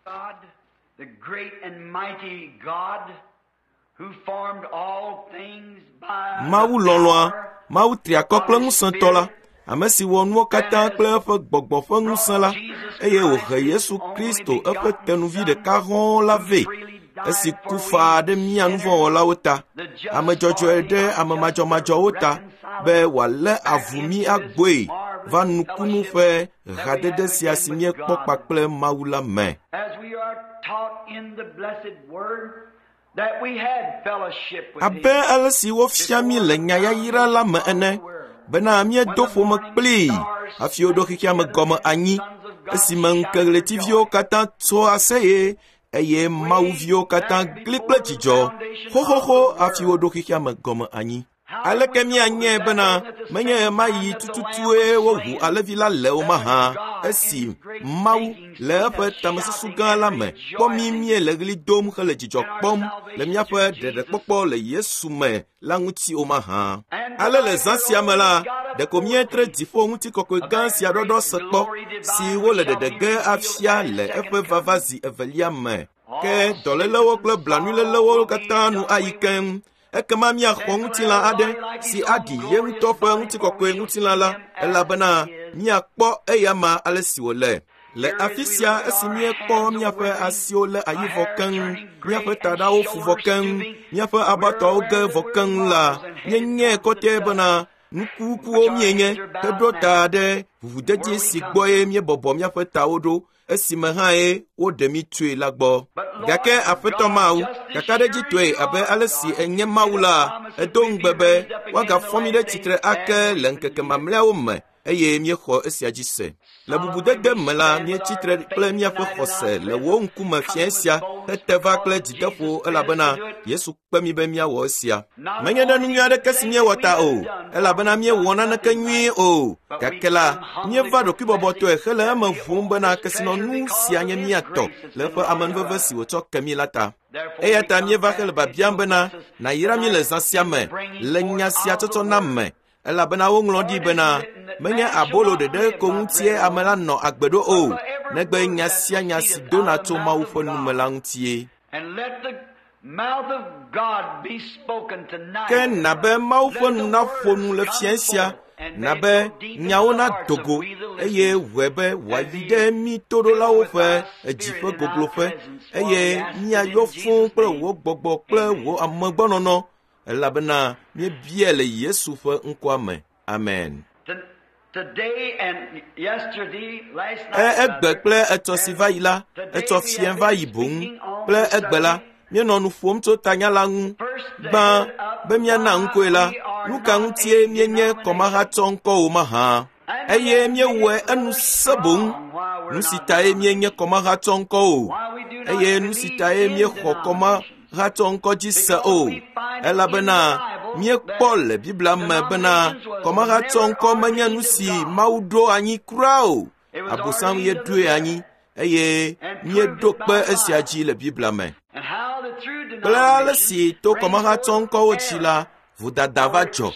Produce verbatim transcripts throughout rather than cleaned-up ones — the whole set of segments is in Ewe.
God, the great and mighty God, who formed all things by the Mawu lɔlɔ̃a, power Mawu triakɔ kple ŋusẽtɔ la, ame si wɔ nuwo katã kple eƒe gbɔgbɔ ƒe ŋusẽ la, eye wòhe Yesu Kristo eƒe tenuvi ɖeka hɔ̃ɔ la vɛ, esi ku faa ɖe mía nuvɔ̃wɔlawo ta, ame dzɔdzɔe ɖe ame madzɔmadzɔwo ta, be wòalé avu mí agboe va nukunu ƒe hadede sia si míekpɔ kpakple Mawu la me. As we are taught in the blessed word that we had fellowship with Abe him. ale si wofia mí le nya yayra la me ene, bena míedo ƒome kplii hafi woɖo xexea me gɔme anyi, esime ŋkeɣletiviwo katã tso aseye eye mawuviwo katã gli kple dzidzɔ xoxoxo hafi woɖo xexea me gɔme anyi. Aleke míanyae bena menye ɣemaɣi tututue woʋu alẽvi la le o mahã, esi Mawu le eƒe tamesusu gã la me kpɔ mí míele ɣli dom hele dzidzɔ kpɔm le míaƒe ɖeɖekpɔkpɔ le Yesu me la ŋuti o mahã. Ale le zã sia me la, ɖeko míetre dziƒo ŋutikɔkɔe gã sia ɖɔɖɔ se kpɔ si wole ɖeɖe ge afia le eƒe vava zi evelia me. Ke dɔlélewo kple blanuilélewo katã nu ayi keŋ. Ekema míaxɔ ŋutilã aɖe si aɖi ye ŋutɔ ƒe ŋutikɔkɔe ŋutilã la, elabena míakpɔ eyama ale si wòle. Le afi sia esi míekpɔ míaƒe asiwo lé ayi vɔ keŋ, míaƒe taɖawo fu vɔ keŋ, míaƒe abatɔawo ge vɔ keŋ la, míenyae kɔtɛe bena nukukuwo míenye heɖo ta ɖe ʋuʋudedi si gbɔe míebɔbɔ míaƒe tawo ɖo esime hãe woɖe mí tsoe la gbɔ. Gake Aƒetɔ Mawu, kakaɖedzitɔe abe ale si enye Mawu la, edo ŋugbe be woagafɔ mí ɖe tsitre ake le ŋkeke mamlɛawo me eye míexɔ esia dzi se. Le bubudede me la, míetsi tre kple míaƒe xɔse le wò ŋkume fiẽ sia hete va kple dzideƒo elabena Yesu kpe mí be míawɔ esia. Menye ɖe nu nyui aɖeke si míewɔ ta o, elabena míewɔ naneke nyuie o, gake la, míeva ɖokuibɔbɔtɔe hele eme ʋum bena kesinɔnu sia nye mía tɔ le eƒe amenuveve si wòtsɔ ke mí la ta. Eya ta míeva hele biabiam bena nàyra mí le zã sia me le nya sia tsɔtsɔ na me elabena woŋlɔ ɖi bena menye abolo ɖeɖe ko ŋutie ame la nɔ agbe ɖo o, negbe nya sia nya si dona tso Mawu ƒe nume la ŋutie. And let the mouth of God be spoken tonight. Ke na be Mawu ƒe nu naƒo nu le fiẽ sia, na be nyawo nado go eye wɔe be wòayi ɖe mí toɖolawo ƒe edzi ƒe gogloƒe eye míayɔ fũu kple wò gbɔgbɔ kple wò amegbɔnɔnɔ elabena míebia le Yesu ƒe ŋkɔa me. Amen. To- Today and yesterday, last E night, egbe kple etsɔ si va yi la, etsɔ fiẽ va yi boŋ kple egbe la, míenɔ nu ƒom tso tanya la ŋu. Gbã, be míana ŋkɔe la, nu ka ŋutie míenye kɔmahatsɔ ŋkɔ o mahã? Eye míewɔe enu sẽ boŋ. Nu si tae míenye kɔmahatsɔ ŋkɔ o, eye nu si tae míexɔ kɔmahatsɔ ŋkɔ dzi se o, elabena míekpɔ le Biblia me bena kɔmahatsɔ ŋkɔ menye nu si Mawu ɖo anyi kura o. Abosam ye ɖoe anyi eye míeɖo kpe esia dzi le Biblia me. And how the through Kple ale si to denomination kɔmahatsɔ ŋkɔwo dzi la, vodada va dzɔ.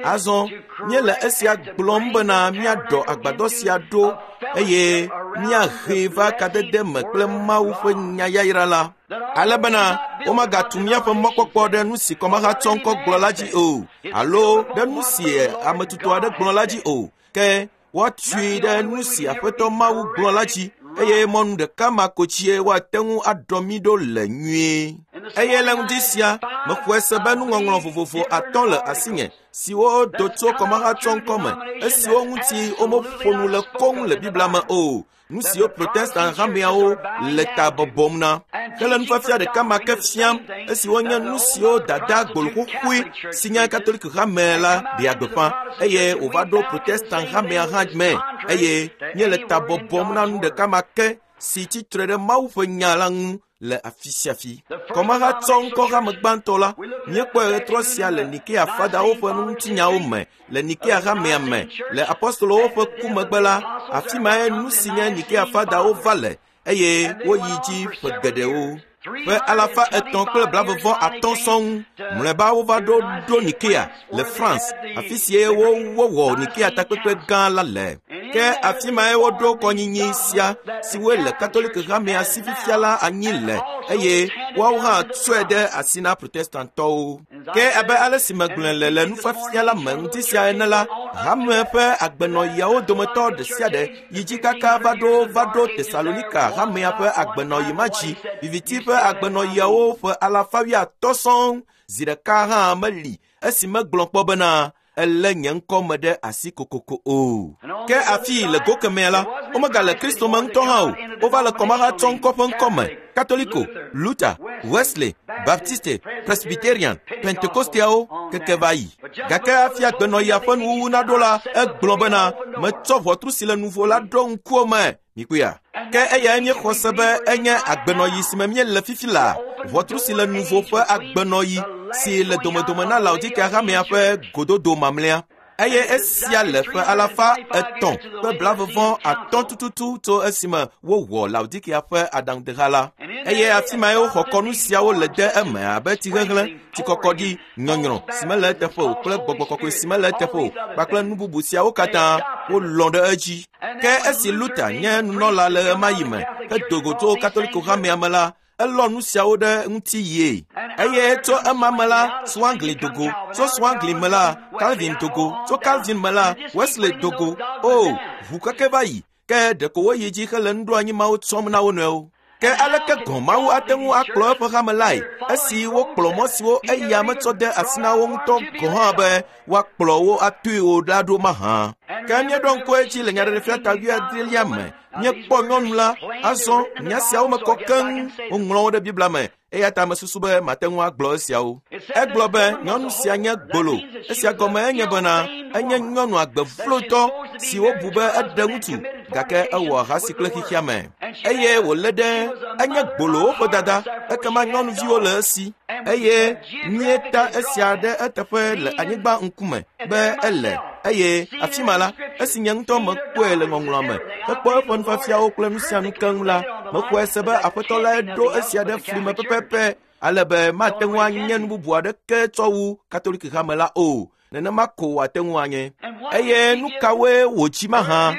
Azɔ míele esia gblɔm bena míaɖɔ agbadɔ sia ɖo eye míahee va kadede me kple Mawu ƒe nya yayra la. Ale bena womagatu míaƒe mɔkpɔkpɔ ɖe nu si kɔmahatsɔ ŋkɔ gblɔ la dzi o, alo ɖe nu si ame tutu aɖe gblɔ la dzi o, ke woatui ɖe nu si Aƒetɔ Mawu gblɔ la dzi eye mɔnu ɖeka ma ko dzie woate ŋu aɖɔ mí ɖo le nyuie. Eye le ŋdi sia, mexɔe se be nuŋɔŋlɔ vovovo atɔ̃ le asinye siwo do tso kɔmahatsɔ ŋkɔ me, esiwo ŋuti womeƒo nu le koŋ le Biblia me o, nu siwo Protestant hameawo le ta bɔbɔm na. Hele nufiafia ɖeka ma ke fiam esiwo nye nu siwo dada gboloxoxoe si nye Katolik hame la ɖea gbeƒã eye wòva ɖo Protestant hamea hã me eye míele ta bɔbɔm na nu ɖeka ma ke si tsi tre ɖe Mawu ƒe nya la ŋu le afi sia afi. Kɔmahatsɔ ŋkɔ hame gbãtɔ la, míekpɔe ɣetrɔ sia le Nikea fadawo ƒe ŋutinyawo me, le Nikea hamea me, le apostolowo ƒe ku megbe la, afi mae nu si nye Nikea fadawo va le eye woyi dzi ƒe geɖewo. Ƒe alafa etɔ̃ kple blavevɔ atɔ̃ sɔŋ mlɔeba wova ɖo ɖo Nikea le France, afi sie wowɔ Nikea takpekpe gã la le. Ke afi mae woɖo kɔnyinyi sia siwoe le Katolik hamea si fifia la anyi le eye woawo hã tsɔe ɖe asi na Protestantɔwo. Ke abe ale si megblɔe le le nufiafia la me ŋuti sia ene la, hame ƒe agbenɔɣiawo dometɔ ɖe sia ɖe yi dzi kaka va ɖo va ɖo Tesalonika hamea ƒe agbenɔɣi ma dzi. Viviti ƒe agbenɔɣiawo ƒe alafa wuiatɔ̃ sɔŋ zi ɖeka hã meli esi megblɔ kpɔ bena elé nye ŋkɔ me ɖe asi kokoko o. Ke afi le go kemea la, womegale Kristo me ŋutɔ hã o. Wova le kɔmahatsɔ ŋkɔ ƒe ŋkɔ me. Katoliko, Luther, Wesley, Baptiste, Presbyterian, Pentekosteawo keke va yi. Gake hafi agbenɔɣia ƒe nuwuwu naɖo la, egblɔ bena metsɔ ʋɔtru si le nuvo la ɖo ŋkuwò me. Mikpɔea? Ke eyae míexɔ se be enye agbenɔɣi si me míele fifi la, ʋɔtru si le nuvo ƒe agbenɔɣi si le domedome na Laodikea hamea ƒe gododo mamlɛa. Eye esia le ƒe alafa etɔ̃ kple blavevɔ atɔ̃ tututu tso esime wowɔ Laodikea ƒe aɖaŋudeha la. Eye afi mae woxɔ kɔnu siawo le de eme abe tsihehlẽ, tsikɔkɔɖi, nyɔnyrɔ si mele eteƒe o kple gbɔgbɔ kɔkɔe si mele eteƒe o kpakple nu bubu siawo katã wolɔ̃ ɖe edzi. Ke esi Luther nye nunɔla le ɣemaɣi me hedo go tso Katoliko hamea me la, elɔ nu siawo ɖe ŋuti yie. Eye tso ema me la, Zwingli do go. Tso Zwingli me la, Calvin do go. Tso Calvin me la, Wesley do go. O, ʋu keke va yi. Ke ɖeko woyi dzi hele nuɖoanyi mawo tsɔm na wo nɔewo. Ke aleke gɔ̃ Mawu ate ŋu akplɔ eƒe hame lae esi wokplɔ mɔ siwo eya metsɔ de asi na wo ŋutɔ gɔ̃ hã be woakplɔ wo atoe o la ɖo mahã? Ke míeɖo ŋku edzi le Nyaɖeɖefia ta wuiadrelia me. Míekpɔ nyɔnu la, azɔ nya siawo me kɔ keŋ woŋlɔ wo ɖe Biblia me eya ta mesusu be mate ŋu agblɔ esiawo. Egblɔ be nyɔnu sia nye gbolo. Esia gɔme enye bena enye nyɔnu agbevlotɔ si wobu be eɖe ŋutsu gake ewɔ ahasi kple xexea me. Eye wòlé ɖe enye gbolowo ƒe dada ekema nyɔnuviwo le esi. Eye míeta esia ɖe eteƒe le anyigba ŋkume be ele eye afi ma la, esi nye ŋutɔ mekpɔe le ŋɔŋlɔa me hekpɔ eƒe nufiafiawo kple nu sia nu keŋ la, mexɔe se be Aƒetɔ lae ɖo esia ɖe fli me pɛpɛpɛ ale be mate ŋu anye nu bubu aɖeke tsɔ wu Katolik hame la o. Nenema ko wòate ŋu anye. Eye nu kawoe wòdzi mahã?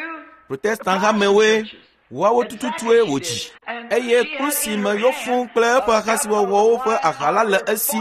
Protestant hamewoe. Woawo tututue wòdzi. Eye kplu si me yɔ fũu kple eƒe ahasiwɔwɔwo ƒe aha la le esi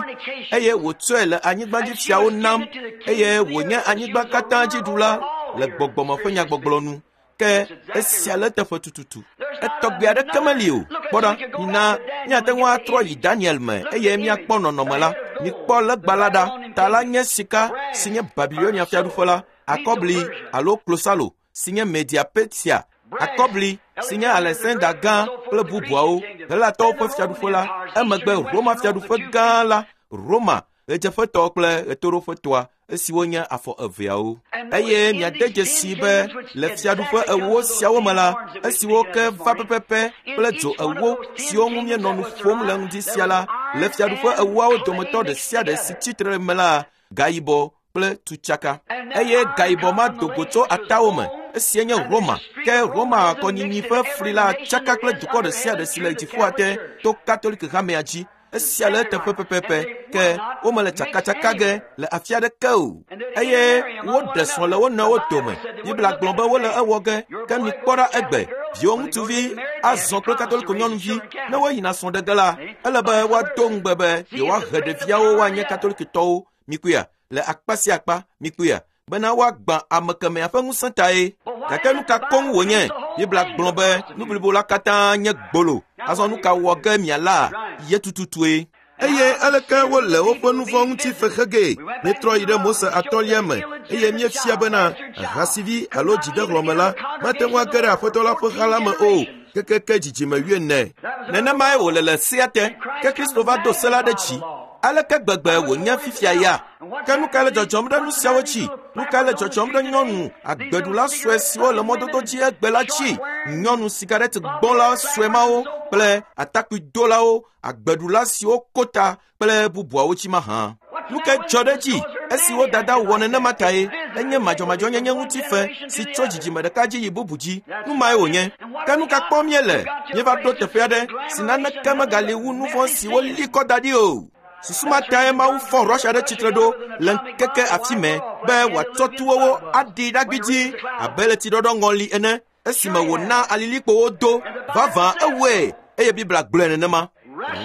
eye wòtsɔe le anyigbadzifiawo nam eye wònye anyigba katã dziɖula le gbɔgbɔme ƒe nyagbɔgblɔ nu. Ke esia le eteƒe tututu. Etɔgbe aɖeke meli o. Kpɔ ɖa, mina míate ŋu atrɔ yi Daniel me eye míakpɔ nɔnɔme la. Mikpɔ legba la ɖa. Ta la nye sika si nye Babilonia fiaɖuƒe la, akɔbli alo klosalo si nye Media Persia, akɔbli si nye Alexander gã kple bubuawo, Helatɔwo ƒe fiaɖuƒe la, emegbe Roma fiaɖuƒe gã la, Roma ɣedzeƒetɔ kple ɣetoɖoƒetɔa esiwo nye afɔ eveawo. Eye miade dzesi be le fiaɖuƒe ewo siawo me la, esiwo ke va pɛpɛpɛ kple dzo ewo siwo ŋu míenɔ nu ƒom le ŋdi sia la, le fiaɖuƒe ewoawo dometɔ ɖe sia ɖe si tsitre me la, gayibɔ kple tutsaka. Eye gayibɔ ma do go tso atawo me. Esia nye Roma. Ke Roma kɔnyinyi ƒe fli la tsaka kple dukɔ ɖe sia ɖe si le dziƒoa te to Katolik hamea dzi. Esia le eteƒe pɛpɛpɛ. Ke womele tsakatsaka ge le afi aɖeke o. Eye woɖe srɔ̃ le wo nɔewo dome. Biblia gblɔ be wole ewɔ ge. Ke mikpɔ ɖa egbe. Viwo ŋutsuvi azɔ kple Katoliko nyɔnuvi. Ne woyina srɔ̃ ɖe ge la, ele be woado ŋugbe be yewoahe ɖeviawo woanye Katolikitɔwo. Mikpɔea? Le akpa sia akpa, mikpɔea? Bena woagbã ame kemɛa ƒe ŋusẽ tae. Gake nu ka koŋ wònye? Biblia gblɔ be nu blibo la katã nye gbolo. Azɔ nu ka wɔ ge miala? Ye tututue. Eye aleke wole woƒe nu vɔ̃ ŋuti fexe gee? Míetrɔ yi ɖe Mose atɔ̃lia me eye míefia bena ahasivi alo dzidehlɔ̃me la mate ŋu age ɖe Aƒetɔ la ƒe ha la me o kekeke dzidzime wuiene. Nenemae wòle le sea te. Ke Kristo va do se la ɖe dzi. Aleke gbegbe wònye fifia ya? Ke nu ka le dzɔdzɔm ɖe nu siawo dzi? Nu ka le dzɔdzɔm ɖe nyɔnu agbeɖula sue siwo le mɔdodo dzi egbe la dzi? Nyɔnu sigaret gbɔla sue mawo kple atakpuidolawo, agbeɖula siwo ko ta kple bubuawo dzi mahã. Nu ka dzɔ ɖe dzi? Esi wo dada wɔ nenema tae, enye madzɔmadzɔnyenye ŋutife si tso dzidzime ɖeka dzi yi bubu dzi. Nu mae wònye. Ke nu ka kpɔm míele? Míeva ɖo teƒe aɖe si naneke megali wu nu vɔ̃ si woli kɔ da ɖi o. Susu ma tae Mawu fɔ Russia ɖe tsitre ɖo le ŋkeke afi mɛ be wòatsɔ tuwowo aɖi ɖagbidzi abe le tsiɖɔɖɔ ŋɔli ene esime wòna alilikpowo do. Vavã ewɔe eye Biblia gblɔe nenema.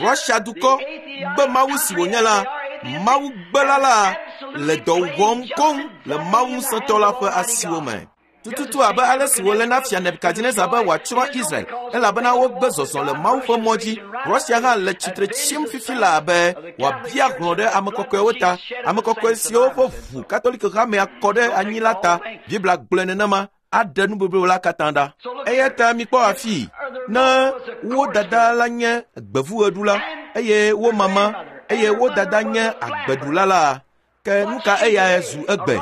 Russia dukɔ be Mawu si wònye la, Mawu gbela la le dɔ wɔm koŋ le Mawu ŋusẽtɔ la ƒe asiwo me. Tututu abe ale si wòle na fia Nebukadnezar be wòatsrɔ̃ Israel elabena wogbe zɔzɔ le Mawu ƒe mɔ dzi. Russia hã le tsitre tsim fifi laa be wòabia hlɔ̃ ɖe ame kɔkɔewo ta, ame kɔkɔe siwo ƒe ʋu Katoliko hamea kɔ ɖe anyi la ta. Biblia gblɔe nenema aɖe nubublu la katã ɖa. Eya ta mikpɔ afii, ne wo dada la nye gbevuɣeɖula eye wo mama eye wo dada nye agbeɖula la, ke nu ka eyae zu egbe?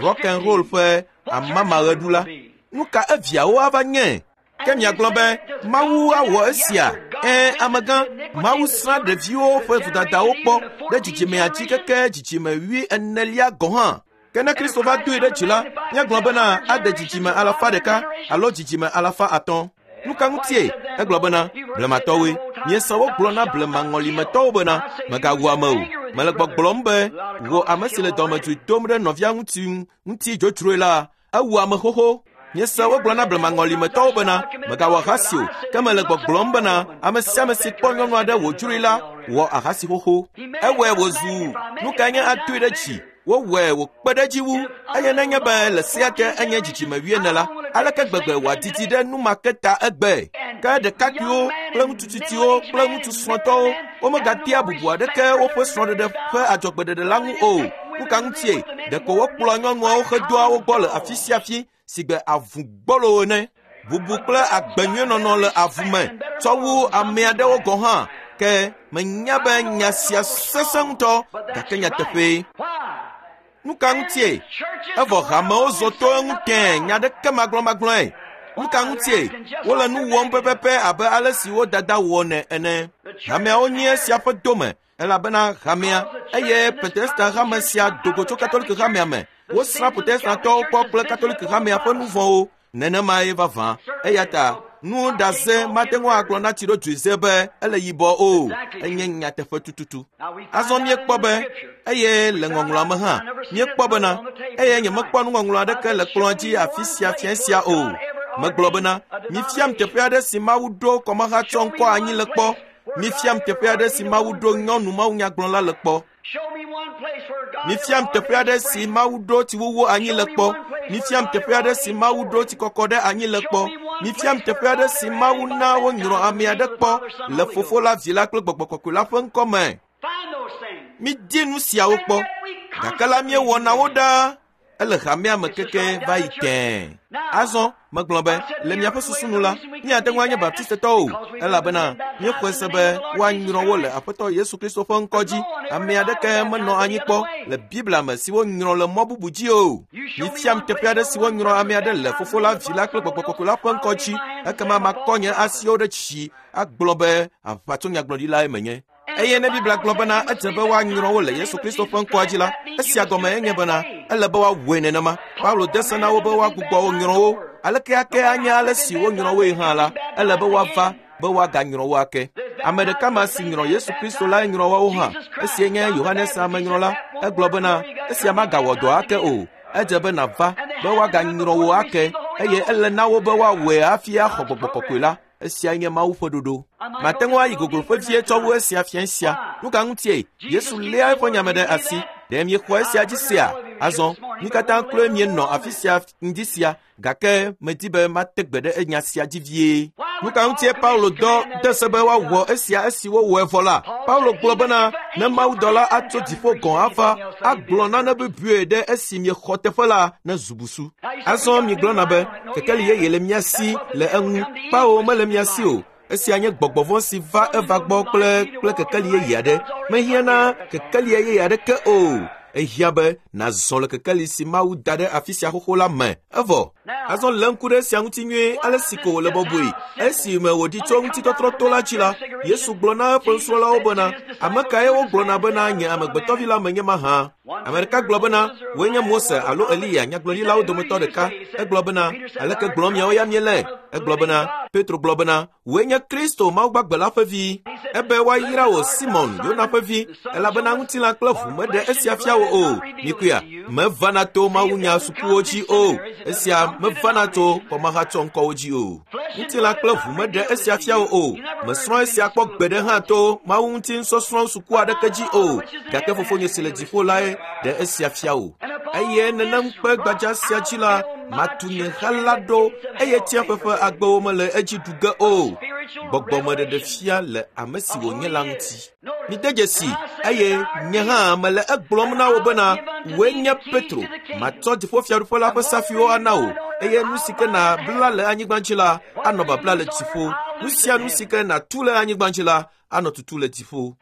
Rock and roll ƒe amamaɣeɖula. Nu ka eviawo ava nye? Ke miagblɔ be Mawu awɔ esia. Ẽ, amegã, Mawu srã ɖeviwo ƒe vodadawo kpɔ ɖe dzidzimea dzi keke dzidzime wui enelia gɔ̃ hã. Ke ne Kristo va doe ɖe dzi la, míagblɔ bena ade dzidzime alafa ɖeka alo dzidzime alafa atɔ̃. Nu ka ŋutie? Egblɔ bena, blematɔwoe. Miese wogblɔ na blemaŋɔlimetɔwo bena, mègawu ame o. Mele gbɔgblɔm be wò ame si le dɔmedzoe dom ɖe nɔvia ŋuti ŋuti dzodzroe la, ewu ame xoxo. Miese wogblɔ na blemaŋɔlimetɔwo bena, mègawɔ ahasi o. Ke mele gbɔgblɔm bena, ame sia ame si kpɔ nyɔnu aɖe wòdzroe la, wɔ ahasi xoxo. Ewɔe wòzu nu kae nye atoe ɖe dzi? Wowɔe wòkpe ɖe edzi wu eye nenye be le sea te enye dzidzime wuiene la, aleke gbegbe wòadidi ɖe nu ma ke ta egbe? Ke ɖekakpuiwo kple ŋutsu tsitsiwo kple ŋutsu srɔ̃tɔwo womegatea bubu aɖeke woƒe srɔ̃ɖeɖe ƒe adzɔgbeɖeɖe la ŋu o. Nu ka ŋutie? Ɖeko wokplɔa nyɔnuawo hedoa wo gbɔ le afi sia afi si gbe avu gbɔlo ene. Bubu kple agbenyuienɔnɔ le avu me tsɔ wu ame aɖewo gɔ̃ hã. Ke menya be nya sia sesẽ ŋutɔ gake nyateƒee. Nu ka ŋutie? Evɔ hamewo zɔ to eŋu tẽe nya ɖeke magblɔmagblɔe. Nu ka ŋutie? Wole nu wɔm pɛpɛpɛ abe ale si wo dada wɔnɛ ene. Hameawo nye esia ƒe dome elabena hamea eye Protestant hame sia do go tso Katoliko hamea me. Wosrã Protestantɔwo kpɔ kple Katoliko hamea ƒe nu vɔ̃wo. Nenemae vavã. Eya ta nu ɖaze mate ŋu agblɔ na tsiɖodzoe be ele yibɔ o. Enye nyateƒe tututu. Azɔ míekpɔ be eye le ŋɔŋlɔa me hã míekpɔ bena eye nyemekpɔ nuŋɔŋlɔ aɖeke le kplɔ̃a dzi afi sia fia sia o. Megblɔ bena mifiam teƒe aɖe si Mawu ɖo kɔmahatsɔ ŋkɔ anyi le kpɔ. Mifiam teƒe aɖe si Mawu ɖo nyɔnu mawunyagblɔla le kpɔ. Mifiam teƒe aɖe si Mawu ɖo tsiwuwu anyi le kpɔ. Mifiam teƒe aɖe si Mawu ɖo tsikɔkɔ ɖe anyi le kpɔ. Mifiam teƒe aɖe si Mawu na wonyrɔ ame aɖe kpɔ le Fofo la, Vi la kple Gbɔgbɔ Kɔkɔe la ƒe ŋkɔ me. Midi nu siawo kpɔ, gake la míewɔna wo ɖaa. Ele hamea me keke va yi tẽe. Azɔ megblɔ be le miaƒe susu nu la, míate ŋu anye Baptistetɔwo o, elabena míexɔe se be woanyrɔ wo le Aƒetɔ Yesu Kristo ƒe ŋkɔ dzi. Ame aɖeke menɔ anyi kpɔ le Biblia me si wonyrɔ le mɔ bubu dzi o. Mifiam teƒe aɖe si wonyrɔ ame aɖe le Fofo la, Vi la kple Gbɔgbɔ Kɔkɔe la ƒe ŋkɔ dzi. Ekema makɔ nye asiwo ɖe dzi agblɔ be aʋatsonyagblɔɖilae menye. Eye ne Biblia gblɔ bena edze be woanyrɔ wo le Yesu Kristo ƒe ŋkɔa dzi la, esia gɔme enye bena ele be woawɔe nenema. Paulo de se na wo be woagbugbɔ wo nyrɔ wo. Aleke ake anye ale si wonyrɔ woe hã la, ele be woava be woaganyrɔ wo ake. Ame ɖeka ma si nyrɔ Yesu Kristo lae nyrɔ woawo hã. Esie nye Yohanes amenyrɔla. Egblɔ bena esia magawɔ dɔ ake o. Edze be nàva be woaganyrɔ wo ake eye ele na wo be woawɔe hafi axɔ Gbɔgbɔ Kɔkɔe la. Esia nye Mawu ƒe ɖoɖo. Mate ŋu ayi gogloƒe vie tsɔ wu esia fia sia. Nu ka ŋutie? Yesu léa eƒe nyame ɖe asi. Ɖe miexɔ esia dzi sea? Azɔ, mí katã kloe mienɔ afi sia ŋdi sia, gake medi be mate gbe ɖe enya sia dzi vie. Nu ka ŋutie Paulo dɔ de se be woawɔ esia esi wowɔe vɔ la? Paulo gblɔ bena ne mawudɔla atso dziƒo gɔ̃ ava agblɔ nane bubue ɖe esi miexɔ teƒe la ne zu busu. Azɔ migblɔna be kekeli yeye le mía si le eŋu. Kpawo mele mía si o. Esia nye gbɔgbɔ vɔ̃ si va eva gbɔ kple kple kekeli yeye aɖe. Mehiã na kekeli yeye aɖeke o. Ehiã be nàzɔ le kekeli si Mawu da ɖe afi sia xoxo la me. Evɔ. Azɔ lé ŋku ɖe esia ŋuti nyuie ale si ko wòle bɔbɔe. Esime wòɖi tso ŋutitɔtrɔ to la dzi la, Yesu gblɔ na eƒe nusrɔ̃lawo bena, ame kae wogblɔna bena nye amegbetɔvi la menye mahã? Ame ɖeka gblɔ bena, wòe nye Mose alo Eliya nyagblɔɖilawo dometɔ ɖeka. Egblɔ bena, aleke gblɔm miawo ya miele? Egblɔ bena, Petro gblɔ bena, wòe nye Kristo Mawu gbagbe la ƒe vi. Ebe woayra wò Simon, Yona ƒe vi, elabena ŋutilã kple ʋu meɖe esia fia wò o. Mikuya, mevana to mawunya sukuwo dzi o. Esia mevana to kɔmahatsɔ ŋkɔwo dzi o. Ŋutilã kple ʋu meɖe esia fia wò o. Mesrɔ̃ esia kpɔ gbe ɖe hã to Mawu ŋuti nusɔsrɔ̃ suku aɖeke dzi o. Gake fofonye si le dziƒo lae ɖe esia fia wò. Eye nenem kpe gbadza sia dzi la, matu nye ha la ɖo eye tsiaƒe ƒe agbewo mele edzi ɖu ge o. Gbɔgbɔmeɖeɖe fia le ame si wònye la ŋuti. Mide dzesi eye nye hã mele egblɔm na wò bena wòe nye Petro. Matsɔ dziƒofiaɖuƒe la ƒe safiwo ana wò eye nu si ke nàbla le anyigba dzi la anɔ babla le dziƒo. Nu sia nu si ke nàtu le anyigba dzi la anɔ tutu le dziƒo.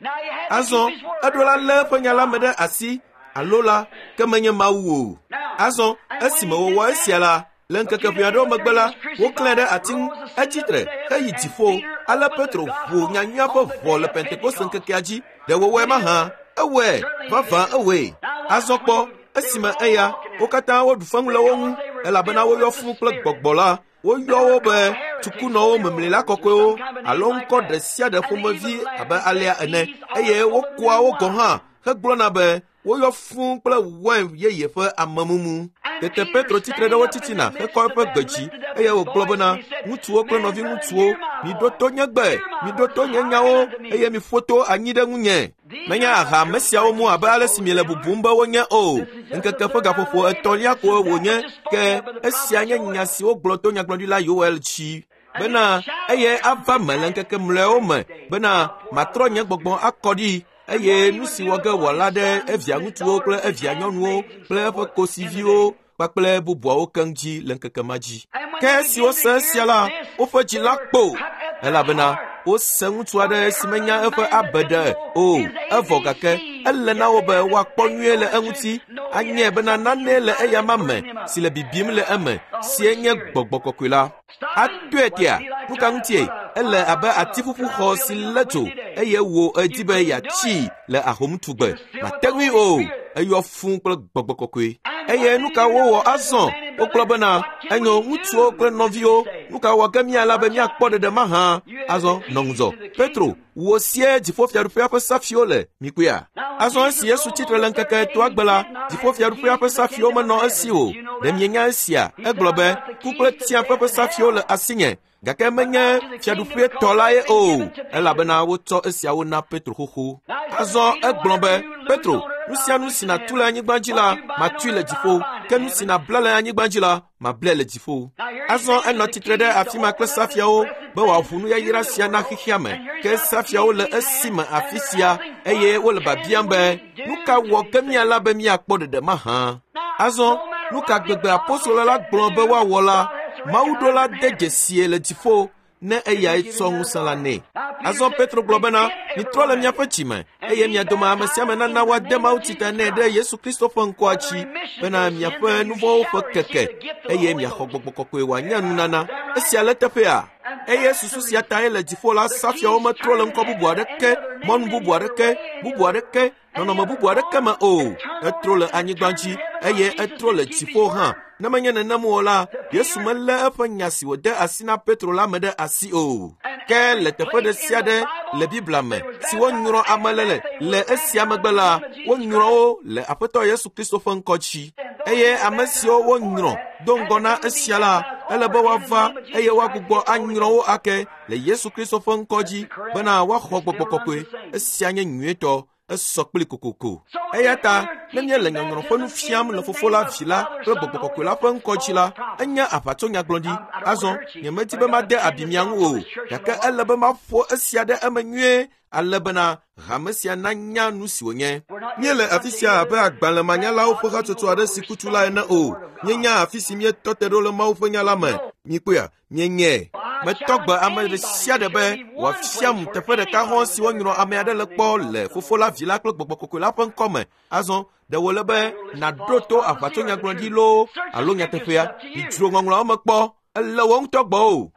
Azɔ eɖo la lé eƒe nya la me ɖe asi alo la ke menye Mawu o. Azɔ esime wòwɔ esia la, le ŋkeke ʋɛ aɖewo megbe la, woklãe ɖe ati ŋu, etsi tre heyi dziƒo. Ale Petro ʋu nyanyuia ƒe ʋɔ le Pentekoste ŋkekea dzi. Ɖe wòwɔe mahã? Ewɔe, vavã ewɔe. Azɔ kpɔ, esime eya, wo katã woɖu feŋu le wo ŋu, elabena woyɔ fũu kple gbɔgbɔ la. Woyɔ wo be tsukunɔwo memlila kɔkɔewo alo ŋkɔ ɖe sia ɖe ƒomevi abe alea ene eye wokoa wo gɔ̃ hã hegblɔna be woyɔ fũu kple wain yeye ƒe amemumu. Tete Petro tsitre ɖe wo titina hekɔ eƒe gbe dzi eye wògblɔ bena, ŋutsuwo kple nɔviŋutsuwo, miɖo to nye gbe, miɖo to nye nyawo eye miƒo to anyi ɖe ŋunye. Menye aha ame siawo mu abe ale si miele bubum be wonye o. Ŋkeke ƒe gaƒoƒo etɔ̃lia koe wònye ke esia nye nya si wogblɔ to nyagblɔɖila Yoel dzi. Bena eye ava me le ŋkeke mlɔewo me bena matrɔ nye gbɔgbɔ akɔ ɖi eye nu si wɔ ge wòala ɖe evia ŋutsuwo kple evia nyɔnuwo kple eƒe kosiviwo kpakple bubuawo keŋ dzi le ŋkeke ma dzi. Ke esi wose esia la, woƒe dzi la kpo elabena wose ŋutsu aɖe si menya eƒe abe ɖe o. Evɔ gake ele na wo be woakpɔ nyuie le eŋuti anye bena nane le eyama me si le bibim le eme sie nye gbɔgbɔ kɔkɔe la. Atoe tea, nu ka ŋutie? Ele abe atiƒuƒu xɔ si lé dzo eye wò edi be yeatsii le ahomtugbe. Mate ŋui o. Eyɔ fũu kple gbɔgbɔ kɔkɔe. Eye nu ka wowɔ azɔ? Wogblɔ bena, enyo ŋutsuwo kple nɔviwo, nu ka wɔ ge míala be míakpɔ ɖeɖe mahã? Azɔ nɔ ŋudzɔ. Petro, wò sie dziƒofiaɖuƒea ƒe safiwo le, mikpɔea? Azɔ esi Yesu tsitre le ŋkeke etɔ̃a gbe la, dziƒofiaɖuƒea ƒe safiwo menɔ esi o. Ɖe mienya esia? Egblɔ be, ku kple tsiaƒe ƒe safiwo le asinye. Gake menye fiaɖuƒe tɔ la ye o, elabena wotsɔ esiawo na Petro xoxo. Azɔ egblɔ be, Petro, nu sia nu si nàtu le anyigba dzi la, matui le dziƒo, ke nu si nàbla le anyigba dzi la, mablae le dziƒo. Azɔ enɔ tsitre ɖe afi ma kple safiawo be wòaʋu nuyayra sia na xexea me. Ke safiawo le esime afi sia eye wole biabiam be, nu ka wɔ ge míala be míakpɔ ɖeɖe mahã? Azɔ nu ka gbegbe apostolo la gblɔ be woawɔ la, Mawu ɖo la de dzesie le dziƒo ne eyae tsɔ ŋusẽ la nɛ. Azɔ Petro gblɔ bena, mitrɔ le miaƒe dzime eye mia dome ame sia ame nana woade mawutsi ta nɛ ɖe Yesu Kristo ƒe ŋkɔa dzi bena miaƒe nu vɔ̃wo ƒe keke eye miaxɔ gbɔgbɔ kɔkɔe wòanye nunana. Esia le teƒea? Eye susu sia tae le dziƒo la safiawo metrɔ le ŋkɔ bubu aɖeke, mɔnu bubu aɖeke, bubu aɖeke, nɔnɔme bubu aɖeke me o. Etrɔ le anyigba dzi eye etrɔ le dziƒo hã. Ne menye nenem o la, Yesu melé eƒe nya si wòde asi na Petro la me ɖe asi o. Ke le teƒe ɖe sia ɖe le Biblia me si wonyrɔ ame le le esia megbe la, wonyrɔ wo le Aƒetɔ Yesu Kristo ƒe ŋkɔ dzi. Eye ame siwo wonyrɔ do ŋgɔ na esia la, ele be woava eye woagbugbɔ anyrɔ wo ake le Yesu Kristo ƒe ŋkɔ dzi bena woaxɔ gbɔgbɔ kɔkɔe. Esia nye nyuietɔ. Esɔ kpli kokoko. Eya ta ne míele nyɔnyrɔ ƒe nu fiam le Fofo la, Vi la kple Gbɔgbɔ Kɔkɔe la ƒe ŋkɔ dzi la, enye aʋatsonyagblɔɖi. Azɔ nyemedi be made abi mia ŋu o, gake ele be maƒo esia ɖe eme nyuie ale bena hame sia nanya nu si wònye. Míele afi sia abe agbalẽmanyalawo ƒe hatsotso aɖe si kutu la ene o. Míenya afi si míetɔ te ɖo le Mawu ƒe nya la me. Mikpɔea? Míenyae. Metɔ gbe ame ɖe sia ɖe be wòafiam teƒe ɖeka hɔ̃ si wonyrɔ ame aɖe le kpɔ le Fofo la, Vi la kple Gbɔgbɔ Kɔkɔe la ƒe ŋkɔme. Azɔ ɖe wòle be nàɖo to aʋatsonyagblɔɖi loo alo nyateƒea? Midzro ŋɔŋlɔawo me kpɔ. Ele wò ŋutɔ gbɔ o.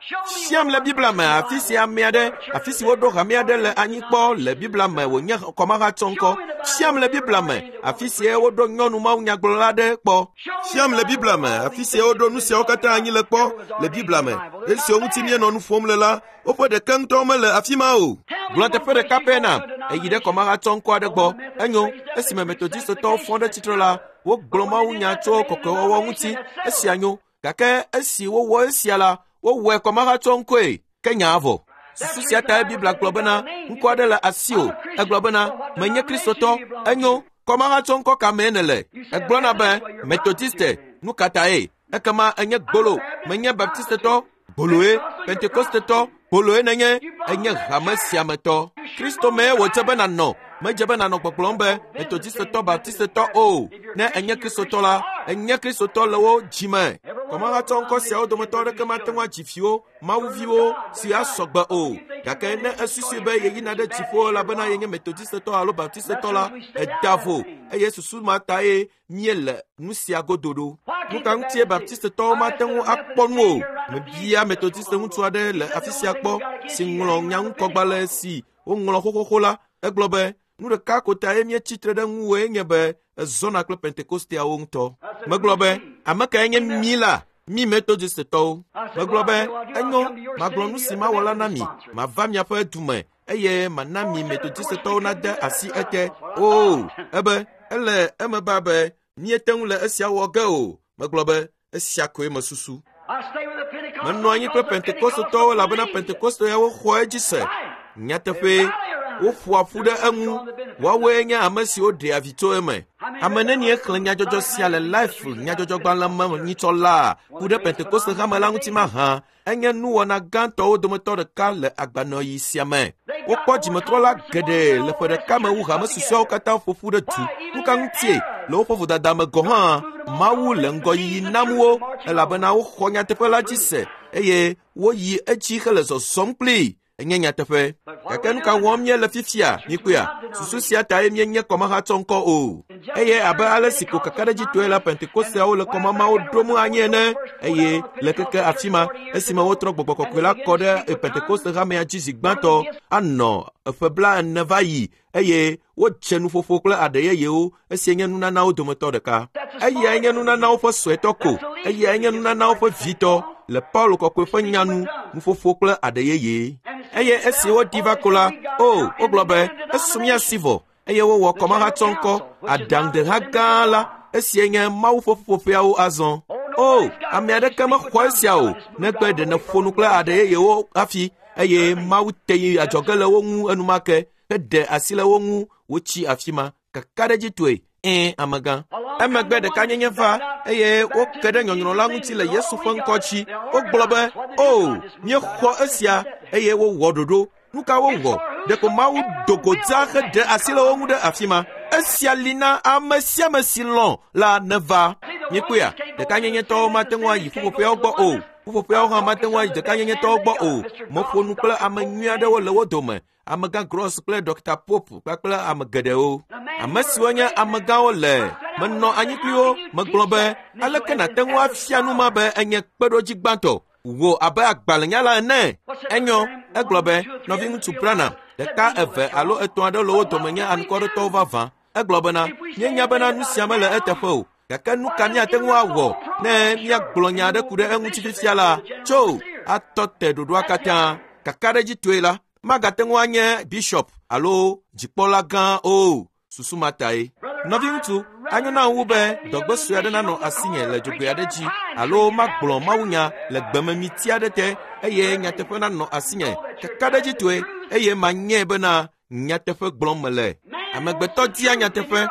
Fiam le Biblia me afi si ame aɖe, afi si woɖo hame aɖe le anyi kpɔ le Biblia me wònye kɔmahatsɔŋkɔ. Fiam le Biblia me afi si woɖo nyɔnu mawunyagblɔla aɖe kpɔ. Fiam le Biblia me afi si woɖo nu siawo katã anyi le kpɔ le Biblia me. Esiwo ŋuti míenɔ nu ƒom le la, woƒe ɖeke ŋutɔ mele afi ma o. Gblɔ teƒe ɖeka pɛ na eyi ɖe kɔmahatsɔŋkɔ aɖe gbɔ. Enyo, esime Metodistotɔwo fɔ ɖe tsitre la, wogblɔ mawunya tso kɔkɔewɔwɔ ŋuti. Esia nyo. Gake esi wowɔ esia la, wowɔe kɔmahatsɔŋkɔe ke nya vɔ. Susu sia tae Biblia gblɔ bena ŋkɔ aɖe le asiwò. Egblɔ bena menye Kristotɔ. Enyo, kɔmahatsɔŋkɔ ka mee nèle? Egblɔna be Metodiste. Nu ka tae? Ekema enye gbolo. Menye Baptistetɔ. Gboloe. Pentekostetɔ. Gboloe nenye. Enye hame sia me tɔ. Kristo mee wòdze be nànɔ. Medze be nànɔ gbɔgblɔm be Metodistetɔ, Baptistetɔ o. Ne enye Kristotɔ la, enye Kristotɔ le wo dzime. Kɔmahatsɔŋkɔ siawo dometɔ aɖeke mate ŋu adzi viwo, mawuviwo si asɔ gbe o. Gake ne esusui be yeyina ɖe dziƒo elabena yenye Metodistetɔ alo Baptistetɔ la, eda vo eye susu ma tae míele nu sia godo ɖo. Nu ka ŋutie Baptistetɔwo mate ŋu akpɔ nu o? Mebia Metodiste ŋutsu aɖe le afi sia kpɔ si ŋlɔ nyaŋukɔgbalẽ si woŋlɔ xoxoxo la. Egblɔ be nu ɖeka ko tae míetsi tre ɖe ŋuwòe nye be ezɔna kple Pentekosteawo ŋutɔ. Megblɔ be ame kae nye mí la? Mí Metodistetɔwo. Megblɔ be enyo, magblɔ nu si mawɔ la na mi. Mava miaƒe dume eye mana mi Metodistetɔwo nade asi ete. Oo, ebe ele eme ba be míete ŋu le esia wɔ ge o. Megblɔ be esia koe mesusu. Menɔ anyi kple Pentekostetɔwo elabena Pentekosteawo xɔ edzi se. Nyateƒee, woƒoa ƒu ɖe eŋu. Woawoe nye ame siwo ɖea vi tso eme. Ame nenie xlẽ nyadzɔdzɔ sia le Life nyadzɔdzɔgbalẽ me nyitsɔ la ku ɖe Pentekoste hame la ŋuti mahã. Enye nuwɔna gãtɔwo dometɔ ɖeka le agbanɔɣi sia me. Wokpɔ dzimetrɔla geɖe le ƒe ɖeka me wu hame susɔeawo katã ƒo ƒu ɖe du. Nu ka ŋutie le woƒe vodada me gɔ̃ hã Mawu le ŋgɔyiyi nam wo elabena woxɔ nyateƒe la dzi se eye woyi edzi hele zɔzɔm kplii. Enye nyateƒe. Gake nu ka wɔm míele fifia? Mikpɔea? Susu sia tae míenye kɔmahatsɔŋkɔ o. Eye abe ale si ko kakaɖedzitɔe la, Pentekosteawo le kɔmamawo ɖom anyi ene. Eye le keke afi ma, esime wotrɔ Gbɔgbɔ Kɔkɔe la kɔ ɖe Pentekoste hamea dzi zi gbãtɔ anɔ eƒe bla ene va yi eye wodze nuƒoƒo kple aɖe yeyewo. Esia nye nunanawo dometɔ ɖeka. Eyae nye nunanawo ƒe suetɔ ko. Eyae nye nunanawo ƒe vitɔ le Paulo kɔkɔe ƒe nya nu, nuƒoƒo kple aɖe yeye. Eye esi woɖi va ko la, o, wogblɔ be esu mía si vɔ eye wowɔ kɔmahatsɔŋkɔ aɖaŋudeha gã la. Esia nye Mawu ƒe ƒuƒoƒeawo azɔ. O, ame aɖeke mexɔ esia o negbe ɖe nèƒo nu kple aɖe yeyewo hafi eye Mawu te yi adzɔge le wo ŋu enumake heɖe asi le wo ŋu wotsi afi ma. Kakaɖedzitɔe, ɛ̃ amegã. Emegbe ɖekanyenye va eye woke ɖe nyɔnyrɔ la ŋuti le Yesu ƒe ŋkɔ dzi. Wogblɔ be, o, míexɔ esia eye wowɔ ɖoɖo. Nu ka wowɔ? Ɖeko Mawu do go dzaa heɖe asi le wo ŋu ɖe afi ma. Esia li na ame sia ame si lɔ̃ la neva. Míekpɔea? Ɖekanyenyetɔwo mate ŋu ayi ƒuƒoƒeawo gbɔ o. Ƒuƒoƒeawo hã mate ŋu ayi ɖekanyenyetɔwo gbɔ o. Meƒo nu kple ame nyui aɖewo le wo dome. Amegã Gross kple Dɔkta Pope kpakple ame geɖewo. Ame siwo nye amegãwo le menɔ anyi kpli wo. Megblɔ be aleke nàte ŋu afia nu ma be enye kpeɖodzi gbãtɔ wò abe agbalẽnyala ene? Enyo, egblɔ be nɔviŋutsu Branham, ɖeka eve alo etɔ̃ aɖewo le wo dome nye anukwaretɔwo vavã. Egblɔ bena míenya bena nu sia mele eteƒe o. Gake nu ka míate ŋu awɔ ne míagblɔ nya aɖe ku ɖe eŋuti fifia la? Tso atɔ te ɖoɖoa katã. Kakaɖedzitɔe la, magate ŋu anye bishop alo dzikpɔla gã o. Susu ma tae. Nɔviŋutsu, anyo na wu be dɔgbe sue aɖe nanɔ asinye le dzogoe aɖe dzi alo magblɔ mawunya le gbememiti aɖe te eye nyateƒe nanɔ asinye kakaɖedzitɔe eye manye bena nyateƒe gblɔm mele. Amegbetɔ dia nyateƒe,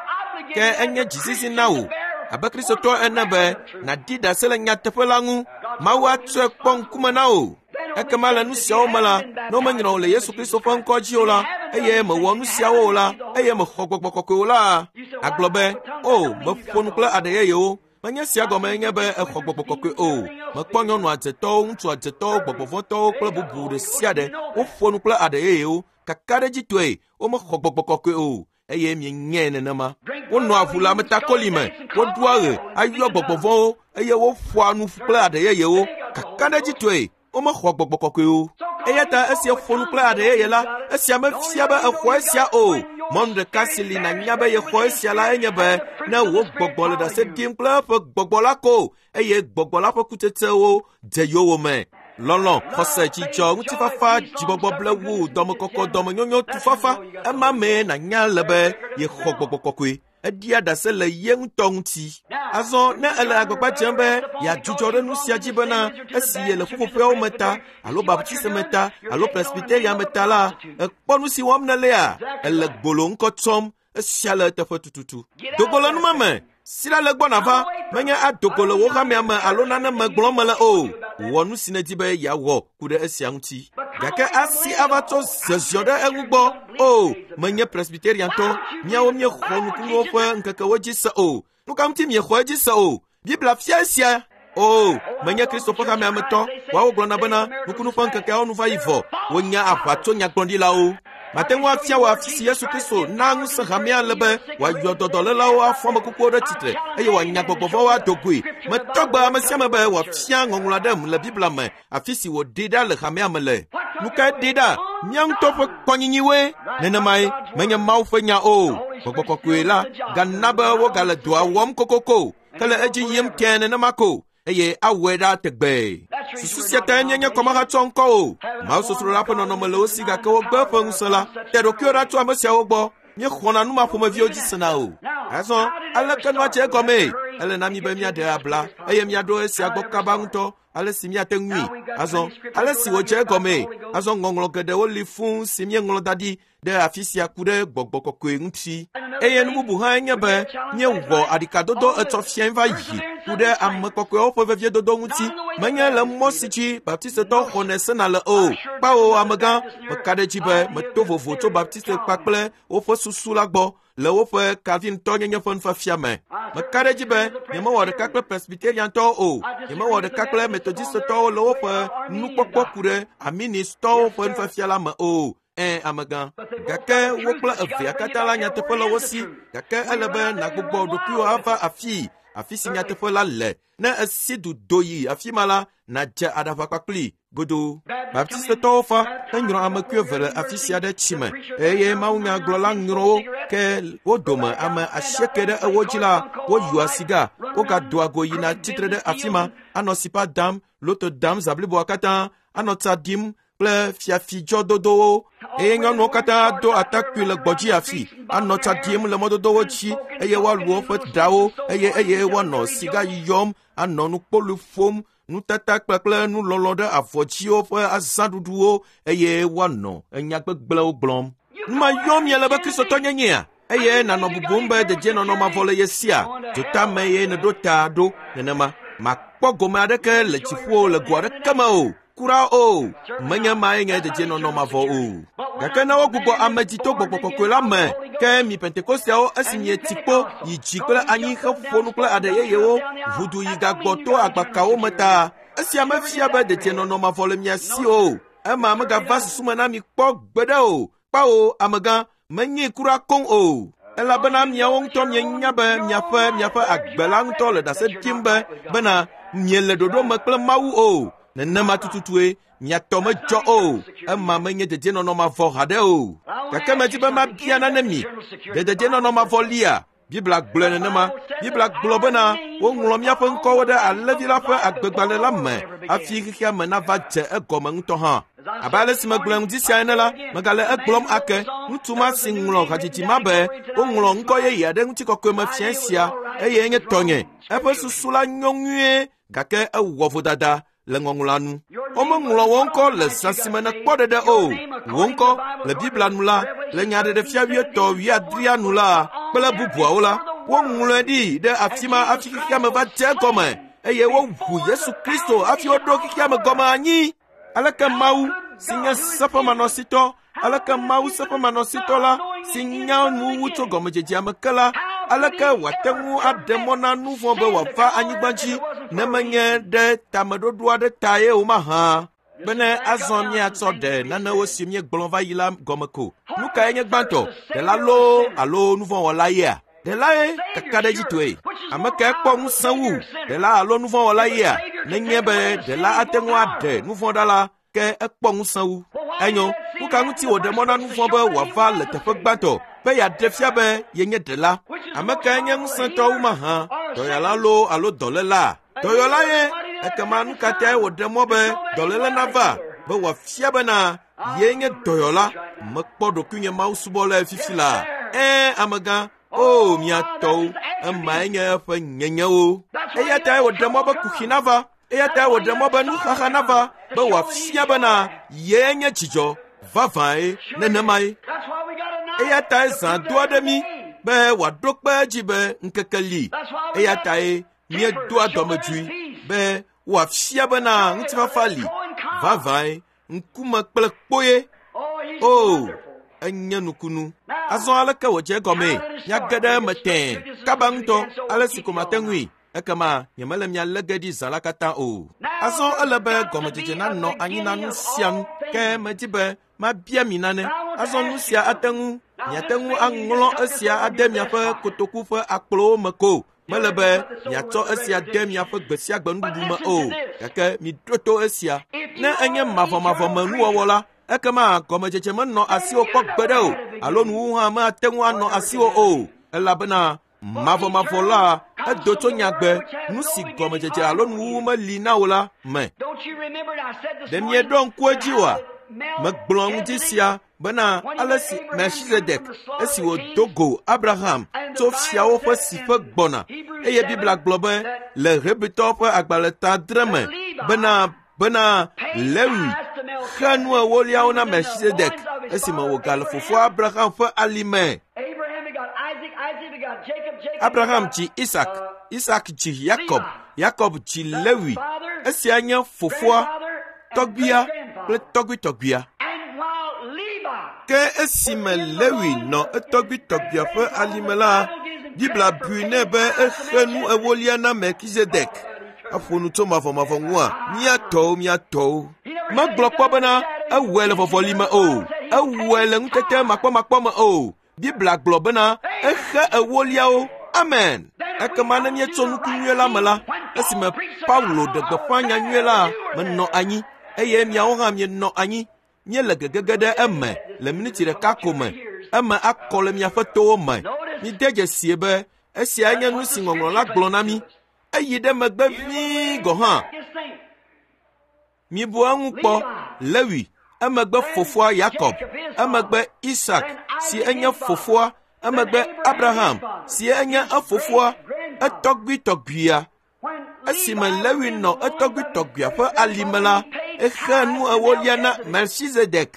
ke enye dzizizi na wò abe Kristotɔ ene be nàɖi ɖase le nyateƒe la ŋu. Mawu atsɔe kpɔ ŋkume na wò. Ekema le nu siawo me la, ne womenyrɔ wò le Yesu Kristo ƒe ŋkɔ dzi o la, eye mewɔ nu siawo o la, eye mexɔ Gbɔgbɔ Kɔkɔe o la, agblɔ be, o, meƒo nu kple aɖe yeyewo. Menye sia gɔme nye be exɔ gbɔgbɔ kɔkɔe o. Mekpɔ nyɔnu adzetɔwo, ŋutsu adzetɔwo, gbɔgbɔvɔtɔwo kple bubu ɖe sia ɖe. Woƒo nu kple aɖe yeyewo. Kakaɖedzitɔe womexɔ gbɔgbɔ kɔkɔe o. Eye mienyae nenema. Wonɔa ʋu le ametakoli me, woɖoa ɣe, ayɔ gbɔgbɔvɔ̃wo eye woƒoa nu kple aɖe yeyewo. Kakaɖedzitɔe womexɔ gbɔgbɔ kɔkɔe o. Eya ta esi eƒo nu kple aɖe yeye la, esia mefia be exɔ esia o. Mɔnu ɖeka si li nànya be yexɔ esia la enye be ne wò gbɔgbɔ le ɖase ɖim kple eƒe gbɔgbɔ la ko eye gbɔgbɔ la ƒe kutsetsewo dze yowòme. Lɔlɔ̃, xɔse, dzidzɔ, ŋutifafa, dzigbɔgbɔ blewu, dɔmekɔkɔ, dɔmenyonyo, tufafa, ema mee nànya le be yexɔ gbɔgbɔ kɔkɔe. Eɖia ɖase le ye ŋutɔ ŋuti. Azɔ ne ele agbagba dzem be yeadzudzɔ ɖe nu sia dzi bena esi yele ƒuƒoƒeawo me ta alo Baptiste me ta alo Presbyteria me ta la, ekpɔ nu si wɔm nèlea, ele gbolo ŋkɔ tsɔm. Esia le eteƒe tututu. Dogo le numa me. Si la le gbɔ nava, menye adogo le wò hamea me alo nane me gblɔm mele o. Wɔ nu si nèdi be yeawɔ ku ɖe esia ŋuti. Gake asi ava tsɔ zeziɔ ɖe eŋu gbɔ. O, menye Presbyteriantɔ, míawo míexɔ nukunuwo ƒe ŋkekewo dzi se o. Nu ka ŋuti miexɔ edzi se o? Biblia fia esia. O, menye Kristo ƒe hamea me tɔ. Woawo gblɔna bena nukunu ƒe ŋkekeawo nu va yi vɔ. Wonya aʋa tso nyagblɔɖilawo. Mate ŋu afia wò afi si Yesu Kristo na ŋusẽ hamea le be wòayɔ dɔdɔlélawo afɔ ame kukuwo ɖe tsitre eye wòanya gbɔgbɔvɔ̃wo ado goe. Metɔ gbe ame sia ame be wòafia ŋɔŋlɔ aɖem le Biblia me afi si wòɖee ɖa le hamea me le. Nu kae ɖee ɖa? Mía ŋutɔ ƒe kɔnyinyiwoe. Nenemae menye Mawu ƒe nya o. Gbɔgbɔ kɔkɔe la gana be wogale dɔa wɔm kokoko ke le edzi yim tẽe nenema ko. Eye awɔe ɖa tegbee. Susu sia tae míenye kɔmahatsɔ ŋkɔ o. Mawusosro la ƒe nɔnɔme le wo si gake wogbe eƒe ŋusẽ la. Te ɖokuiwò ɖa tso ame siawo gbɔ. Míexɔna nu ma ƒomeviwo dzi sena o. Azɔ aleke nua dze egɔmee? Ele na mí be míaɖe abla eye míaɖo esia gbɔ kaba ŋutɔ ale si míate ŋui. Azɔ ale si wòdze egɔmee. Azɔ ŋɔŋlɔ geɖewo li fũu si míeŋlɔ da ɖi ɖe afi sia ku ɖe gbɔgbɔ kɔkɔe ŋuti. Eye nu bubu hã nye be míewɔ aɖikadodo etsɔ fiae va yi ku ɖe ame kɔkɔewo ƒe veviedodo ŋuti. Menye le mɔ si dzi Baptistetɔwo xɔnɛ sena le o. Kpawo amegã, meka ɖe edzi be meto vovo tso Baptiste kpakple woƒe susu la gbɔ le woƒe Calvintɔnyenye ƒe nufiafia me. Meka ɖe edzi be nyemewɔ ɖeka kple Presbyteriantɔwo o. Nyemewɔ ɖeka kple Methodistetɔwo le woƒe nukpɔkpɔ ku ɖe Arministɔwo ƒe nufiafia la me o. Ẽ, amegã. Gake wo kple evea katã la nyateƒe le wo si. Gake ele be nàgbugbɔ ɖokuiwò ava afii, afi si nyateƒe la le. Ne esi du do yi afi ma la, nàdze aɖaʋa kpakpli godoo. Baptistetɔwo fa henyrɔ ame eve le afi sia ɖe tsi me eye mawunyagblɔla nyrɔ wo ke wo dome ame asieke ɖe ewo dzi la woyɔa siga wogadoa go yina tsitre ɖe afi ma anɔ sipa dam, loto dam zã bliboa katã, anɔ tsa ɖim kple fiafidzɔdodowo eye nyɔnuwo katã do atakpui le gbɔdzi afi anɔ tsa ɖim le mɔdodowo dzi eye woalu woƒe ɖawo eye eye woanɔ siga yɔm anɔ nukpolu ƒom nutata kple nulɔlɔ ɖe avɔdziwo ƒe azãɖuɖuwo eye woanɔ enya gbegblẽwo gblɔm. Nu ma yɔm miele be Kristotɔnyenyea? Eye nànɔ bubum be dedienɔnɔ mavɔ le ye sia. Dzotame ye nèɖo ta ɖo nenema. Màkpɔ gome aɖeke le dziƒo le go aɖeke me o. Kura o, menye mae nye dedienɔnɔ mavɔ o. Gake ne wogbugbɔ ame dzi to gbɔgbɔ kɔkɔe la me, ke mi Pentekosteawo esi mieti kpo yi dzi kple anyi heƒo nu kple aɖe yeyewo ʋudu yi gagbɔ to agbakawo me ta, esia mefia be dedienɔnɔ mavɔ le mia si o. Ema megava susu me na mi kpɔ gbeɖe o. Kpawo amegã, menye kura koŋ o. Elabena miawo ŋutɔ mienya be miaƒe miaƒe agbe la ŋutɔ le ɖase ɖim be bena miele ɖoɖo me kple Mawu o. Nenema tututue miatɔ medzɔ o. Ema menye dedienɔnɔ mavɔ haɖe o. Gake medi be mabia nane mi. Ɖe dedienɔnɔ mavɔ lia? Biblia gblɔe nenema. Biblia gblɔ bena woŋlɔ míaƒe ŋkɔwo ɖe Alẽvi la ƒe agbegbalẽ la me hafi xexea me nava dze egɔme ŋutɔ hã. Abe ale si megblɔe ŋdi sia ene la, megale egblɔm ake. Ŋutsu ma si ŋlɔ hadzidzi ma be woŋlɔ ŋkɔ yeye aɖe ŋutikɔkɔe me fia sia eye nye tɔnye. Eƒe susu la nyo nyuie gake ewɔ vodada le ŋɔŋlɔa nu. Womeŋlɔ wò ŋkɔ le zã si me nèkpɔ ɖeɖe o. Wò ŋkɔ le Biblia nu la, le nyaɖeɖefia wuietɔ̃ wuiadrea nu la kple bubuawo la, woŋlɔe ɖi ɖe afi ma hafi xexea me va dze egɔme eye woʋu Yesu Kristo hafi woɖo xexea me gɔme anyi. Aleke Mawu si nye seƒemanɔsitɔ, aleke Mawu seƒemanɔsitɔ la si nya nu wu tso gɔmedzedzea me ke la Aleke wòate ŋu aɖe mɔ na nu vɔ̃ be wòava anyigba dzi ne menye ɖe tameɖoɖo aɖe tae o mahã? Bene azɔ míatsɔ ɖe nanewo si míegblɔ va yi la gɔme ko. Nu kae nye gbãtɔ? Ɖela loo alo nuvɔ̃wɔla yea? Ɖelae kakaɖedzitɔe. Ame kae kpɔ ŋusẽ wu, ɖela alo nuvɔ̃wɔla yea? Nenye be ɖela ate ŋu aɖe nuvɔ̃ ɖa la, ke ekpɔ ŋusẽ wu. Enyo, nu ka ŋuti wòɖe mɔ na nuvɔ̃ be wòava le teƒe gbãtɔ be yeaɖe fia be yenye ɖela? Ame kae nye ŋusẽtɔ wu mahã, dɔyɔla loo alo dɔléla? Dɔyɔla ye. Ekema nu ka tae wòɖe mɔ be dɔléle nava be wòafia bena ye nye dɔyɔla? Mekpɔ ɖokuinye mawusubɔlae fifi la. Ɛ̃, amegã, o mia tɔwo, emae nye eƒe nyenyewo. Eya tae wòɖe mɔ be kuxi nava. Eya tae wòɖe mɔ be nuxaxa nava be wòafia bena ye nye dzidzɔ vavãe nenemae. Eya tae zã do aɖe mí be wòaɖo kpe edzi be ŋkeke li. Eya tae míedoa dɔmedzoe be wòafia bena ŋutifafa li vavãe, ŋkume kple kpoye. O, enye nukunu. Azɔ aleke wòdze egɔmee? Míage ɖe eme tẽe kaba ŋutɔ ale si ko mate ŋui. Ekema nyemele mia lé ge ɖi zã la katã o. Azɔ ele be gɔmedzedze nanɔ anyi na nu sia nu. Ke medi be mabia mi nane. Azɔ nu sia ate ŋu miate ŋu aŋlɔ esia ade miaƒe kotoku ƒe akplowo me ko. Mele be miatsɔ esia de miaƒe gbe sia gbe nuɖuɖu me o. Gake miɖo to esia. Ne enye mavɔmavɔ me nuwɔwɔ la, ekema gɔmedzedze menɔ asiwò kpɔ gbeɖe o, alo nuwuwu hã mate ŋu anɔ asiwò o, elabena mavɔmavɔ la edo tso nyagbe nu si gɔmedzedze alo nuwuwu meli na wò la me. Ɖe mieɖo ŋku edzi oa? Megblɔ ŋdi sia bena ale si Melchizedek esi wòdo go Abraham tso fiawo ƒe siƒe gbɔna, eye Biblia gblɔ be le Hebritɔwo ƒe agbalẽ ta adre me bena bena Lewi xe nu ewoliawo na Melchizedek esime wògale fofoa Abraham ƒe alime. Abraham dzi Isak, Isak dzi Yakob, Yakob dzi Lewi. Esia nye fofoa, tɔgbuia kple tɔgbuitɔgbuia. Ke esime Lewi nɔ etɔgbuitɔgbuia ƒe alime la, Biblia bui nɛ be exe nu ewolia na Melchizedek. Eƒo nu tso mavɔmavɔ ŋua, mía tɔwo, mía tɔwo. Megblɔ kpɔ bena ewɔe le vɔvɔli me o, ewɔe le ŋutete makpɔmakpɔ me o. Biblia gblɔ bena exe ewoliawo. Amen. Ekema ne míetso nuku nyuie la me la, esime Paulo ɖe gbeƒã nya nyuie la, menɔ anyi, eye miawo hã mienɔ anyi. Míele gegege ɖe eme le miniti ɖeka ko me. Eme akɔ le miaƒe towo me. Mide dzesie be esiae nye nu si ŋɔŋlɔ la gblɔ na mí. Eyi ɖe megbe ʋĩi gɔ̃ hã. Mibu eŋu kpɔ. Lewi, emegbe fofoa Yakob, emegbe Isak si enye fofoa, emegbe Abraham si enye efofoa, etɔgbuitɔgbuia. Esime Lewi nɔ etɔgbuitɔgbuia ƒe alime la, exe nu ewolia na Melchizedek.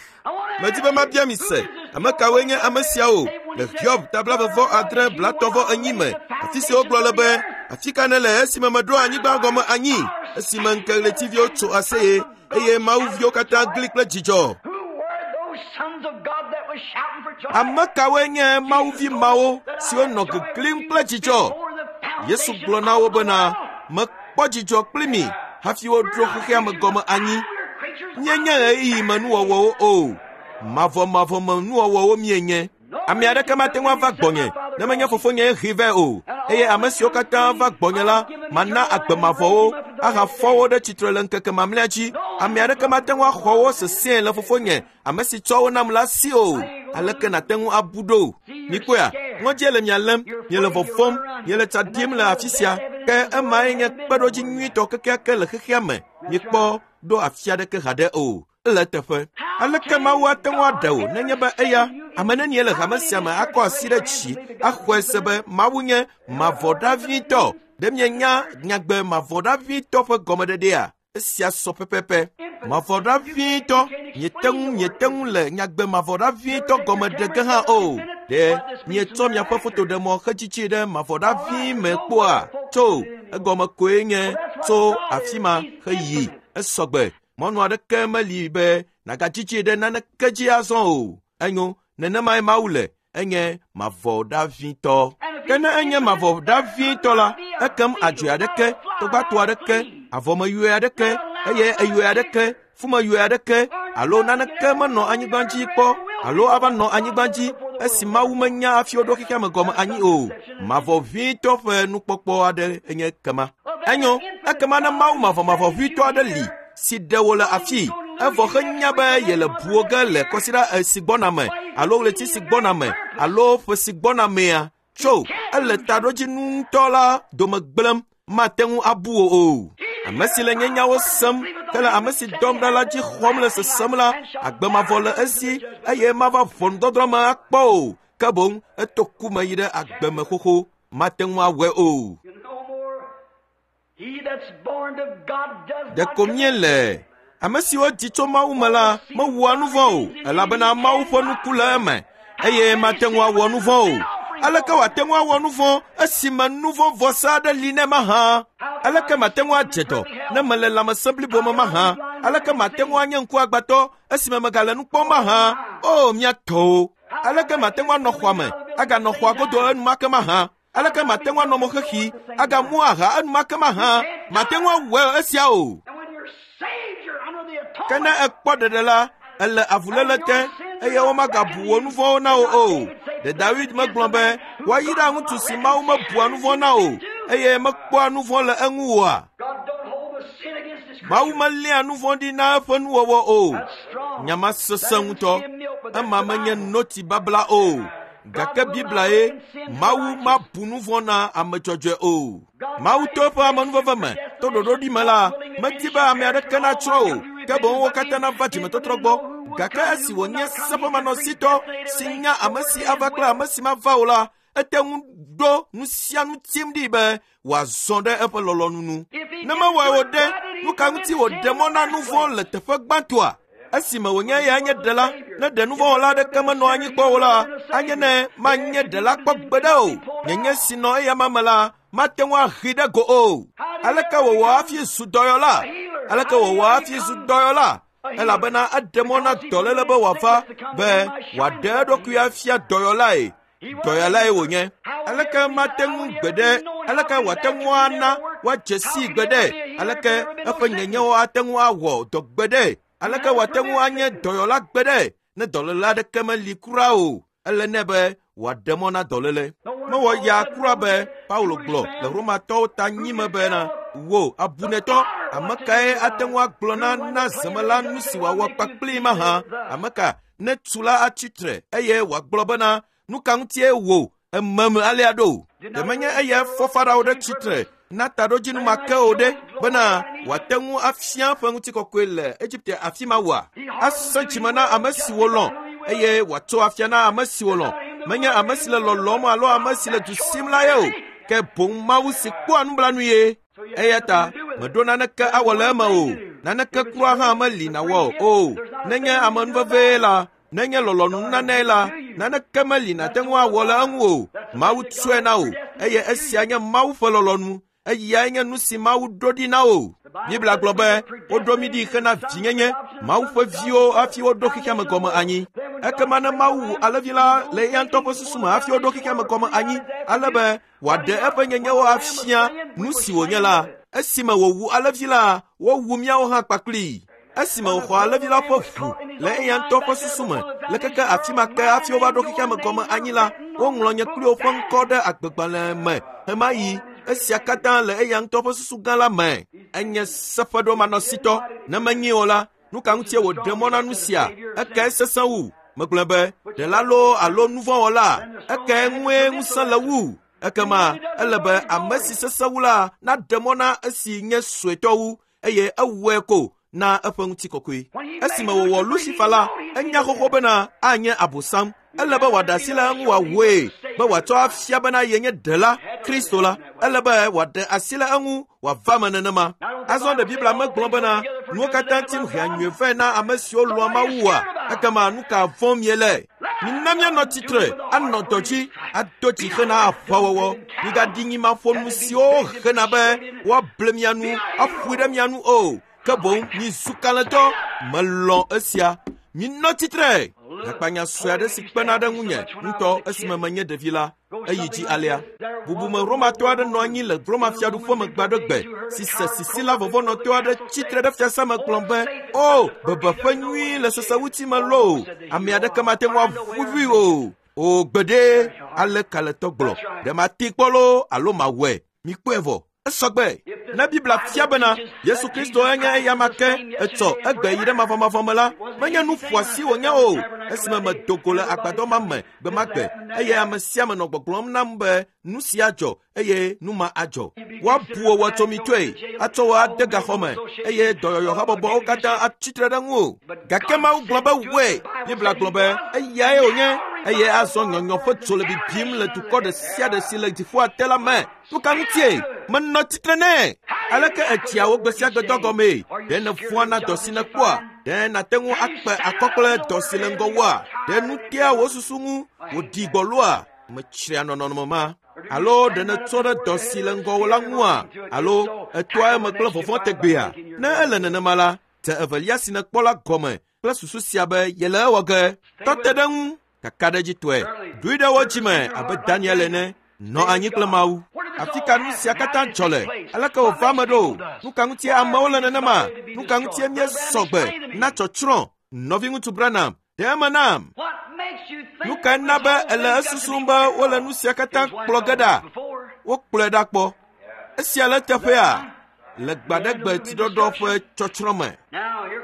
Medi be mabia mi se, ame kawoe nye ame siawo le Hiob ta blaeve adre blatɔ̃ enyi me, afi si wogblɔ le be, afi ka nèle esime meɖo anyigba gɔme anyi, esime ŋkeɣletiviwo tso aseye eye mawuviwo katã gli kple dzidzɔ. Ame kawoe nye mawuvi mawo siwo nɔ geglim kple dzidzɔ? Yesu gblɔ na wo bena, mekpɔ dzidzɔ kpli mi hafi woɖo xexea me gɔme anyi. Míenye ɣeyiɣi me nuwɔwɔwo o, mavɔmavɔ me nuwɔwɔwo míenye. Ame aɖeke mate ŋu ava gbɔnye ne menye fofonye hee vɛ o, eye ame siwo katã va gbɔnye la, mana agbe mavɔwo ahafɔ wo ɖe tsitre le ŋkeke mamlɛa dzi. Ame aɖeke mate ŋu axɔ wo sesẽe le fofonye, ame si tsɔ wo nam la si o. Aleke nàte ŋu abu ɖo? Mikpɔea, ŋɔdzie le mia lém, miele vɔvɔ̃m, miele tsa ɖim le afi sia. Ke emae nye kpeɖodzi nyuitɔ kekeake le xexea me. Mikpɔ ɖo afi aɖeke haɖe o. Ele eteƒe. Aleke Mawu ate ŋu aɖe wò nenye be eya ame nenie le hame sia me akɔ asi ɖe dzi axɔe se be Mawu nye mavɔɖavitɔ? Ɖe mienya nyagbe mavɔɖavitɔ ƒe gɔmeɖeɖea? Esia sɔ pɛpɛpɛ. Mavɔɖavitɔ, miete ŋu miete ŋu le nyagbe mavɔɖavitɔ gɔme ɖe ge hã o. Ɖe mietsɔ miaƒe fotoɖemɔ hedzidzi ɖe mavɔɖavi me kpɔa? Tso egɔme koe nye tso afi ma heyi. Esɔgbe. Mɔnu aɖeke meli be nàgadzidzi ɖe naneke dzi azɔ o. Enyo, nenemae Mawu le, enye mavɔɖavitɔ. Ke ne enye mavɔ ɖavitɔ la, ekem adzoe aɖeke, tɔgbatɔ aɖeke, avɔmeyɔe aɖeke, eye eyɔe aɖeke, fumeyɔe aɖeke, alo naneke menɔ anyigba dzi kpɔ alo ava nɔ anyigba dzi esi Mawu menya hafi woɖo xexea me gɔme anyi o. Mavɔ ʋĩtɔ ƒe nukpɔkpɔ aɖe enye kema. Enyo, ekema ne Mawu mavɔmavɔ ʋĩtɔ aɖe li si ɖe wò le afii, evɔ henya be yele buwo ge le kɔsiɖa si gbɔna me alo ɣleti si gbɔna me alo ƒe si gbɔna mea, tso ele taɖodzinu ŋutɔ la dome gblẽm, mate ŋu abu wò o. Ame si le nye nyawo sem hele ame si dɔm ɖa la dzi xɔm le sesem la, agbe mavɔ le esi eye mava ʋɔnudɔdrɔ̃ me akpɔ o, ke boŋ eto ku me yi ɖe agbe me xoxo, mate ŋu awɔe o. Ɖeko míele ame siwo dzi tso Mawu me la mewɔa nu vɔ̃ o, elabena Mawu ƒe nuku le eme eye mate ŋu awɔ nu vɔ̃ o. Aleke wòate ŋu awɔ nu vɔ̃ esime nu vɔ̃ vɔsa aɖe li nɛ mahã? Aleke mate ŋu adze dɔ ne mele lãmesẽ blibo me mahã? Aleke mate ŋu anye ŋkuagbãtɔ esime megale nu kpɔm mahã? O mía tɔwo! Aleke mate ŋu anɔ xɔa me aganɔ xɔa godo enumake mahã? Aleke mate ŋu anɔ mo xexi agamu aha enumake mahã? Mate ŋu awɔe esia o. Ke ne ekpɔ ɖeɖe la, ele avuléle te eye womagabu wò nu vɔ̃wo na wò o. Ɖe David megblɔ be woayra ŋutsu si Mawu mebua nu vɔ̃ na o eye mekpɔa nu vɔ̃ le eŋu oa? Mawu meléa nu vɔ̃ ɖi na eƒe nuwɔwɔ o. Nya ma sesẽ ŋutɔ. Ema menye noti babla o. Gake Biblia ye, Mawu mabu nu vɔ̃ na ame dzɔdzɔe o. Mawu to eƒe amenuveve me, to ɖoɖoɖi me la, medi be ame aɖeke natsrɔ̃ o, ke boŋ wo katã nava dzimetɔtrɔ gbɔ. Gake esi wònye seƒemanɔsitɔ si nya ame si ava kple ame si mava o la, ete ŋu ɖo nu sia nu tim ɖi be wòazɔ ɖe eƒe lɔlɔ̃nu nu. Ne mewɔe o ɖe, nu ka ŋuti wòɖe mɔ na nu vɔ̃ le teƒe gbãtɔa? Esime wònye eyae nye ɖela, ne ɖe nu vɔ̃wɔla aɖeke menɔ anyi kpɔ o la, anye ne manye ɖela kpɔ gbeɖe o. Nyenye si nɔ eyama me la, mate ŋu ahi ɖe go o. Aleke wòwɔ hafi zu dɔyɔla? Aleke wòwɔ hafi zu dɔyɔla? Elabena eɖe mɔ na dɔléle be wòava be wòaɖe eɖokui afia dɔyɔlae. Dɔyɔlae wònye. Aleke mate ŋu gbeɖe? Aleke wòate ŋu ana woadze sii gbeɖe? Aleke eƒe nyenyewo ate ŋu awɔ dɔ gbeɖe? Aleke wòate ŋu anye dɔyɔla gbeɖe ne dɔléle aɖeke meli kura o? Ele nɛ be wòaɖe mɔ na dɔléle. Mewɔ ya kura be Paulo gblɔ le Romatɔwo ta nyime bena, wò abunetɔ, ame kae ate ŋu agblɔ na na zemela nu si wòawɔ kpakplii mahã? Ame ka ne tu la atsi tre eye wòagblɔ bena, nu ka ŋutie wò ememe alea ɖo? Ɖe menye eya fɔ Farao ɖe tsitre na taɖodzinu ma ke o ɖe bena wòate ŋu afia eƒe ŋutikɔkɔe le Egipte afi ma oa? Asẽ dzime na ame siwo lɔ̃ eye wòatso afia na ame siwo lɔ̃. Menye ame si le lɔlɔ̃m alo ame si le du sim la ye o, ke boŋ Mawu si kpɔa nublanui ye. Eya ta meɖo naneke awɔ le eme o. Naneke kura hã meli nawɔ o. Nenye amenuvevee la, nenye lɔlɔ̃nunanae la, naneke meli nàte ŋu awɔ le eŋu o. Mawu tsɔe na wò eye esia nye Mawu ƒe lɔlɔ̃nu. Eyae nye nu si Mawu ɖo ɖi na wò. Biblia gblɔ be woɖo mí ɖi hena vinyenye, Mawu ƒe viwo hafi woɖo xexea me gɔme anyi. Ekema ne Mawu wu alẽvi la le eya ŋutɔ ƒe susu me hafi woɖo xexea me gɔme anyi, ale be wòaɖe eƒe nyenyewo afia nu si wònye la, esime wòwu alẽvi la, wowu míawo hã kpakplii. Esime wòxɔ alẽvi la ƒe ʋu le eya ŋutɔ ƒe susu me le keke afi ma ke hafi wova ɖo xexea me gɔme anyi la, woŋlɔ nye kpli woƒe ŋkɔ ɖe agbegbalẽ me ɣemaɣi. Esia katã le eya ŋutɔ ƒe susu gã la me. Enye seƒeɖomanɔsitɔ. Ne menyi o la, nu ka ŋutie wòɖe mɔ na nu sia? Ekae sesẽ wu? Megblɔ be, ɖela loo alo nu vɔ̃wɔla? Ekae ŋue ŋusẽ le wu? Ekema ele be ame si sesẽ wu la naɖe mɔ na esi nye suetɔ wu eye ewɔe ko na eƒe ŋutikɔkɔe. Esime wòwɔ Lucifer la, enya xoxo bena anye Abosam. Ele be wòaɖe asi le eŋu wòawɔe be wòatsɔ afia bena yenye ɖela, Kristo la. Ele be wòaɖe asi le eŋu wòava me nenema. Azɔ ɖe Biblia megblɔ bena nuwo katã tim hea nyui vɛ na ame siwo lɔ̃a Mawu oa? Ekema nu ka vɔ̃m miele? Mina míanɔ tsitre, anɔ dɔ dzi, ado dzi hena aʋawɔwɔ. Migaɖi nyimaƒonu siwo hena be woable mia nu, aƒoe ɖe mia nu o. Ke boŋ mizu kalẽtɔ. Melɔ̃ esia. Minɔ tsitre. Hakpanya sue aɖe si kpena ɖe ŋunye ŋutɔ esime menye ɖevi la, eyi dzi alea. Bubume Romatɔ aɖe nɔ anyi le Roma fiaɖuƒe me gbaɖegbe si se sisila vɔvɔ̃nɔtɔ aɖe tsitre ɖe fiasa me gblɔ be, o, bebeƒe nyui le sesewuti me loo, ame aɖeke mate ŋu aʋuʋui o. O gbeɖe, ale kalẽtɔ gblɔ, ɖe mate kpɔ loo alo mawɔe. Mikpɔe vɔ. Esɔgbe. Ne Biblia fia bena Yesu Kristo enye eyama ke etsɔ egbe yi ɖe mavɔmavɔ me la, menye nu ƒoasi wònye o. Esime medo go le agbadɔ ma me gbe ma gbe eye ame sia ame nɔ gbɔgblɔm nam be nu sia dzɔ eye nu ma adzɔ. Woabu wò wɔtsomitɔe, atsɔ wò ade gaxɔ me eye dɔyɔyɔhabɔbɔwo katã atsitre ɖe ŋuwò. Gake Mawu gblɔ be wɔe. Biblia gblɔ be eyae wònye eye azɔ nyɔnyɔ ƒe dzo le bibim le dukɔ ɖe sia ɖe si le dziƒoa te la me. Nu ka ŋutie? Menɔ tsitre nɛ. Aleke etsia wo gbe sia gbe dɔ gɔmee? Ɖe nèvɔ̃a na dɔ si nèkpɔa? Ɖe nàte ŋu akpe akɔ kple dɔ si le ŋgɔwòa? Ɖe nu tea wò susu ŋu wòɖi gbɔloa? Metsria nɔnɔme ma. Alo ɖe nètrɔ ɖe dɔ si le ŋgɔwò la ŋua? Alo ètoa eme kple vɔvɔ̃ tegbea? Ne ele nenema la, dze evelia si nèkpɔ la gɔme kple susu sia be yele ewɔ ge. Tɔ te ɖe ŋu kakaɖedzitɔe. Ɖoe ɖe wo dzime abe Daniel ene. Nɔ anyi kple Mawu. Afi ka nu sia katã dzɔ le? Aleke wòva eme ɖo? Nu ka ŋutie amewo le nenema? Nu ka ŋutie míesɔ gbe na tsɔtsrɔ̃? Nɔviŋutsu Branham, ɖe eme nam. Nu kae na be ele esusum be wole nu sia katã kplɔ ge ɖa? Wokplɔe ɖa kpɔ. Esia le teƒea le gbaɖegbe tsiɖɔɖɔ ƒe tsɔtsrɔ̃ me.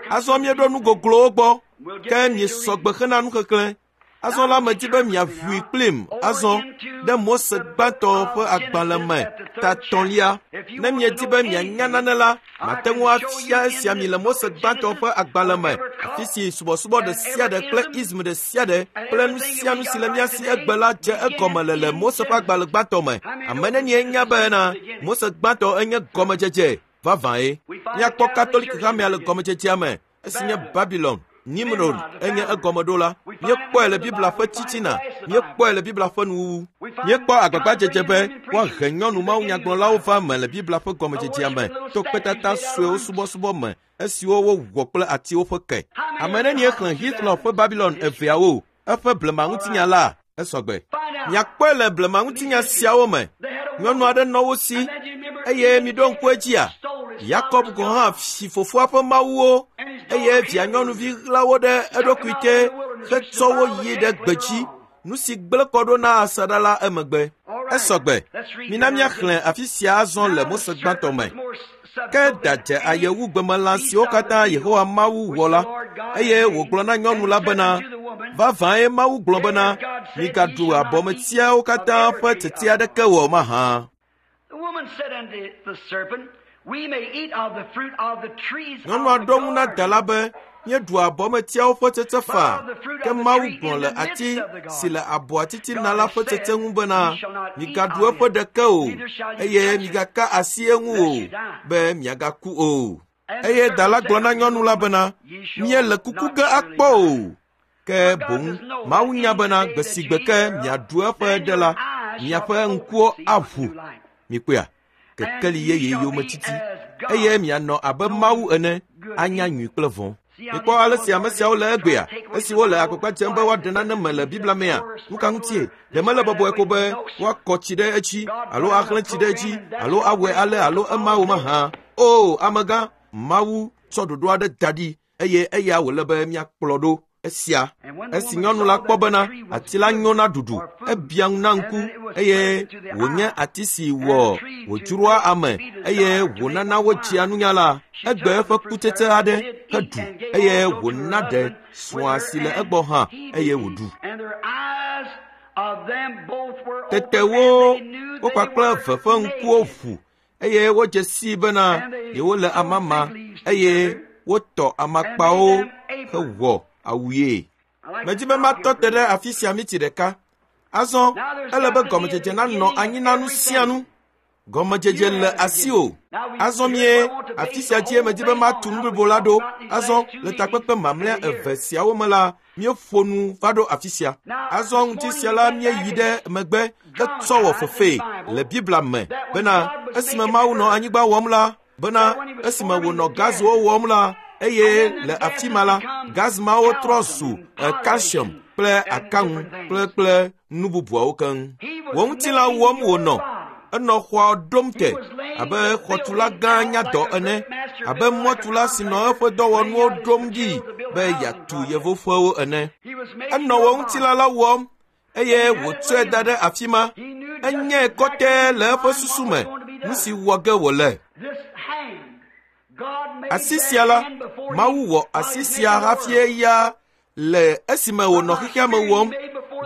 Azɔ míeɖo nu goglowo gbɔ, ke miesɔ gbe hena nuxexlẽ. Azɔ la medi be miaʋui kplim azɔ ɖe Mose gbãtɔ ƒe agbalẽ me ta tɔ̃lia. Ne miedi be mianya nane la, mate ŋu afia esia mi le Mose gbãtɔ ƒe agbalẽ me, afi si subɔsubɔ ɖe sia ɖe kple ism ɖe sia ɖe kple nu sia nu si le mía si egbe la dze egɔme le le Mose ƒe agbalẽ gbãtɔ me. Ame nenie nya bena Mose gbãtɔ enye gɔmedzedze vavãe. Míakpɔ Katolik hamea le gɔmedzedzea me esi nye Babylon. Nimrod enye egɔmeɖola. Míekpɔe le Biblia ƒe titina, míekpɔe le Biblia ƒe nuwuwu. Míekpɔ agbagbadzedze be woahe nyɔnu mawunyagblɔlawo va me le Biblia ƒe gɔmedzedzea me to kpetata suewo subɔsubɔ me esiwo wowɔ kple atiwo ƒe ke. Ame nenie xlẽ Hitler ƒe Babylon eveawo, eƒe blemaŋutinya la? Esɔgbe. Miakpɔe le blemaŋutinya siawo me. Nyɔnu aɖe nɔ wo si eye miɖo ŋku edzia? Yakob gɔ̃ hã si fofoa ƒe mawuwo eye via nyɔnuvi ɣla wo ɖe eɖokui te hetsɔ wo yi ɖe gbedzi, nu si gblẽ kɔ ɖo na asaɖa la emegbe. Esɔgbe. Mina míaxlẽ afi sia azɔ le Mose gbãtɔ me. Ke da dze aye wu gbemelã siwo katã Yehowa Mawu wɔ la, eye wògblɔ na nyɔnu la bena, vavãe Mawu gblɔ bena, migaɖu abɔmetiawo katã ƒe tsetse aɖeke wɔ mahã. Nyɔnua ɖo ŋu na da la be, míeɖu abɔmetiawo ƒe tsetse faa, ke Mawu gblɔ le ati si le abɔa titina la ƒe tsetse ŋu bena, migaɖu eƒe ɖeke o, eye migaka asi eŋu o, be miagaku o. Eye da la gblɔ na nyɔnu la bena, míele kuku ge akpɔ o. Ke boŋ Mawu nya bena gbe si gbe ke miaɖu eƒe ɖe la, miaƒe ŋkuwo aʋu. Mikpɔea? Kekeli yeye yometiti eye mianɔ abe Mawu ene, anya nyui kple vɔ̃. Mikpɔ ale si ame siawo le egbea, esi wole agbagba dzem be woaɖe nane me le Biblia mea. Nu ka ŋutie? Ɖe mele bɔbɔe ko be woakɔ tsi ɖe edzi alo axlẽ tsi ɖe edzi alo awɔe ale alo ema wo mahã. O, amegã, Mawu tsɔ ɖoɖo aɖe da ɖi eye eya wòle be míakplɔ ɖo. Esia esi nyɔnu la kpɔ bena ati la nyo na ɖuɖu, ebia ŋu na ŋku eye wònye ati si wɔ wòdzroa ame eye wònana wotsia nunya la, egbe eƒe kutsetse aɖe heɖu eye wòna ɖe srɔ̃a si le egbɔ hã eye wòɖu. Tete wo wo kpakple eve ƒe ŋkuwo ʋu eye wodze sii bena yewole amama eye wotɔ amakpawo hewɔ awuye. Medi be matɔ te ɖe afi sia miti ɖeka. Azɔ ele be gɔmedzedze nanɔ anyi na nu sia nu. Gɔmedzedze le asiwò. Azɔ mie afi sia dzie medi be matu nu blibo la ɖo. Azɔ le takpekpe mamlɛa eve siawo me la, míeƒo nu va ɖo afi sia. Azɔ ŋuti sia la míeyi ɖe megbe hetsɔ wɔ fefee le Biblia me bena esime Mawu nɔ anyigba wɔm la, bena esime wònɔ gaziwo wɔm la, eye le afi ma la, gaz mawo trɔ zu calcium kple akaŋu kple kple nu bubuawo keŋ. Wò ŋutilã wɔm wònɔ. Enɔ xɔa ɖom te abe xɔtula gã nyadɔ ene, abe mɔtula si nɔ eƒe dɔwɔnuwo ɖom ɖi be yeatu yevoƒewo ene. Enɔ wò ŋutilã la wɔm eye wòtsɔe da ɖe afi ma. Enyae kɔtɛe le eƒe susu me nu si wɔ ge wòle. Asi sia la, Mawu wɔ asi sia hafi eya le esime wònɔ xexea me wɔm,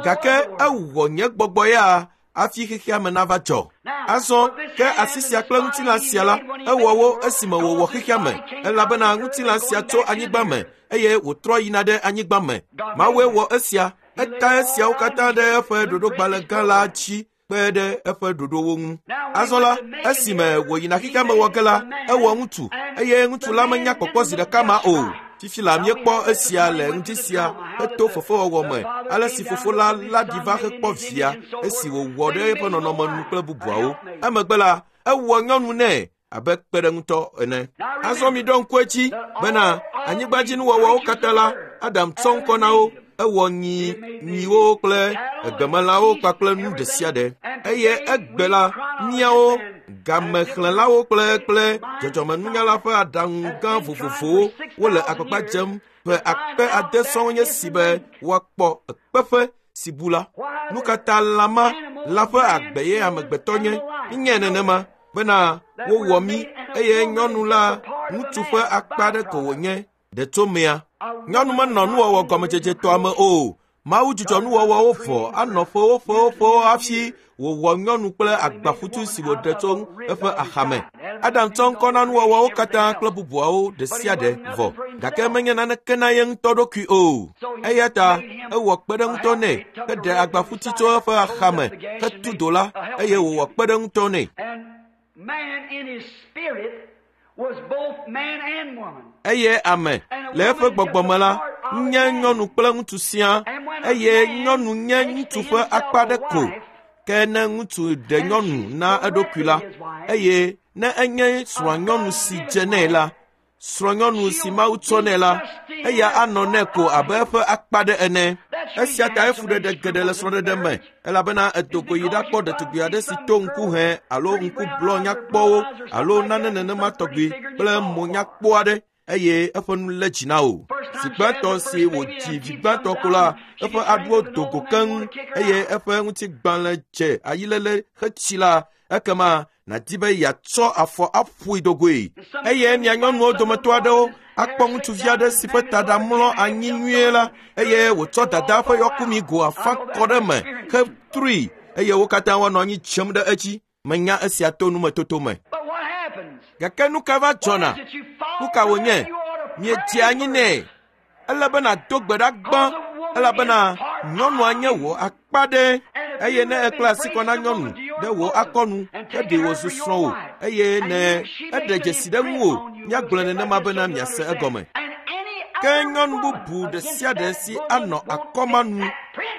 gake ewɔ nye gbɔgbɔ ya hafi xexea me nava dzɔ. Azɔ ke asi sia kple ŋutilã sia la, ewɔ wo esime wòwɔ xexea me, elabena ŋutilã sia tso anyigba me eye wòtrɔ yina ɖe anyigba me. Mawue wɔ esia, eta esiawo katã ɖe eƒe ɖoɖogbalẽ gã la dzi kpe ɖe eƒe ɖoɖowo ŋu. Azɔ la, esime wòyina xexea me wɔ ge la, ewɔ ŋutsu eye ŋutsu la menya kpɔkpɔ zi ɖeka ma o. Fifi la míekpɔ esia le ŋdi sia heto fefewɔwɔ me, ale si fofo la la ɖi va hekpɔ via esi wòwɔ ɖe eƒe nɔnɔme nu kple bubuawo. Emegbe la, ewɔ nyɔnu nɛ abe kpeɖeŋutɔ ene. Azɔ miɖo ŋku edzi bena anyigbadzinuwɔwɔwo katã la, Adam tsɔ ŋkɔ na wo. Ewɔ nyi nyiwo kple egbemelãwo kpakple nu ɖe sia ɖe. Eye egbe la, míawo gamexlẽlawo kple kple dzɔdzɔmenunyala ƒe aɖaŋu gã vovovowo wole agbagba dzem ƒe akpe ade sɔŋ nye si be woakpɔ ekpeƒe si bu la. Nu ka ta lã ma la ƒe agbe ye amegbetɔ nye? Míenyae nenema bena wowɔ mí eye nyɔnu la ŋutsu ƒe akpa aɖe ko wònye ɖe tso mea. Nyɔnu menɔ nuwɔwɔ gɔmedzedzetɔa me o. Mawu dzudzɔ nuwɔwɔwo vɔ anɔ ƒewo ƒewo ƒewo hafi wòwɔ nyɔnu kple agbaƒutu si wòɖe tso eƒe axame. Adam tsɔ ŋkɔ na nuwɔwɔwo katã kple bubuawo ɖe sia ɖe vɔ, gake menye naneke na ye ŋutɔ ɖokui o. Eya ta ewɔ kpeɖeŋutɔ nɛ heɖe agbaƒuti tso eƒe axame hetu do la eye wòwɔ kpeɖeŋutɔ nɛ. Eye ame le eƒe gbɔgbɔ me la nye nyɔnu kple ŋutsu sia, eye nyɔnu nye ŋutsu ƒe akpa ɖe ko. Ke ne ŋutsu ɖe nyɔnu na eɖokui la, eye ne enye srɔ̃nyɔnu si dze nɛ la, srɔ̃nyɔnu si Mawu tsɔ nɛ la, eya anɔ nɛ ko abe eƒe akpa ɖe ene. Esia ta efuɖeɖe geɖe le srɔ̃ɖeɖe me, elabena edo go yi ɖakpɔ ɖetugbi aɖe si to ŋku hẽ alo ŋku blɔ nyakpɔwo alo nane nenema tɔgbi kple mo nyakpɔ aɖe eye eƒe nu lé dzi na wò. Zi gbãtɔ si wòdzi vi gbãtɔ ko la, eƒe aɖuwo do go keŋ eye eƒe ŋutigbalẽ dze ayiléle hetsi la, ekema nàdi be yeatsɔ afɔ aƒoe do goe. Eye mia nyɔnuwo dometɔ aɖewo akpɔ ŋutsuvi aɖe si ƒe taɖa mlɔ anyi nyuie la eye wòtsɔ dada ƒe yɔkumi go afã kɔ ɖe eme hetrui eye wo katã woanɔ anyi dzem ɖe edzi. Menya esia to numetoto me. Gake nu ka va dzɔna? Nu ka wònye? Miedze anyi nɛ. Ele be nàdo gbe ɖa gbã elabena nyɔnua nye wò akpa ɖe. Eye ne ekpla asi kɔ na nyɔnu ɖe wò akɔnu heɖe wò zu srɔ̃wò eye ne eɖe dzesi ɖe ŋuwò, míagblɔe nenema bena miase egɔme. Ke nyɔnu bubu ɖe sia ɖe si anɔ akɔma nu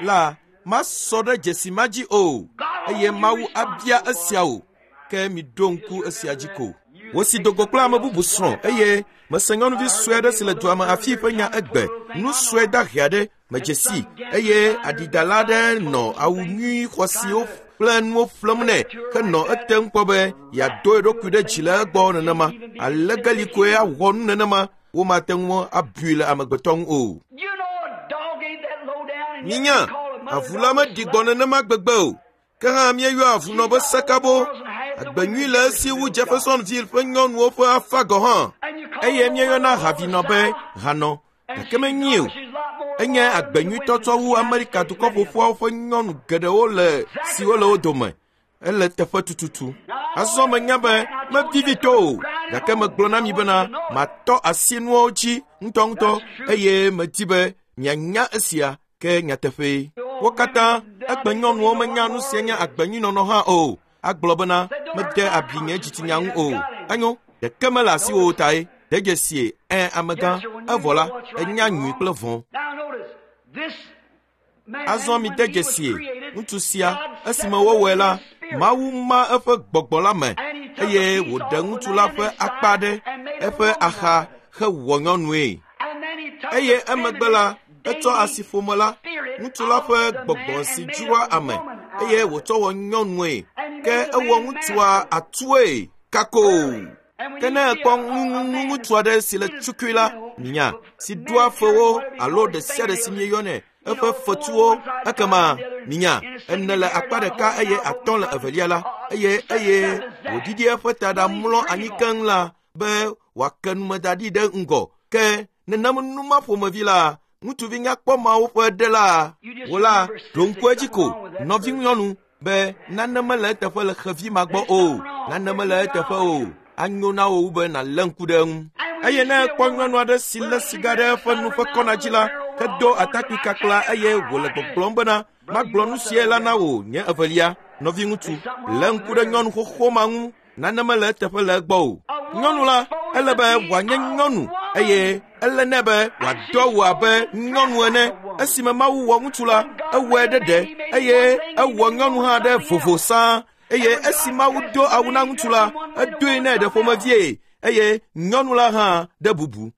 la masɔ ɖe dzesi ma dzi o eye Mawu abia esia o. Ke miɖo ŋku esia dzi ko. Wòsi do go kple ame bubu srɔ̃ eye mese nyɔnuvi sue aɖe si le dua me afi ƒe nya egbe. Nu sue dahe aɖe medze si eye aɖidala aɖe nɔ awu nyui xɔasiwo kple nuwo ƒlem nɛ henɔ etem kpɔ be yeado eɖokui ɖe dzi le egbɔ nenema. Alegeli koe awɔ nu nenema, womate ŋu abui le amegbetɔ ŋu o. Minya, avu la meɖi gbɔ nenema gbegbe o. Ke hã míeyɔa avunɔ be sekabo. Agbe nyui le esi wu Jeffersonville ƒe nyɔnuwo ƒe afa gɔ̃ hã. Eye míeyɔna havinɔ be hanɔ, gake menyi o. Enye agbe nyuitɔ tsɔ wu Amerika dukɔ ƒoƒuawo ƒe nyɔnu geɖewo le siwo le wo dome. Ele teƒe tututu. Azɔ menya be mevivi to o, gake megblɔ na mi bena matɔ asi nuawo dzi ŋutɔŋutɔ eye medi be mianya esia ke nyateƒee. Wo katã egbe nyɔnuwo menya nu si nye agbe nyui nɔnɔ hã o. Agblɔ bena mede abi nye dzitsinya ŋu o. Enyo, ɖeke mele asiwò tae. De dzesie, ẽ amegã, evɔ la, enya nyui kple vɔ̃. Azɔ mide dzesie, ŋutsu sia, esime wowɔe la, Mawu ma eƒe gbɔgbɔ la me eye wòɖe ŋutsu la ƒe akpa ɖe eƒe axa hewɔ nyɔnue. Eye emegbe la, etsɔ asiƒome la, ŋutsu la ƒe gbɔgbɔ si dzroa ame eye wòtsɔ wɔ nyɔnue. Ke ewɔ ŋutsua atue kako. Ke ne ekpɔ ŋutsu aɖe si le tsukui la, nya si doa fewo alo ɖe sia ɖe si mieyɔnɛ eƒe fetuwo, ekema minya ene le akpa ɖeka eye atɔ̃ le evelia la, eye eye wòɖiɖi eƒe ta ɖa mlɔ anyi keŋ la be wòake numeda ɖi ɖe ŋgɔ. Ke nenem numa ƒomevi la, ŋutsuvi nyakpɔ mawo ƒe ɖe la, wò la ɖo ŋku edzi ko, nɔvinyɔnu, be nane mele eteƒe le xevi ma gbɔ o, nane mele eteƒe o. Anyo na wò wu be nàlé ŋku ɖe eŋu. Eye ne ekpɔ nyɔnu aɖe si lé siga ɖe eƒe nu ƒe kɔna dzi la, hedo atakpui kakla eye wòle gbɔgblɔm bena, magblɔ nu sia la na wò nye evelia, nɔviŋutsu, lé ŋku ɖe nyɔnu xoxo ma ŋu, nane mele eteƒe le egbɔ o. Nyɔnu la, ele be wòanye nyɔnu eye ele nɛ be wòado awu abe nyɔnu ene. Esime Mawu wɔ ŋutsu la, ewɔe ɖe ɖe eye ewɔ nyɔnu hã ɖe vovo sãa. Eye esi Mawu do awu na ŋutsu la, edoe nɛ ɖe ƒomevie eye nyɔnu la hã ɖe bubu.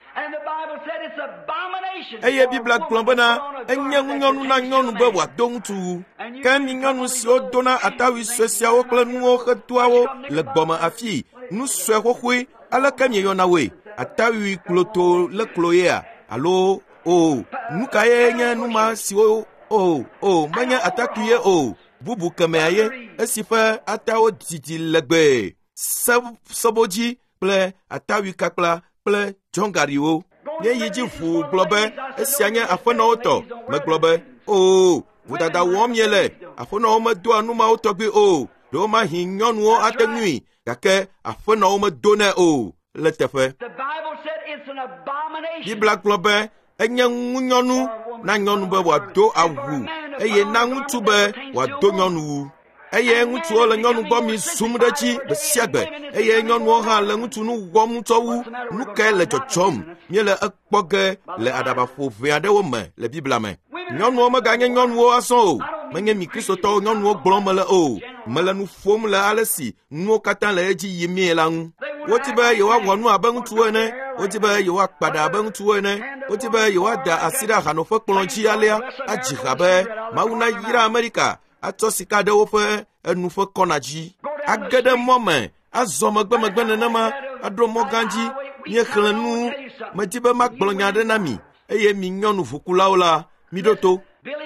Eye Biblia gblɔ bena enye ŋunyɔnu na nyɔnu be wòado ŋutsu wu. Ke mi nyɔnu siwo dona atawui sue siawo kple nuwo hedoa wo le gbɔme afii, nu sue xoxoe, aleke mieyɔna woe? Atawui kloto le kloyea? Alo o, nu kae nye nu ma siwo o, o, menye atakpui ye o, bubu kemɛa ye, esi ƒe atawo didi legbee, sebodzi kple atawui kakpla kple dzɔngariwo. Nye yi dzi ʋuu gblɔ be esia nye aƒenɔwo tɔ. Megblɔ be, o, vodada wɔm miele. Aƒenɔwo medoa nu mawo tɔgbi o. Ɖewomahi nyɔnuwo ate ŋui, gake aƒenɔwo medonɛ o le teƒe. Biblia gblɔ be enye ŋunyɔnu na nyɔnu be wòado awu eye na ŋutsu be wòado nyɔnuwu. Eye ŋutsuwo le nyɔnu gbɔ mi zum ɖe dzi gbe sia gbe eye nyɔnuwo hã le ŋutsu nu wɔm ŋutɔ wu. Nu kae le dzɔdzɔm? Míele ekpɔ ge le aɖabaƒo ʋɛ aɖewo me le Biblia me. Nyɔnuwo meganye nyɔnuwo azɔ o. Menye mi Kristotɔwo nyɔnuwo gblɔm mele o. Mele nu ƒom le ale si nuwo katã le edzi yimee la ŋu. Wodi be yewoawɔ nu abe ŋutsuwo ene, wodi be yewoakpa ɖa abe ŋutsuwo ene, wodi be yewoada asi ɖe ahanoƒe kplɔ̃ dzi alea adzi ha be Mawu nayra Amerika atsɔ sika ɖe woƒe enu ƒe kɔna dzi. Age ɖe mɔ me, azɔ megbemegbe nenema, aɖo mɔ gã dzi. Míexlẽ nu, medi be magblɔ nya aɖe na mi, eye mi nyɔnu ʋukulawo la, miɖo to.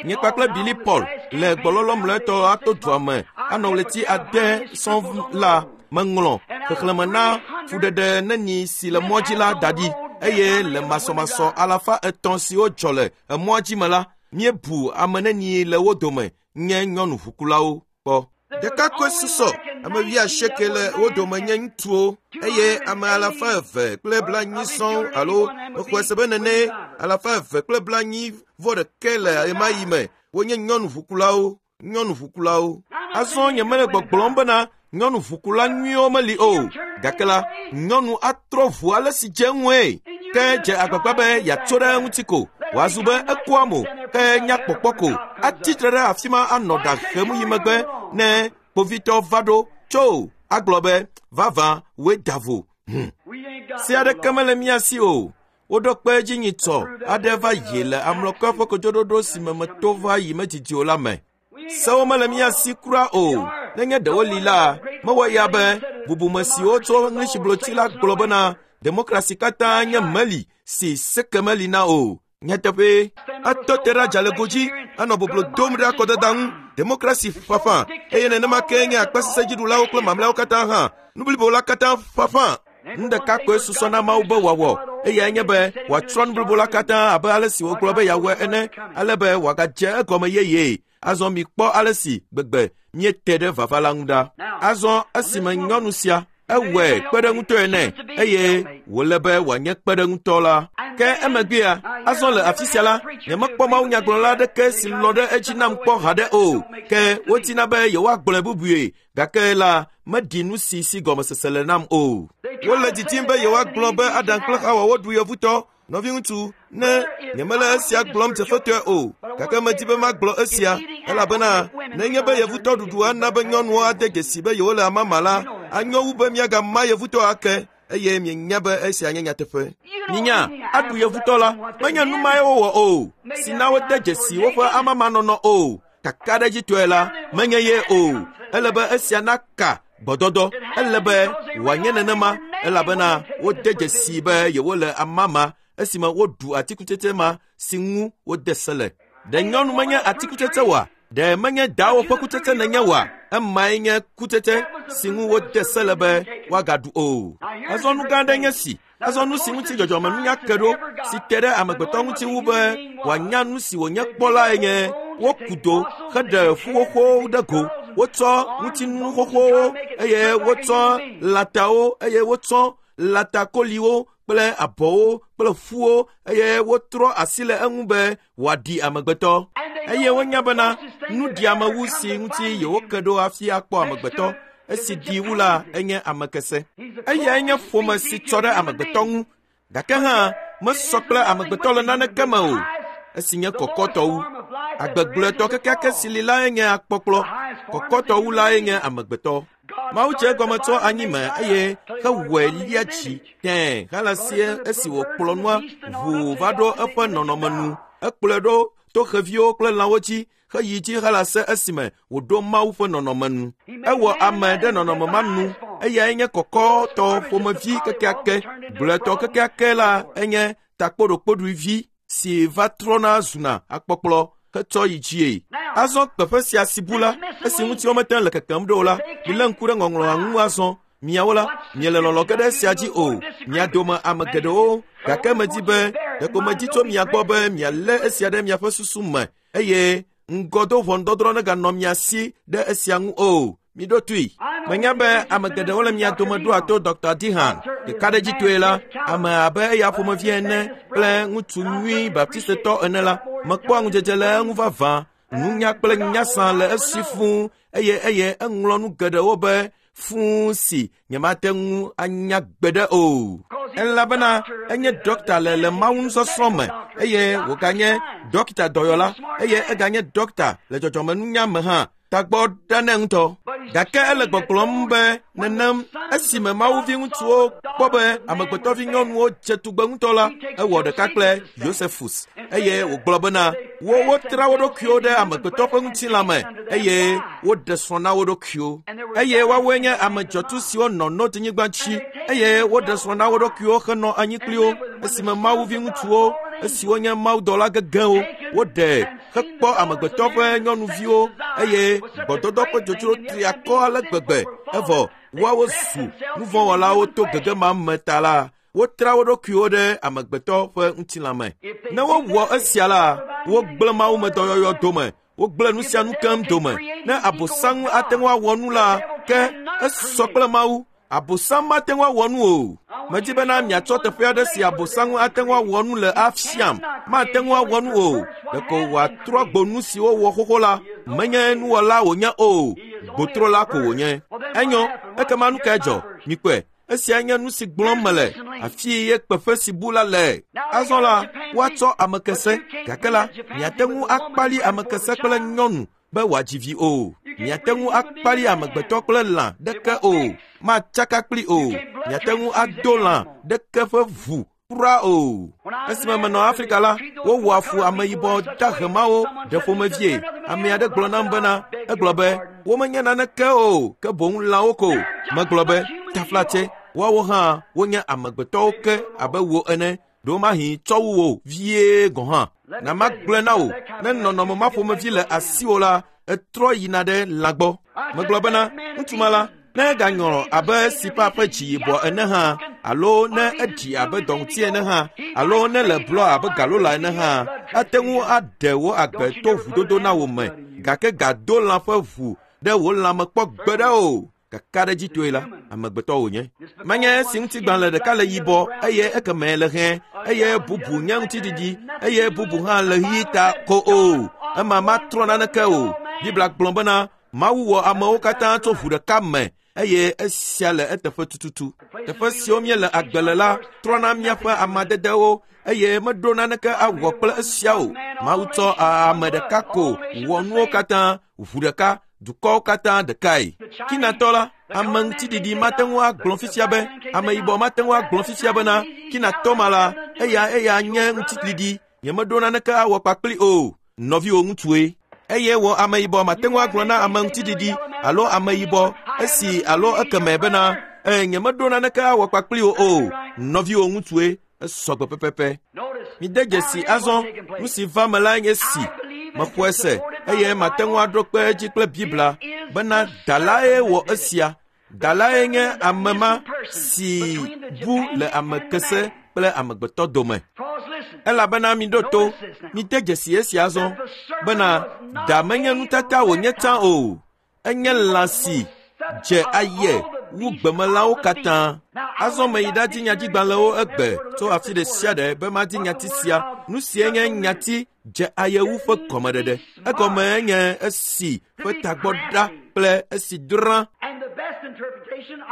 Nye kpakple Billy Paul le gbɔlɔlɔ mlɔetɔ ato dua me anɔ ɣleti ade sɔŋ la, meŋlɔ xexlẽme na fuɖeɖe neni si le mɔ dzi la da ɖi eye le masɔmasɔ alafa etɔ̃ siwo dzɔ le emɔa dzi me la, míebu ame neni le wo dome nye nyɔnu ʋukulawo kpɔ. Ɖekakpui susɔ ame wuiasieke le wo dome nye ŋutsuwo eye ame alafa eve kple blaenyi sɔŋ alo mexɔe se be nene alafa eve kple blaenyi vɔ ɖeke le ɣemaɣi me wonye nyɔnu ʋukulawo, nyɔnu ʋukulawo. Azɔ nyemele gbɔgblɔm bena nyɔnu ʋukula nyuiwo meli o, gake la nyɔnu atrɔ ʋu ale si dze ŋue. Ke dze agbagba be yeatso ɖe eŋuti ko, wòazu be ekoa mo, ke nya kpɔkpɔ ko, atsitre ɖe afi ma anɔ ɖa hem yi megbe ne kpovitɔ va ɖo tso agblɔ be vavã woe da vo. Hm. Se aɖeke mele mía si o. Woɖo kpe edzi nyitsɔ aɖe va yi le amlɔkɔe ƒe kodzoɖoɖo si me meto va yi medidi o la me. Sewo mele mía si kura o. Nenye ɖewo li la, mewɔ ya be bubume siwo tso Englishblotsi la gblɔ bena demokrasi katã nye meli si seke meli na o. Nyateƒe, atɔ te ɖe adzalego dzi anɔ boblo dom ɖe akɔdada ŋu, demokrasi ƒaƒã, eye nenema ke nye akpasesẽdziɖulawo kple mamlɛawo katã hã, nu blibo la katã ƒaƒã. Nu ɖeka koe susɔ na Mawu be wòawɔ, eyae nye be wòatrɔ nu blibo la katã abe ale si wògblɔ be yeawɔe ene, ale be wòagadze egɔme yeye. Azɔ mikpɔ ale si gbegbe míete ɖe vava la ŋu ɖa. Azɔ esime nyɔnu sia ewɔe kpeɖeŋutɔe nɛ eye wòle be wòanye kpeɖeŋutɔ la. Ke emegbea, azɔ le afi sia la, nyemekpɔ mawunyagblɔla aɖeke si lɔ ɖe edzi nam kpɔ haɖe o. Ke wodina be yewoagblɔe bubue, gake la meɖi nu si si gɔmesese le nam o. Wole didim be yewoagblɔ be Adam kple Xawa woɖu yevutɔ. Nɔviŋutsu, ne nyemele esia gblɔm dzefetɔe o, gake medi be magblɔ esia, elabena nenye be yevutɔ ɖuɖu ana be nyɔnuwo ade dzesi be yewole amama la, anyo wu be míagama yevutɔ ake, eye mienya be esia nye nyateƒe. Minya, aɖu yevutɔ la, menye nu mae wowɔ o, si na wode dzesi woƒe amamanɔnɔ o. Kakaɖedzitɔe la, menye ye o. Ele be esia naka gbɔdɔdɔ. Ele be wòanye nenema elabena wode dzesi be yewole amama esime woɖu atikutsetse ma si ŋu wode se le. Ɖe nyɔnu menye atikutsetse oa? Ɖe menye dawo ƒe kutsetse nenye oa? Emae nye kutsetse si ŋu wode se le be woagaɖu o. Azɔ nu gã aɖe nye si. Azɔ nu si ŋuti dzɔdzɔmenunya ke ɖo si te ɖe amegbetɔ ŋuti wu be wòanya nu si wònye kpɔ lae nye woku do heɖe ƒu xoxowo ɖe go. Wotsɔ ŋutinu xoxowo eye wotsɔ lãtawo eye wotsɔ lãtakoliwo kple abɔwo kple ƒuwo eye wotrɔ asi le eŋu be wòaɖi amegbetɔ. Eye wonya bena nuɖiamewu si ŋuti yewoke ɖo hafi akpɔ amegbetɔ esi ɖi wu la enye amekese. Eyae nye ƒome si tsɔ ɖe amegbetɔ ŋu, gake hã mesɔ kple amegbetɔ le naneke me o. Esi nye kɔkɔtɔ wu. Agbegblɔetɔ kekeake si li lae nye akpɔkplɔ. Kɔkɔtɔ wu lae nye amegbetɔ. Mawu dze egɔme tso anyi me eye hewɔe lia dzi tẽe xalasie esi wòkplɔ nua ʋuu va ɖo eƒe nɔnɔme nu. Ekplɔe ɖo to xeviwo kple lãwo dzi heyi dzi xalase esime wòɖo Mawu ƒe nɔnɔme nu. Ewɔ ame ɖe nɔnɔme ma nu. Eyae nye kɔkɔtɔ ƒomevi kekeake. Gblɔetɔ kekeake la enye takpoɖokpoɖoevi si va trɔna zuna akpɔkplɔ hetsɔ yi dzie. Azɔ kpeƒe sia si bu la, esi ŋuti womete le kekem ɖo o la, milé ŋku ɖe ŋɔŋlɔa ŋu azɔ. Miawo la, miele lɔlɔ ge ɖe esia dzi o. Mia dome ame geɖewo, gake medi be ɖeko medi tso mia gbɔ be mialé esia ɖe miaƒe susu me eye ŋgɔdo ʋɔnudɔdrɔ̃ neganɔ mia si ɖe esia ŋu o. Miɖo toe. Menya be ame geɖewo le mia dome ɖoa to Dɔkta Dihan. Ɖekaɖedzitɔe la, ame abe eya ƒomevi ene kple ŋutsu nyui baptistetɔ ene la, mekpɔa ŋudzedze le eŋu vavã. Nunya kple nyasã le esi fũu eye eye eŋlɔ nu geɖewo be fũu si nyemate ŋu anya gbeɖe o. Elabena enye dɔkta le le Mawu nusɔsrɔ̃ me eye wòganye dɔkta dɔyɔla eye eganye dɔkta le dzɔdzɔmenunya me hã. Tagbɔ ɖa nɛ ŋutɔ. Gake ele gbɔgblɔm be nenem esime Mawuvi ŋutsuwo kpɔ be amegbetɔvi nyɔnuwo dze tugbe ŋutɔ la, ewɔ ɖeka kple Yosefus eye wògblɔ bena wo wotra wo ɖokuiwo ɖe amegbetɔ ƒe ŋutilã me eye woɖe srɔ̃ na wo ɖokuiwo. Eye woawoe nye ame dzɔtsu siwo nɔ Nod-nyigba dzi eye woɖe srɔ̃ na wo ɖokuiwo henɔ anyi kpli wo esime Mawuvi ŋutsuwo esiwo nye mawudɔla gegewo woɖe hekpɔ amegbetɔ ƒe nyɔnuviwo eye gbɔdɔdɔ ƒe dzodzro tri akɔ ale gbegbe evɔ woawo zu nuvɔ̃wɔlawo to gege ma me ta la, wotra wo ɖokuiwo ɖe amegbetɔ ƒe ŋutilã me. Ne wowɔ esia la, wogblẽ mawumedɔyɔyɔ dome, wogblẽ nu sia nu keŋ dome. Ne Abosam ate ŋu awɔ nu la, ke esɔ kple Mawu. Abosam mate ŋu awɔ nu o. Medi bena miatsɔ teƒe aɖe si Abosam ate ŋu awɔ nu le afiam. Mate ŋu awɔ nu o. Ɖeko wòatrɔ gbo nu si wowɔ xoxo la. Menye nuwɔla wònye o. Gbotrola ko wònye. Enyo, ekema nu kae dzɔ? Mikpɔe. Esia nye nu si gblɔm mele. Afi ye kpeƒe si bu la le. Azɔ la, woatsɔ amekese. Gake la, miate ŋu akpali amekese kple nyɔnu be wòadzi vi o. Miate ŋu akpali amegbetɔ kple lã ɖeke o. Matsaka kpli o. Miate ŋu ado lã ɖeke ƒe ʋu kura o. Esime menɔ Afrika la, wowɔa fu ameyibɔ dahemawo ɖe ƒomevie. Ame aɖe gblɔ nam bena, egblɔ be, womenye naneke o, ke boŋ lãwo ko. Megblɔ be, taflatse, woawo hã wonye amegbetɔwo ke abe wò ene. Ɖewomahi tsɔ wu wò vie gɔ̃ hã. Na magblɔe na wò, ne nɔnɔme ma ƒomevi le asiwò la, etrɔ yina ɖe lã gbɔ. Megblɔ bena, ŋutsu ma la, ne eganyɔ abe sipa ƒe dzi yibɔ ene hã, alo ne eɖi abe dɔŋuti ene hã, alo ne le blɔ abe galola ene hã, ate ŋu aɖe wò agbe to ʋudodo na wò me, gake gado lã ƒe ʋu ɖe wò lãme kpɔ gbeɖe o. Kakaɖedzitɔe la, amegbetɔ wònye. Menye esi ŋutigbalẽ ɖeka le yibɔ eye ekemɛ le hẽ eye bubu nye ŋutiɖiɖi eye bubu hã le ɣi ta ko o. Ema matrɔ naneke o. Biblia gblɔ bena Mawu wɔ amewo katã tso ʋu ɖeka me eye esia le eteƒe tututu. Teƒe siwo míele agbe le la trɔna míaƒe amadedewo eye meɖo naneke awɔ kple esia o. Mawu tsɔ ame ɖeka ko wɔ nuwo katã, ʋu ɖeka, dukɔwo katã ɖekae. Kinatɔ la, ame ŋutiɖiɖi mate ŋu agblɔ fifia be, ameyibɔ mate ŋu agblɔ fifia bena, kinatɔ ma la, eya eya nye ŋutiɖiɖi, nyemeɖo naneke awɔ kpakpli o. Nɔviwò ŋutsue. Eye wò ameyibɔ mate ŋu agblɔ na ame ŋutiɖiɖi alo ameyibɔ esi alo ekeme bena e nyemeɖo naneke awɔ kpakpli wo o. Nɔviwò ŋutsue esɔgbe pɛpɛpɛ. Mide dzesi azɔ nu si va me la nye si mexɔe se eye mate ŋu aɖo kpe edzi kple Biblia bena dalae wɔ esia. Dalae nye ame ma si bu le ame kese kple amegbetɔ dome. Elabena miɖo to, mide dzesi esia azɔ bena da menye nutata wònye tsã o. Enye lã si dze aye wu gbemelãwo katã. Azɔ meyi ɖadi nyadzigbalẽwo egbe tso afi ɖe sia ɖe be madi nyati sia. Nu sie nye nyati dze ayewu ƒe gɔmeɖeɖe. Egɔme nye esi ƒe tagbɔ ɖa kple esi drã.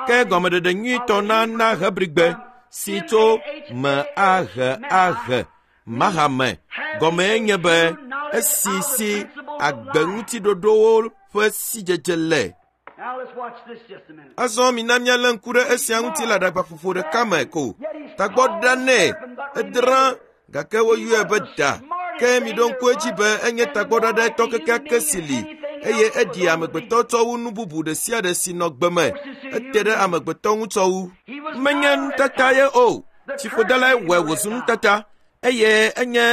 Ke gɔmeɖeɖe nyuitɔ na na Hebrigbe si tso me ahe ahe mahame gɔme nye be esi si agbeŋutiɖoɖowo ƒe sidzedze le. Azɔ mina míalé ŋku ɖe esia ŋuti le aɖabaƒoƒo ɖeka me ko. Tagbɔ ɖa nɛ, edrã gake woyɔe be da. Ke miɖo ŋku edzi be enye tagbɔɖaɖɛtɔ kekeake si li eye eɖi amegbetɔ tsɔ wu nu bubu ɖe sia ɖe si nɔ gbe me. Ete ɖe amegbetɔ ŋu tsɔ wu. Menye nutata ye o. Tsiƒodalae wɔe wòzu nutata eye enye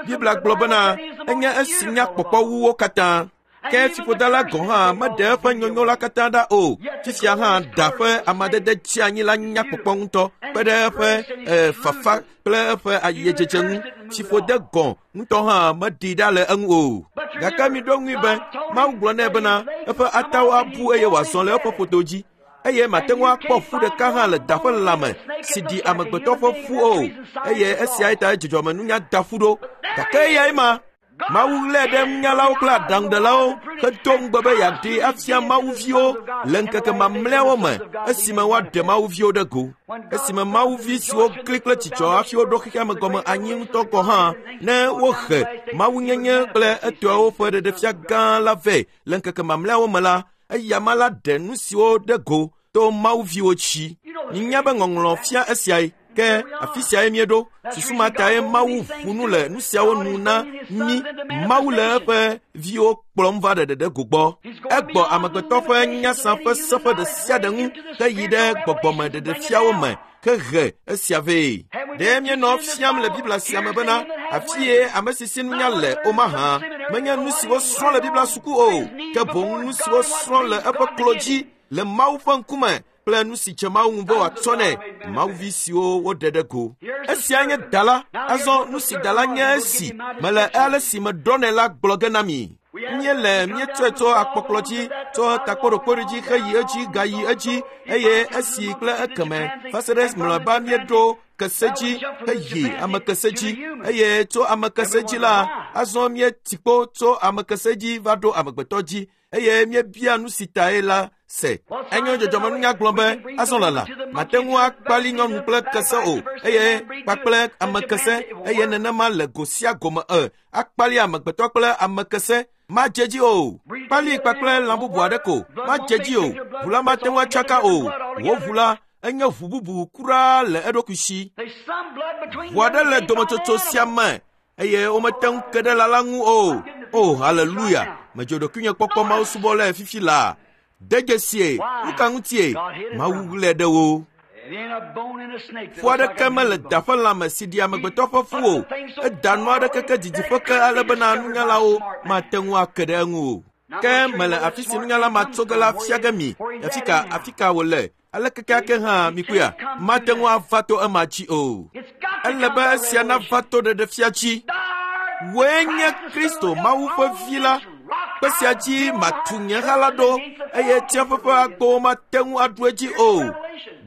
Biblia gblɔ bena enye esi nya kpɔkpɔ wu wo katã. Ke fiƒodala gɔ̃ hã meɖe eƒe nyonyo la katã ɖa o. Fifia hã da ƒe amadede tsi anyi la nya kpɔkpɔ ŋutɔ kpe ɖe eƒe e, fafa kple eƒe ayedzedze ŋu. Fiƒode gɔ̃ ŋutɔ hã meɖi ɖa le eŋu o. Gake miɖo ŋui be Mawu gblɔ nɛ bena eƒe atawo abu eye wòazɔ le eƒe ƒodo dzi. Eye mate ŋu akpɔ ƒu ɖeka hã le da ƒe lãme si ɖi amegbetɔ ƒe ƒu o. Eye esiae ta dzɔdzɔmenunya da ƒu ɖo. Gake eyae ma. Mawu lé ɖe nunyalawo kple aɖaŋuɖelawo hedo ŋugbe be yeaɖee afia mawuviwo le ŋkeke mamlɛawo me esime woaɖe mawuviwo ɖe go. Esime mawuvi siwo kli kple dzidzɔ hafi woɖo xexea me gɔme anyi ŋutɔ gɔ̃ hã ne wohe mawunyenye kple etɔawo ƒe ɖeɖefia gã la vɛ le ŋkeke mamlɛawo me la, eyama la ɖe nu siwo ɖe go to mawuviwo dzi. Minya be ŋɔŋlɔ fia esiae. Ke afi siae míeɖo. Susu ma tae Mawu ƒo nu le nu siawo nu na mí. Mawu le eƒe viwo kplɔm va ɖeɖeɖe go gbɔ. Egbɔ amegbetɔ ƒe nyasa ƒe seƒe ɖe sia ɖe ŋu heyi ɖe gbɔgbɔme ɖeɖefiawo me hehe esia vɛ. Ɖe míenɔ fiam le Biblia sia me bena afi ye ame si si nunya le o mahã menye nu si wosrɔ̃ le Biblia suku o, ke boŋ nu si wosrɔ̃ le eƒe klo dzi le Mawu ƒe ŋkume kple nu si dze Mawu ŋu be wòatsɔ nɛ mawuvi siwo woɖe ɖe go. Esia nye da la. Azɔ nu si da la nye esi mele ale si meɖɔ nɛ la gblɔ ge na mi. Míele míetsɔe tso akpɔkplɔ dzi, tso takpoɖokpoɖi dzi heyi edzi gayi edzi eye esi kple ekeme va se ɖe mlɔeba míeɖo kese dzi heyi ame kese dzi eye tso ame kese dzi la azɔ míeti kpo tso ame kese dzi va ɖo amegbetɔ dzi eye míebia nu si tae la se. Enyo dzɔdzɔmenunya gblɔ be azɔ lala mate ŋu akpali nyɔnu kple kese o eye kpakple ame kese eye nenema le go sia gome e akpali amegbetɔ kple ame kese madze dzi o. Kpali kpakple lã bubu aɖe ko madze dzi o. Ʋu la mate ŋu atsaka o. Wò ʋu la enye ʋu bubu kura le eɖokui si. Ʋu aɖe le dometsotso sia me eye womete ŋu ke ɖe lã la ŋu o. O haleluya! Medzo ɖokuinye kpɔkpɔ Mawu subɔlae fifi laa. De dzesie, nu ka ŋutie? Mawu lé ɖe wo. Fu aɖeke mele da ƒe lãme si ɖi amegbetɔ ƒe fu o. Eda nu aɖe keke didiƒe ke ale bena nunyalawo mate ŋu ake ɖe eŋu o. Ke mele afi si nunyala ma tso ge la fia ge mi. Afi ka afi ka wòle? Ale kekeake hã mikuya mate ŋu ava to ema dzi o. Ele be esia nava to ɖeɖefia dzi. Wòe nye Kristo Mawu ƒe vi la. Kpe sia dzi matu nye ha la ɖo eye tsiaƒe ƒe agbowo mate ŋu aɖu edzi o.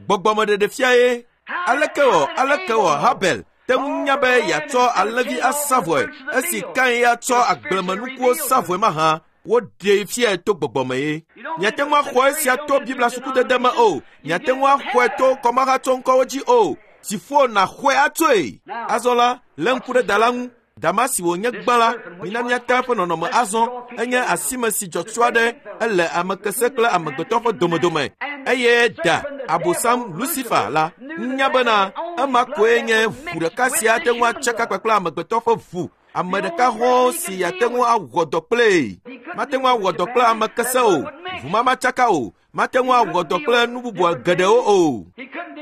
Gbɔgbɔmeɖeɖefia ye. Aleke wɔ aleke wɔ Habel te ŋu nya be yeatsɔ alẽvi asa vɔe esi Kain ya tsɔ agblemenukuwo sa vɔe mahã woɖee fiae to gbɔgbɔme ye. Miate ŋu axɔ esia to Biblia sukudede me o. Miate ŋu axɔe to kɔmahatsɔŋkɔwo dzi o. Dziƒo nàxɔe atsoe. Azɔ la, lé ŋku ɖe da la ŋu. Dama si wònye gbã la, mina míata eƒe nɔnɔme azɔ. Enye asime si dzɔtsu aɖe ele ame kese kple amegbetɔ ƒe domedome. Eye da Abosam Lucifer la nya bena ema koe nye ʋu ɖeka si ate ŋu atsaka kpakple amegbetɔ ƒe ʋu. Ame ɖeka hɔ̃ si ate ŋu awɔ dɔ kplee. Mate ŋu awɔ dɔ kple ame kese o, ʋumamatsaka o, mate ŋu awɔ dɔ kple nu bubu geɖewo o.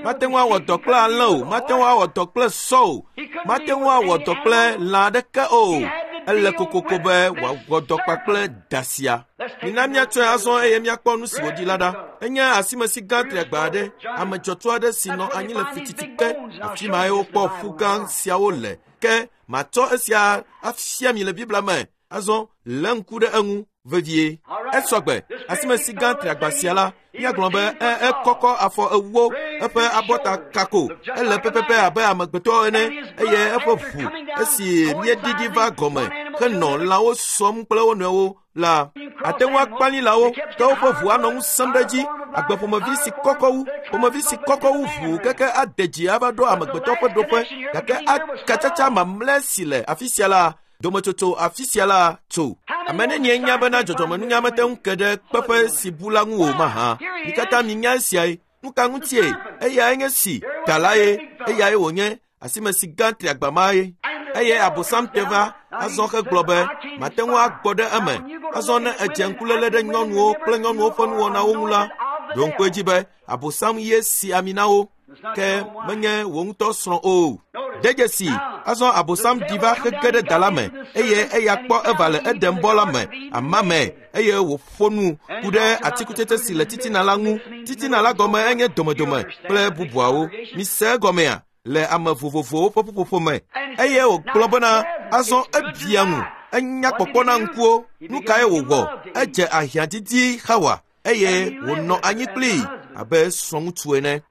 Mate ŋu awɔ dɔ kple alẽ o, mate ŋu awɔ dɔ kple sɔ o, mate ŋu awɔ dɔ kple lã aɖeke o. Ele kokoko be wòawɔ dɔ kpakple da sia. Mina míatsɔe azɔ eye míakpɔ nu si wòdi la ɖa. Enye asimesi gã triagba aɖe, ame dzɔtsu aɖe si nɔ anyi le fititi ke. Afi mae wokpɔ ƒu gã siawo le. Ke matsɔ esia afia mi le Biblia me. Azɔ lé ŋku ɖe eŋu vevie. Esɔgbe asimesi gã triagba sia la, míagblɔ be e ekɔkɔ afɔ ewo, eƒe abɔta kako, ele pɛpɛpɛ abe amegbetɔ ene, eye eƒe ʋu esi míeɖiɖi va gɔme henɔ lãwo sɔm kple wo nɔewo la, ate ŋu akpali lãwo, ke woƒe ʋu anɔ ŋusẽm ɖe edzi. Agbe ƒomevi si kɔkɔ wu, ƒomevi si kɔkɔ wu ʋu keke ade dzi ava ɖo amegbetɔ ƒe ɖoƒe, gake akatsatsa mamlɛ si le afi sia la, dometsotso afi sia la tso. Ame nenie nya bena dzɔdzɔmenunya mete ŋu ke ɖe kpeƒe si bu la ŋu o mahã. Mi katã minya esiae. Nu ka ŋutie? Eyae nye si da la ye, eyae wònye asimesi gã triagba ma ye. Eye Abosam te va azɔ hegblɔ be mate ŋu agbɔ ɖe eme. Azɔ ne edze ŋkuléle ɖe nyɔnuwo kple nyɔnuwo ƒe nuwɔnawo ŋu la, ɖo ŋku edzi be Abosam ye si ami na wo, ke menye wò ŋutɔ srɔ̃ o. De dzesi, azɔ Abosam ɖi va hege ɖe da la me, eye eya kpɔ Eva le Eden bɔ la me, ama me, eye wòƒo nu ku ɖe atikutsetse si le titina la ŋu. Titina la gɔme enye domedome kple bubuawo. Mise egɔmea? Le ame vovovowo ƒe ƒuƒoƒo me. Eye wògblɔ bena azɔ ebia ŋu, enya kpɔkpɔ na ŋkuwo. Nu kae wòwɔ? Edze ahiãdidi Xawa, eye wònɔ anyi kplii abe srɔ̃ŋutsu ene.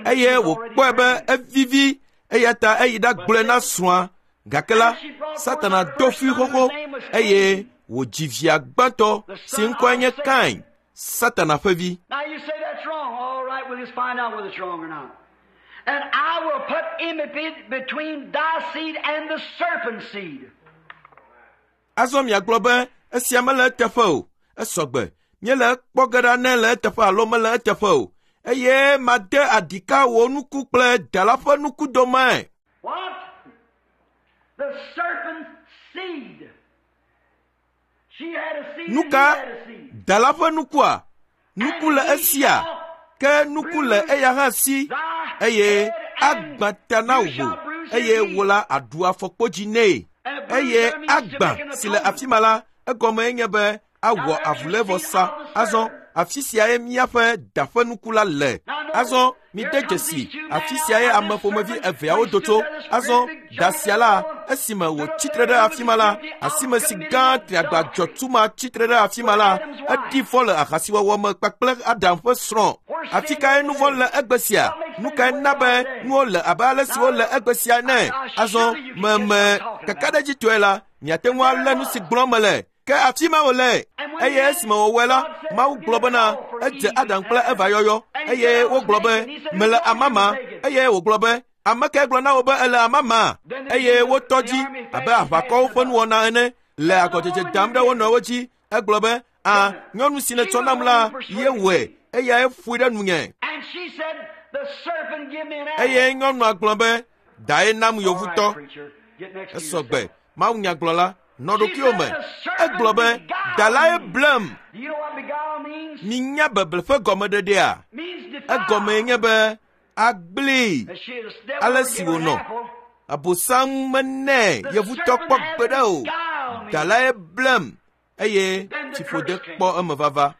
Eye wòkpɔe be evivi, eya ta eyi ɖagblɔe na srɔ̃a. Gake la, Satana do fui xoxo eye wòdzi via gbãtɔ si ŋkɔe nye Kain, Satana ƒe vi. And I will put enmity between thy seed and the serpent's seed. Azɔ miagblɔ be esia mele eteƒe o. Esɔgbe míele ekpɔ ge ɖa ne le eteƒe alo mele eteƒe o. Eye made aɖika wò nuku kple da la ƒe nuku dome. What? The serpent's seed. She had a seed. Nu ka? Da la ƒe nukua? Nuku le esia, ke nuku le eya hã si, eye agbã ta na wò, eye wò la aɖu afɔkpodzi nɛ. Eye agbã si le afi ma la, egɔme nye be awɔ avulévɔsa. Azɔ afi siae míaƒe da ƒe nuku la le. Azɔ mide dzesi afi siae ame ƒomevi eveawo do tso. Azɔ da sia la, esime wòtsi tre ɖe afi ma la, asime si gã triagba dzɔtsu ma tsi tre ɖe afi ma la, eɖi fɔ le ahasiwɔwɔ me kpakple Adam ƒe srɔ̃. Afi kae nu vɔ̃ le egbe sia? Nu kae na be nuwo le abe ale si wole egbe sia ene? Azɔ meme kakaɖedzitɔe la, miate ŋu alé nu si gblɔm mele. Ke afi ma wòle. Eye esime wòwɔe la, Mawu gblɔ bena edze Adam kple Eva yɔyɔ, eye wogblɔ be mele amama, eye wògblɔ be ame kae gblɔ na wo be ele amama? Eye wotɔ dzi abe aʋakɔwo ƒe nuwɔna ene le agɔdzedze dam ɖe wo nɔewo dzi. Egblɔ be a nyɔnu si nètsɔ nam la ye wɔe, eyae ƒoe ɖe nunye. Eye nyɔnua gblɔ be dae nam yovutɔ. Esɔgbe Mawu nyagblɔla nɔ ɖokuiwò me. Egblɔ be da lae blem. Minya beble ƒe gɔmeɖeɖea? Egɔmee nye be agblee. Ale si wònɔ. Abosam menɛ yevutɔ kpɔ gbeɖe o. Da lae blem eye tsiƒode kpɔ eme vava.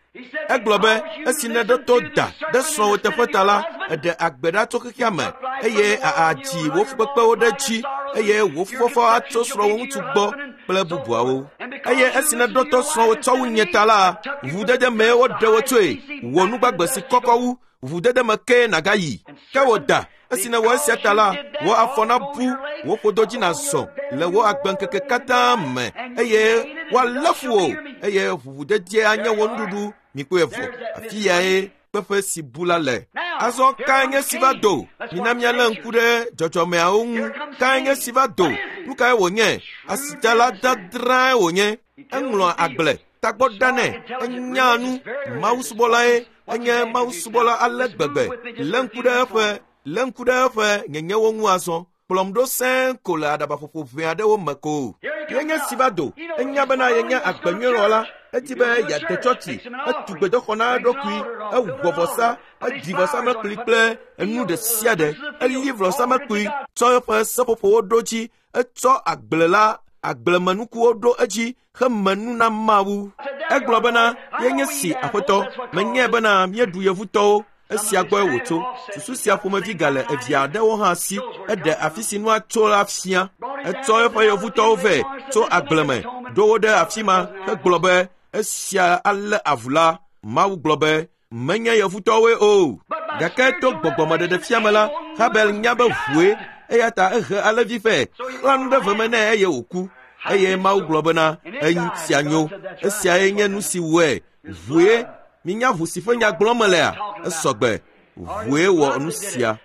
Egblɔ be esi nèɖo to da ɖe srɔ̃wò teƒe ta la, eɖe agbe ɖa tso xexea me, eye àdzi wò fukpekpewo ɖe dzi, eye wò fufɔfɔ atso srɔ̃wò ŋutsu gbɔ kple bubuawo. Eye esi nèɖo to srɔ̃wò tsɔ wu nye ta la, ʋudede mee woɖe wò tsoe, wò nugbagbe si kɔkɔ wu, ʋudede me kee nàgayi. Ke wò da, esi nèwɔ esia ta la, wò afɔ nabu, wò ƒodo dzi nàzɔ le wò agbeŋkeke katã me, eye woalé fu wò, eye ʋuʋudedie anye wò nuɖuɖu. Mikpɔe vɔ, afi yae kpeƒe si bu la le. Azɔ kae nye si va do? Mina míalé ŋku ɖe dzɔdzɔmeawo ŋu. Kae nye si va do? Nu kae wònye? Asitsala dadrae wònye. Eŋlɔa agble, tagbɔ ɖanɛ, enyaa nu. Mawusubɔlae, enye mawusubɔla ale gbegbe. Lé ŋku ɖe eƒe, lé ŋku ɖe eƒe nyenyewo ŋu azɔ. Kplɔm ɖo sẽe ko le aɖabaƒoƒo ʋɛ aɖewo me ko. Yenye si va do. Enya bena yenye agbenyuiwɔla. Edi be yeade tsɔtsi. Etu gbedoxɔ na eɖokui. Ewɔ vɔsa. Edzi vɔsamlekpui kple enu ɖe sia ɖe. Eli vɔsamlekpui tsɔ eƒe seƒoƒowo ɖo dzi. Etsɔ agble la agblemenukuwo ɖo edzi heme nu na Mawu. Egblɔ bena yenye si aƒetɔ. Menyae bena míeɖu yevutɔwo. Esia gbɔe wòtso. Susu sia ƒomevi gale evia aɖewo hã si. Eɖe afi si nua tso la fia. Etsɔ eƒe yevutɔwo vɛ tso agble me, ɖo wo ɖe afi ma hegblɔ be esia alé avu la. Mawu gblɔ be menye yevutɔwoe o. Gake to gbɔgbɔmeɖeɖefia me la, Habel nya be ʋue eya ta ehe alẽvi vɛ, xlã nu ɖe veme nɛ eye wòku. Eye Mawu gblɔ bena esia nyo. Esiae nye nu si wɔe. Ʋue. Minya ʋu si ƒe nya gblɔm melea? Esɔgbe. Ʋue wɔ nu sia.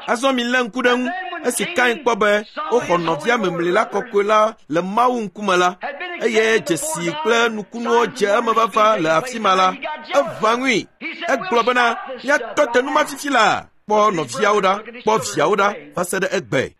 Azɔ milé ŋku ɖe ŋu. Esi Kain kpɔ be woxɔ nɔvia memli la kɔkɔe la le Mawu ŋkume la, eye dzesi kple nukunuwo dze eme vava le afi ma la, eʋã ŋui. Egblɔ bena míatɔ te nu ma fifi la. Kpɔ nɔviawo ɖa, kpɔ viawo ɖa va se ɖe egbe.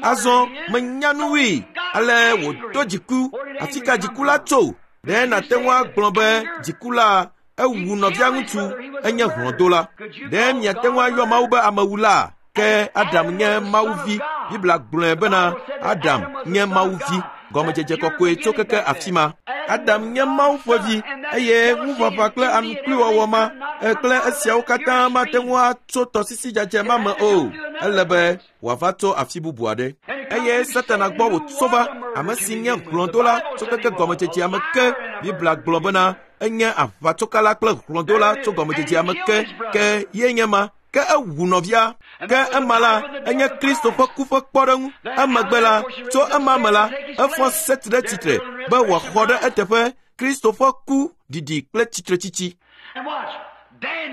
Azɔ menya nu wui. Ale wòdo dziku. Afi ka dziku la tso? Ɖe nàte ŋu agblɔ be dziku la ewu nɔvia ŋutsu enye hlɔ̃dola. Ɖe miate ŋu ayɔ Mawu be amewula? Ke Adam nye Mawu vi. Biblia gblɔe bena Adam nye Mawu vi. Gɔmedzedze kɔkɔe tso keke afi ma. Adam nye Mawu ƒe vi eye ŋuʋaʋã kple anukluiwɔwɔ ma kple esiawo katã mate ŋu atso tɔsisi dzadzɛ ma me o. Ele be wòava tso afi bubu aɖe. Eye Satana gbɔ wòtso va, ame si nye hlɔ̃dola tso keke gɔmedzedzea me ke. Biblia gblɔ bena enye aʋatsokala kple hlɔ̃dola tso gɔmedzedzea me ke. Ke ye nye ma. Ke ewu nɔvia. Ke ema la, enye Kristo ƒe ku ƒe kpɔɖeŋu. Emegbe la, tso ema me la, efɔ Set ɖe tsitre be wòaxɔ ɖe eteƒe Kristo ƒe ku ɖiɖi kple tsitretsitsi.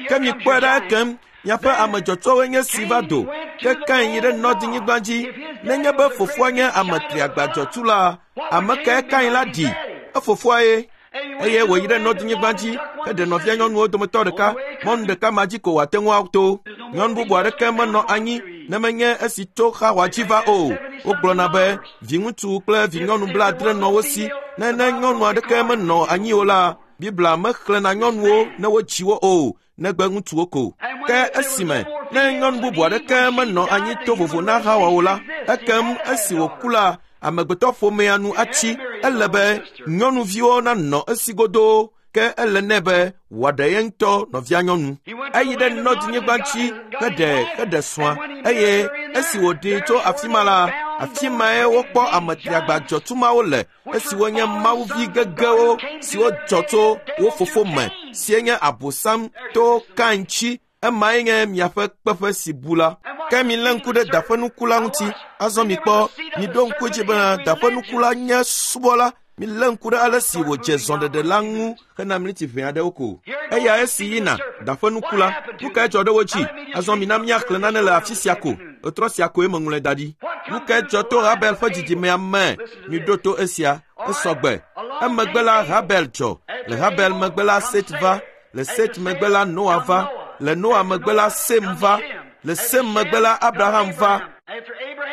Ke mikpɔe ɖa ekem, miaƒe ame dzɔtsowoe nye si va do. Ke Kain yi ɖe Nɔdinyigba dzi. Nenye be fofoa nye ame triagba dzɔtsu la, ame kae Kain la ɖi? Efofoa ye. Eye wòyi ɖe Nɔdinyigba dzi heɖe nɔvia nyɔnuwo dometɔ ɖeka. Mɔnu ɖeka ma dzi ko wòate ŋu ato. Nyɔnu bubu aɖeke menɔ anyi ne menye esi tso Xawa dzi va o. Wogblɔna be viŋutsu kple vinyɔnu blaadre nɔ wo si. Ne ne nyɔnu aɖeke menɔ anyi o la, Biblia mexlẽna nyɔnuwo ne wodzi wo o, negbe ŋutsuwo ko. Ke esime ne nyɔnu bubu aɖeke menɔ anyi to vovo na Xawa o la, ekem esi wòku la, amegbetɔ ƒomea nu atsi. Ele be nyɔnuviwo nanɔ esi godoo. Ke ele nɛ be wòaɖe ye ŋutɔ nɔvia nyɔnu. Eyi ɖe Nɔdinyigba dzi heɖe heɖe srɔ̃a. Eye esi wòɖee tso afi ma la, afi mae wokpɔ ame triagba dzɔtsu mawo le, esiwo nye mawuvi gegewo siwo dzɔ tso wo fofo me, sie nye Abosam to Kain tsi. Emae nye miaƒe kpeƒe si bu la. Ke milé ŋku ɖe daƒenuku la ŋuti. Azɔ mikpɔ, miɖo ŋku edzi bena daƒenuku la nye subɔla. Milé ŋku ɖe ale si wòdze zɔɖeɖe la ŋu hena miniti ʋɛ aɖewo ko. Eya esi yina daƒenuku la, nu kae dzɔ ɖe wo dzi? Azɔ mina míaxlẽ nane le afi sia ko. Etrɔ sia koe meŋlɔe da ɖi. Nu kae dzɔ to Habel ƒe dzidzimea me? Miɖo to esia. Esɔgbe. Emegbe la Habel dzɔ. Le Habel megbe la Set va. Le Set megbe la Noa va. Le Noa megbe la Sem va. Le Sem megbe la Abraham va.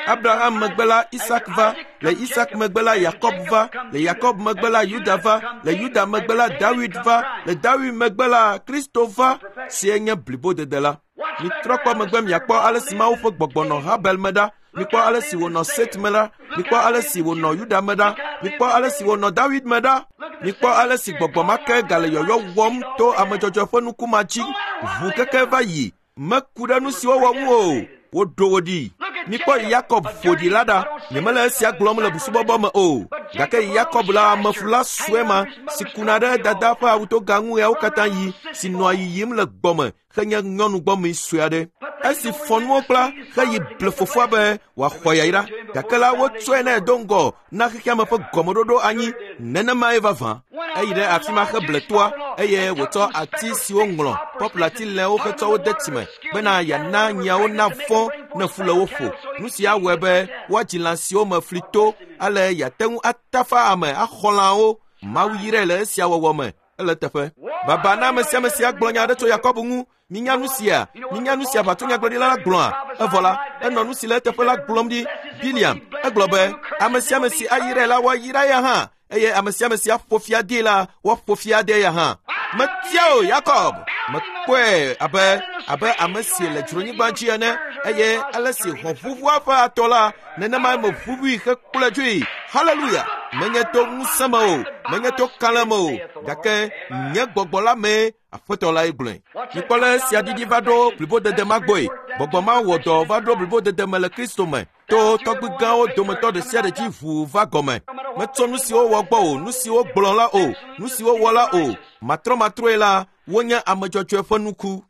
Abraham megbe la Isak va. Le Isak megbe la Yakob va. Le Yakob megbe la Yuda va. Le Yuda megbe la Dawid va. Le Dawid megbe la Kristo va, sie nye blibodede la. Mitrɔ kpɔ megbe miakpɔ ale si Mawu ƒe gbɔgbɔ nɔ Habel me ɖa. Mikpɔ ale si wònɔ Set me ɖa. Mikpɔ ale si wònɔ Yuda me ɖa. Mikpɔ ale si wònɔ Dawid me ɖa. Mikpɔ ale si gbɔgbɔ ma ke gale yɔyɔ wɔm to amedzɔdzɔ ƒe nuku ma dzi. Ʋu keke va yi. Meku ɖe nu si wowɔ ŋu o. Woɖo wo ɖi. Mikpɔ Yakob ƒo ɖi la ɖa. Nyemele esia gblɔm le busubɔbɔ me o. Gake Yakob la amefula sue ma si kuna ɖe dada ƒe awutoga ŋu ɣeawo katã yi, si nɔa yiyim le gbɔme henye nyɔnu gbɔmee sue aɖe. Esi fɔ nuwo kpla heyi ble fofoa be wòaxɔ yayra. Gake la wotsɔe nɛ do ŋgɔ na xexeame ƒe gɔmeɖoɖo anyi. Nenemae vavã. Eyi ɖe afi ma heble toa eye wòtsɔ ati siwo ŋlɔ pɔplati lẽwo hetsɔ wo de tsime bena yeana nyiawo navɔ̃ ne fu le wo ƒo. Nu sia wɔe be woadzi lã siwo me fli to ale yeate ŋu atafa ame axɔ lãwo. Mawu yrae le esia wɔwɔ me. Ele teƒe. Baba na ame sia ame sia gblɔ nya aɖe tso Yakob ŋu. Minya nu sia, minya nu sia aʋatsonyagblɔɖila la gblɔa. Evɔ la, enɔ nu si le eteƒe la gblɔm ɖi. Biliam egblɔ be ame sia ame si ayrae la woayra ya hã, eye ame sia ame si aƒo fia dee la woaƒo fia dee ya hã. Metia o Yakob, mekpɔe abe abe ame si le dzronyigba dzi ene, eye ale si hɔ̃ ʋuʋua ƒe atɔ la, nenema meʋuʋui hekplɔe dzoe. Haleluya! Menye to ŋusẽ me o, menye to kalẽ me o, gake nye gbɔgbɔ la mee Aƒetɔ lae gblɔe. Mikpɔ le esia ɖiɖi va ɖo blibodede ma gbɔe. Gbɔgbɔ ma wɔ dɔ va ɖo blibodede me le Kristo me. To tɔgbui gãwo dometɔ ɖe sia ɖe dzi ʋuu va gɔme. Metsɔ nu siwo wɔ gbɔ o, nu siwo gblɔ la o, nu siwo wɔ la o. Matrɔmatrɔe la, wonye ame dzɔdzɔe ƒe nuku.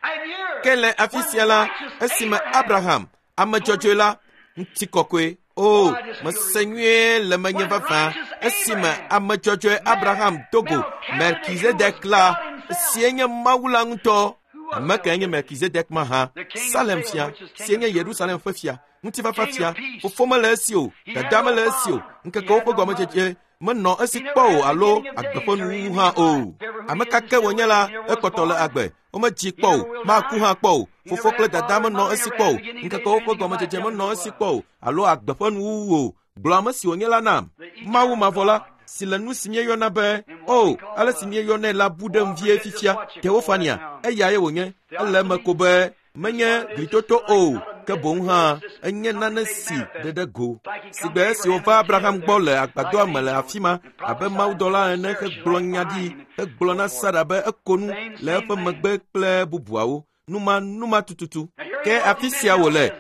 Ke le afi sia la, esime Abraham, ame dzɔdzɔe la, ŋutikɔkɔe, o, mese nyuie le menye vavã, esime ame dzɔdzɔe Abraham do go Melkizedek la, sie nye Mawu la ŋutɔ. Ame kae nye Melkizedek ma hã? Salem fia, sie nye Yerusalem ƒe fia, ŋutifafa fia. Fofo mele esi o, dada mele esi o, ŋkekewo ƒe gɔmedzedze menɔ esi kpɔ o alo agbe ƒe nuwuwu hã o. Ame ka ke wònye la, ekpɔtɔ le agbe. Womedzi kpɔ o, maku hã kpɔ o. Fofo kple dada menɔ esi kpɔ o, ŋkekewo ƒe gɔmedzedze menɔ esi kpɔ o alo agbe ƒe nuwuwu o. Gblɔ ame si wònye la nam. Mawu mavɔ la, si le nu si míeyɔna be o, ale si míeyɔnɛ la bu ɖem vie fifia. Teofania, eyae wònye. Ele eme ko be menye glitoto o, ke boŋ hã enye nane si ɖe ɖe go. Sigbe esi wòva Abraham gbɔ le agbadɔa me le afi ma abe mawudɔla ene hegblɔ nya ɖi hegblɔ na Sara be eko nu le eƒe megbe kple bubuawo. Numa numa tututu. Ke afi sia wòle.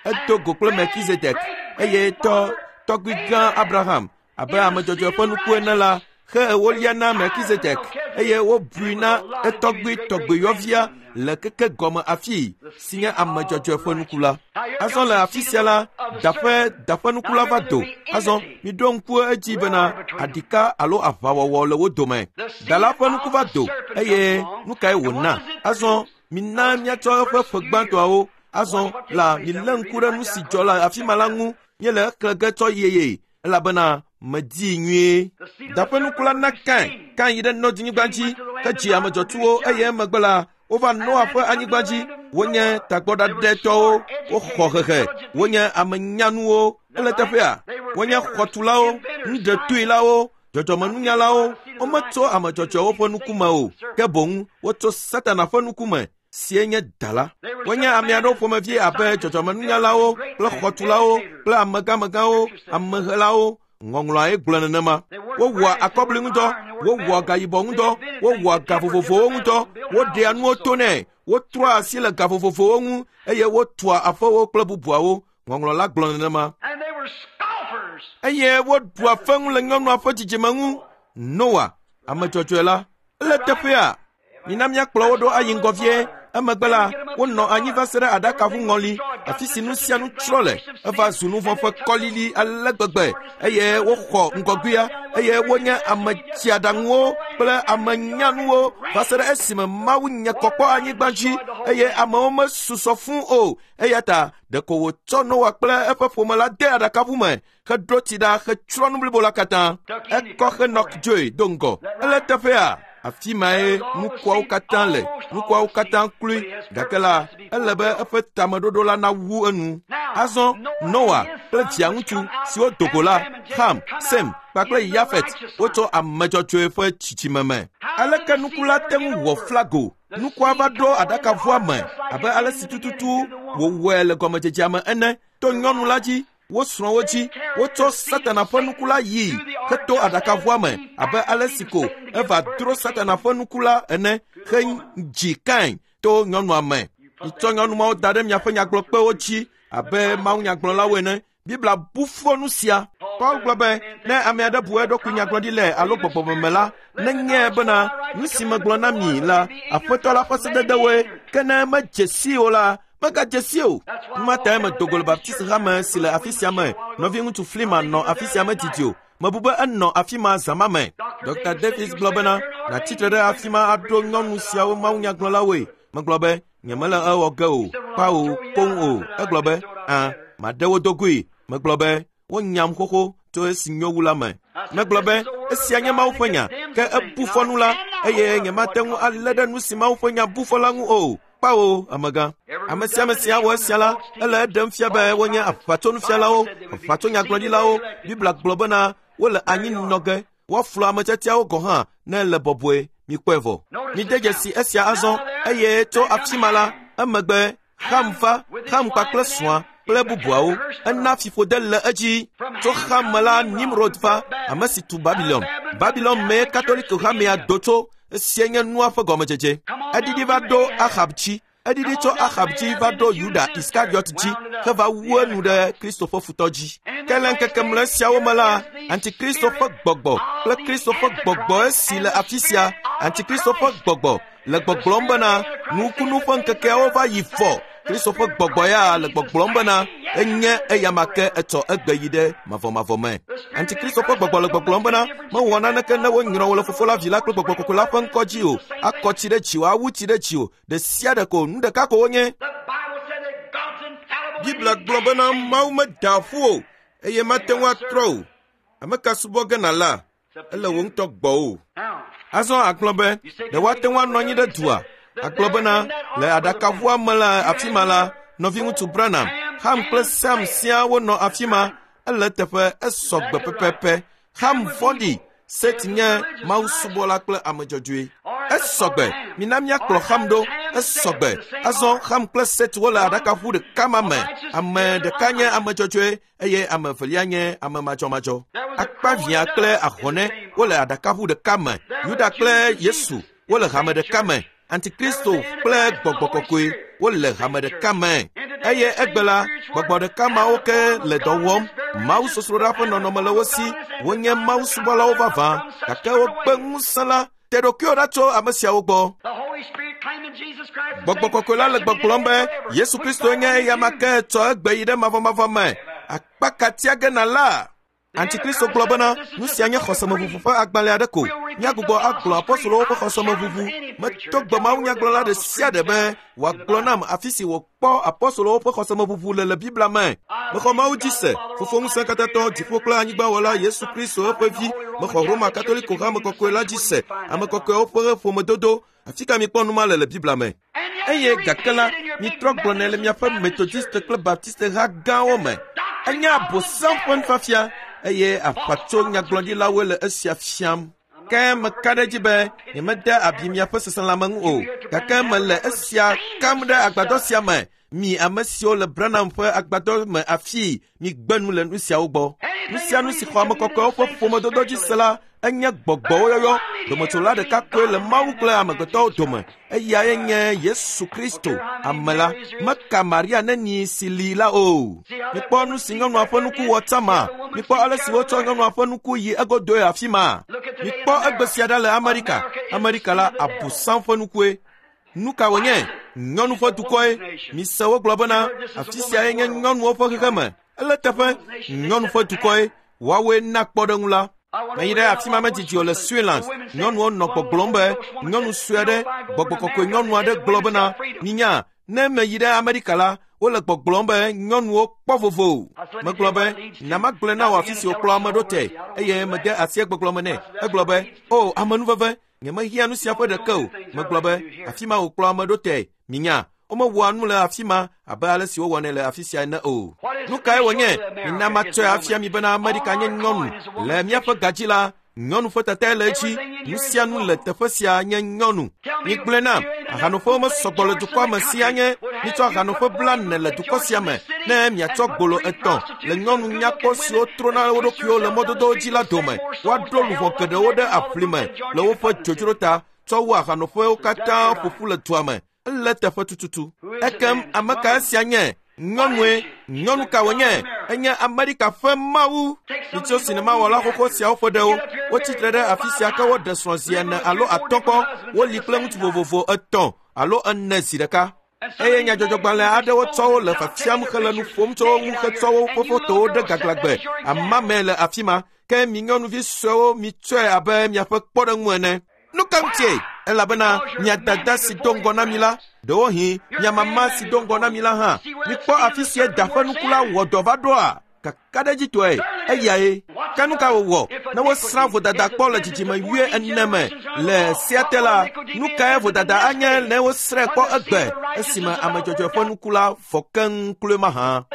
Edo go kple Melkizedek eye tɔ tɔgbui gã Abraham abe ame dzɔdzɔe ƒe nuku ene la, xe ewolia na Melkizedek eye wobui na etɔgbui tɔgbuiyɔvia le keke gɔme afii si nye ame dzɔdzɔe ƒe nuku la. Azɔ le afi sia la, daƒe daƒe nuku la va do. Azɔ miɖo ŋku edzi bena aɖika alo aʋawɔwɔ le wo dome. Da la ƒe nuku va do eye nu kae wòna? Azɔ mina míatsɔ eƒe ƒe gbãtɔawo. Azɔ la milé ŋku ɖe nu si dzɔ le afi ma la ŋu. Míele exlẽ ge tsɔ yeye elabena medii nyuie. Daƒe nuku la na Kain. Kain yi ɖe Nɔdzinyigba dzi hedzi ame dzɔtsuwo eye emegbe la wova Noa ƒe anyigba dzi. Wonye tagbɔɖaɖɛtɔwo, woxɔ hehe, wonye ame nyanuwo. Ele teƒea, wonye xɔtulawo, nuɖetuilawo, dzɔdzɔmenunyalawo. Wometso ame dzɔdzɔewo ƒe nukume o, ke boŋ wotso Satana ƒe nukume sie nye da la. Wonye ame aɖewo ƒomevi abe dzɔdzɔmenunyalawo kple xɔtulawo kple amegamegãwo, amehelawo. Ŋɔŋlɔae gblɔ nenema. Wowɔa akɔbli ŋudɔ, wowɔa gayibɔ ŋudɔ, wowɔa ga vovovowo ŋudɔ, woɖea nuwo to nɛ, wotrɔa asi le ga vovovowo ŋu eye wotua aƒewo kple bubuawo. Ŋɔŋlɔ la gblɔ nenema. Eye woɖua feŋu le nyɔnua ƒe dzidzime ŋu. Noa, ame dzɔdzɔe la, ele teƒea. Mina míakplɔ wo ɖo ayi ŋgɔ vie. Emegbe la, wonɔ anyi va se ɖe aɖakaʋu ŋɔli, afi si nu sia nu tsrɔ̃ le. Eva zu nu vɔ̃ ƒe kɔlili ale gbegbe eye woxɔ ŋgɔgbea eye wonye ame tsiaɖaŋuwo kple ame nyanuwo va se ɖe esime Mawu nye kɔ kpɔ anyigba dzi eye amewo mesusɔ fũu o. Eya ta ɖeko wòtsɔ Noa kple eƒe ƒome la de aɖakaʋu me heɖo tsi ɖa hetsrɔ̃ nu blibo la katã. Ekɔ Henok dzoe do ŋgɔ. Ele teƒea. Afi mae nukuawo katã le. Nukuawo katã kloe. Gake la, ele be eƒe tameɖoɖo la nawu enu. Azɔ Noa kple via ŋutsu siwo do go la, Ham, Sem kpakple Yafet, wotsɔ ame dzɔdzɔe ƒe tsitsime me. Aleke nuku la te ŋu wɔ flago? Nukua va ɖo aɖakaʋua me abe ale si tututu wòwɔe le gɔmedzedzea me ene. To nyɔnu la dzi, wo srɔ̃wo dzi, wotsɔ Satana ƒe nuku la yii heto aɖakaʋua me abe ale si ko eva dro Satana ƒe nuku la ene hedzi Kain to nyɔnua me. Mitsɔ nyɔnu mawo da ɖe miaƒe nyagblɔkpewo dzi abe mawunyagblɔlawo ene. Biblia bu fɔ nu sia. Paul gblɔ be ne ame aɖe bu eɖokui nyagblɔɖi alo gbɔgbɔmeme la, nenyae bena nu si megblɔ na mi la, Aƒetɔ la ƒe sededewoe. Ke ne medze sii o la, megadze si o. Numa tae medo go le Baptist hame si le afi sia me. Nɔviŋutsu Flima nɔ afi sia me didi o. Mebu be enɔ afi ma zã ma me. Doctor Davis gblɔ bena nàtsi tre ɖe afi ma aɖo nyɔnu siawo mawunyagblɔlawoe. Megblɔ be nyemele ewɔ ge o, kpao koŋ o. Egblɔ be ã, maɖe wo do goe. Megblɔ be wonyam xoxo tso esi nyo wu la me. Megblɔ be esia nye Mawu ƒe nya, ke ebu fɔ nu la eye nyemate ŋu alé ɖe nu si Mawu ƒe nya bu fɔ la ŋu o. Kpawo, amegã. Ame sia ame si awɔ esia la, ele eɖem fia be wonye aʋatsonufialawo, aʋatsonyagblɔɖilawo. Biblia gblɔ bena wole anyi nɔ ge, woaflu ame tiatiawo gɔ̃ hã ne ele bɔbɔe. Mikpɔe vɔ. Mide dzesi esia azɔ, eye tso afi ma la, emegbe Ham va, Ham kpakple srɔ̃a kple bubuawo. Ena fiƒode le edzi. Tso Ham me la, Nimrod va, ame si tu Babilon. Babilon mee Katoliko hamea do tso. Esia nye nua ƒe gɔmedzedze. Eɖiɖi va ɖo Ahab dzi. Eɖiɖi tso Ahab dzi va ɖo Yuda Iskariot dzi heva wu enu ɖe Kristo ƒe futɔ dzi. Ke le ŋkeke mlɔe siawo me la, Antikristo ƒe gbɔgbɔ kple Kristo ƒe gbɔgbɔ esi le afi sia, Antikristo ƒe gbɔgbɔ le gbɔgblɔm bena nukunu ƒe ŋkekeawo va yi fɔ. Kristo ƒe gbɔgbɔ ya le gbɔgblɔm bena enye eyama ke etsɔ egbe yi ɖe mavɔmavɔ me. Antikristo ƒe gbɔgbɔ le gbɔgblɔm bena mewɔ naneke ne wonyrɔ wo le Fofo la, Vi la kple Gbɔgbɔ Kɔkɔe la ƒe ŋkɔ dzi o, akɔ tsi ɖe dziwò, awu tsi ɖe dziwò, ɖe sia ɖe ko, nu ɖeka ko wonye. Biblia gblɔ bena Mawu meda ƒu o, eye mate ŋu atrɔ o. Ame ka subɔ ge nàla, ele wò ŋutɔ gbɔwò. Azɔ agblɔ be ɖe woate ŋu anɔ anyi ɖe dua. Agblɔ bena le aɖakaʋua me le afi ma la, nɔviŋutsu Branham, Ham kple Sam siaa wonɔ afi ma. Ele teƒe esɔ gbe pɛpɛpɛ. Ham vɔ̃ɖi, Set nye mawusubɔla kple ame dzɔdzɔe. Esɔ gbe, mina míakplɔ Ham ɖo. Esɔ gbe. Azɔ Ham kple Set wole aɖakaʋu ɖeka ma me. Ame ɖeka nye ame dzɔdzɔe eye ame evelia nye ame madzɔmadzɔ. Akpavia kple ahɔnɛ wole aɖakaʋu ɖeka me. Yuda kple Yesu wole hame ɖeka me. Antikristo kple Gbɔgbɔ Kɔkɔe wole hame ɖeka me. Eye egbe la, gbɔgbɔ ɖeka mawo ke le dɔ wɔm. Mawusosroɖa ƒe nɔnɔme le wo si. Wonye mawusubɔlawo vavã, gake wogbe ŋusẽ la. Te ɖokuiwò ɖa tso ame siawo gbɔ. Gbɔgbɔ Kɔkɔe la le gbɔgblɔm be Yesu Kristo nye eyama ke tsɔ egbe yi ɖe mavɔmavɔ me. Akpa ka tia ge nàla? Antikristo gblɔ bena nu sia nye xɔsemeʋuʋu ƒe agbalẽ aɖe ko. Míagbugbɔ agblɔ apɔstolowo ƒe xɔsemeʋuʋu. Meto gbe mawunyagblɔla ɖe sia ɖe be wòagblɔ nam afi si wòkpɔ apɔstolowo ƒe xɔsemeʋuʋu le le Biblia me. Mexɔ Mawu dzi se, Fofo ŋusẽkatãtɔ, dziƒo kple anyigbawɔla Yesu Kristo eƒe vi. Mexɔ Roma Katoliko hame kɔkɔe la dzi se, ame kɔkɔewo ƒe ƒomedodo. Afi ka mikpɔ nu ma le le Biblia me? Eye gake la, mitrɔ gblɔnɛ le miaƒe Metodiste kple Baptiste ha gãwo me. Enye abosam ƒe nufiafia eye aʋatso nyagblɔɖilawoe le esia fiam. Ke meka ɖe edzi be nyemede abi miaƒe seselãme ŋu o, gake mele esia kam ɖe agbadɔ sia me. Mi ame siwo le Branham ƒe agbadɔ me afii, migbe nu le nu siawo gbɔ. Nu sia nu si xɔ ame kɔkɔewo ƒe ƒomedodo dzi se la, enye gbɔgbɔwo yɔyɔ. Dometsola ɖeka koe le Mawu kple amegbetɔwo dome. Eyae nye Yesu Kristo, ame la. Meka Maria neni si li la o. Mikpɔ nu si nyɔnua ƒe nuku wɔ tsã Mikpɔ ale si wotsɔ nyɔnua ƒe nuku yi egodoe afi ma. Mikpɔ egbe sia ɖa le Amerika. Amerika la abosam ƒe nukue. Nu ka wònye? Nyɔnu ƒe dukɔe. Mise wogblɔ bena afi siae nye nyɔnuwo ƒe xexeme. Ele teƒe nyɔnu ƒe dukɔe. Woawoe na kpɔɖeŋu la. Meyi ɖe afi ma medidi o le Switzerland. Nyɔnuwo nɔ gbɔgblɔm be nyɔnu sue aɖe, Gbɔgbɔ Kɔkɔe nyɔnu aɖe gblɔ bena minya, ne meyi ɖe Amerika la, wole gbɔgblɔm be nyɔnuwo kpɔ vovo. Megblɔ be nyamagblɔe na wò afi si wòkplɔ ame ɖo te, eye mede asi egbɔgblɔ me nɛ. Egblɔ be o amenuveve, nyemehiã nu sia ƒe ɖeke o. Megblɔ be afi ma wòkplɔ ame ɖo te. Minya, womewɔa nu le afi ma abe ale si wowɔnɛ le afi sia ene o. Nu kae wònye? Mina matsɔe afia mi bena Amerika nye nyɔnu. Le míaƒe gadzi la, nyɔnu ƒe tatae le edzi. Nu sia nu le teƒe sia nye nyɔnu. Migblɔe nam, ahanoƒewo mesɔgbɔ le dukɔa me sia nye. Mitsɔ ahanoƒe blaene le dukɔ sia me ne miatsɔ gbolo etɔ̃ le nyɔnu nyakpɔ siwo trona wo ɖokuiwo le mɔdodowo dzi la dome. Woaɖo luʋɔ geɖewo ɖe aʋli me le woƒe dzodzro ta tsɔ wu ahanoƒewo katã ƒoƒu le dua me. Ele teƒe tututu. Ekem ame ka esia nye? Nyɔnue. Nyɔnu ka wònye? Enye Amerika ƒe Mawu. Mitso sinemawɔla xoxo siawo ƒe ɖewo. Wotsitre ɖe afi sia ke woɖe srɔ̃ zi ene alo atɔ̃ kpɔ. Woli kple ŋutsu vovovo etɔ̃ alo ene zi ɖeka. Eye nyadzɔdzɔgbalẽ aɖewo tsɔ wo le fiafiam hele nu ƒom tso wo ŋu hetsɔ woƒe fotowo ɖe gaglãgbe. Amame le afi ma. Ke mi nyɔnuvi suewo mitsɔe abe miaƒe kpɔɖeŋu ene. Nu ka ŋutie? Elabena mia dada si do ŋgɔ na mi la, ɖewohĩ mia mama si do ŋgɔ na mi la hã, mikpɔ afi sia da ƒe nuku la wɔ dɔ va ɖoa? Kakaɖedzitɔe eyae. Ke nu ka wòwɔ ne wosrã vodada kpɔ le dzidzime wui ene me le sea te la? Nu kae vodada anye ne wosrãe kpɔ egbe esime ame dzɔdzɔe ƒe nuku la vɔ keŋ kloe mahã?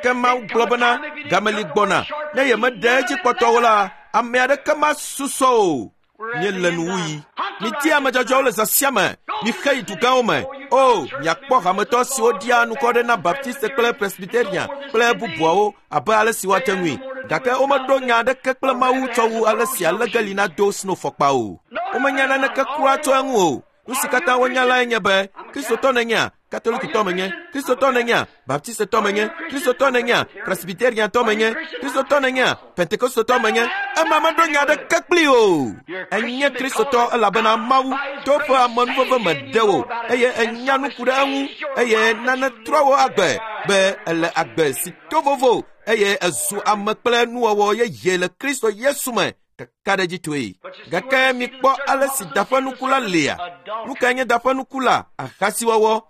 Ke Mawu gblɔ bena gameli gbɔna ne yemeɖe edzi kpɔtɔwo la, ame aɖeke masusɔ o. Míele nuwuɣi. Midi ame dzɔdzɔewo le zã sia me. Mixe yi dugãwo me. O, miakpɔ hametɔ siwo ɖia anukɔ na Baptiste kple Presbyterian kple bubuawo abe ale si woate ŋui. Gake womeɖo nya aɖeke kple Mawu tsɔ wu ale si alegeli nado snowfɔkpa o. Womenya naneke kura tso eŋu o. Nu si katã wonya lae nye be Kristotɔ nènyea, Katolikitɔ menye, Kristotɔ nènyea, Baptistetɔ menye, Kristotɔ nènyea, Presbyteriantɔ menye, Kristotɔ nènyea, Pentekostetɔ menye. Ema meɖo nya aɖeke kpli o. Enye Kristotɔ elabena Mawu to eƒe amenuveve me ɖe wò eye enya nu ku ɖe eŋu eye nane trɔ wò agbe be ele agbe si to vovo eye ezu ame kple nuwɔwɔ yeye le Kristo Yesu me. Kakaɖedzitɔe. Gake mikpɔ ale si da ƒe nuku la lia. Nu kae nye da ƒe nuku la? Ahasiwɔwɔ.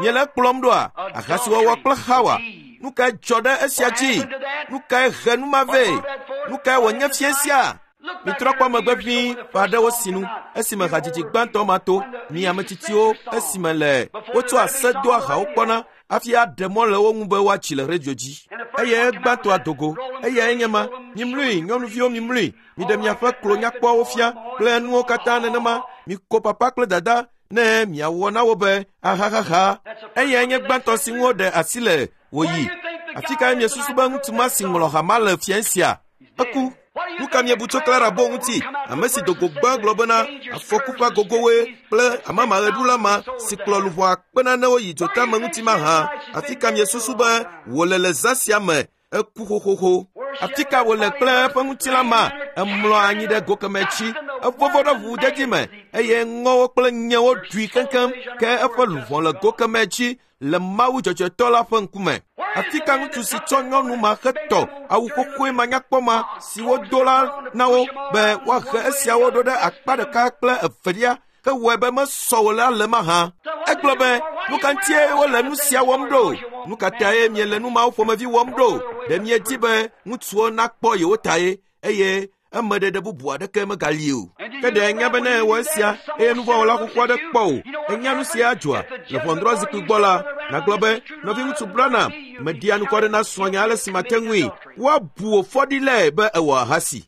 Miele kplɔm ɖoa? Ahasiwɔwɔ kple Xawa. Nu kae dzɔ ɖe esia dzi? Nu kae he nu ma vɛ? Nu kae wònye fie sia? Mitrɔ kpɔ megbe ʋĩi ƒe aɖewo sinu esime hadzidzi gbãtɔ ma to. Mi ame tsitsiwo esime le wotsɔ ase doa hawo kpɔna hafi aɖe mɔ le wo ŋu be woatsi le redio dzi. Eye gbãtɔa dogo. Eyae nye ma. Mimlui, nyɔnuviwo mimlui. Miɖe miaƒe klo nyakpɔwo fia kple nuwo katã nenema. Miko papa kple dada ne miawɔ na wo be ahahaha. Eyae nye gbãtɔ si ŋu woɖe asi le wòyi. Afi kae miesusu be ŋutsu ma si ŋlɔ ha ma le fia sia? Eku. Nu ka miebu tso Clara Bow ŋuti? Ame si do go gbã gblɔ bena afɔku ƒe agogowoe kple amamaʋeɖula ma si kplɔ luʋɔ akpe nanewo yi dzotame ŋuti mahã. Afi ka miesusu be wòle le zã sia me? Eku xoxoxo. Afi ka wòle kple eƒe ŋutilã ma? Emlɔ anyi ɖe go keme tsi. Evovo ɖe ʋuʋudedi me eye ŋɔwo kple nyewo ɖui keŋkeŋ ke eƒe luʋɔ le go keme tsi le Mawu dzɔdzɔetɔ la ƒe ŋkume. Afi ka ŋutsu si tsɔ nyɔnu ma hetɔ awu xoxoe manyakpɔ ma si wodo la na wo be woahe esiawo ɖo ɖe akpa ɖeka kple evelia hewɔe be mesɔ wò la le mahã. Egblɔ be, nu ka ŋutie wole nu sia wɔm ɖo? Nu ka tae miele nu mawo ƒomevi wɔm ɖo? Ɖe miedi be ŋutsuwo nakpɔ yewo tae eye emeɖeɖe bubu aɖeke megali o. Ke ɖe enya be ne ewɔ esia eye nuvɔ̃wɔla xoxo aɖe kpɔ o, enya nu sia adzɔa le ʋɔnudrɔ̃zikpui gbɔ la, nàgblɔ be, nɔviŋutsu Branham, meɖia nukɔ ɖe na srɔ̃nye ale si mate ŋui. Woabu wò fɔɖilɛ be ewɔ ahasi.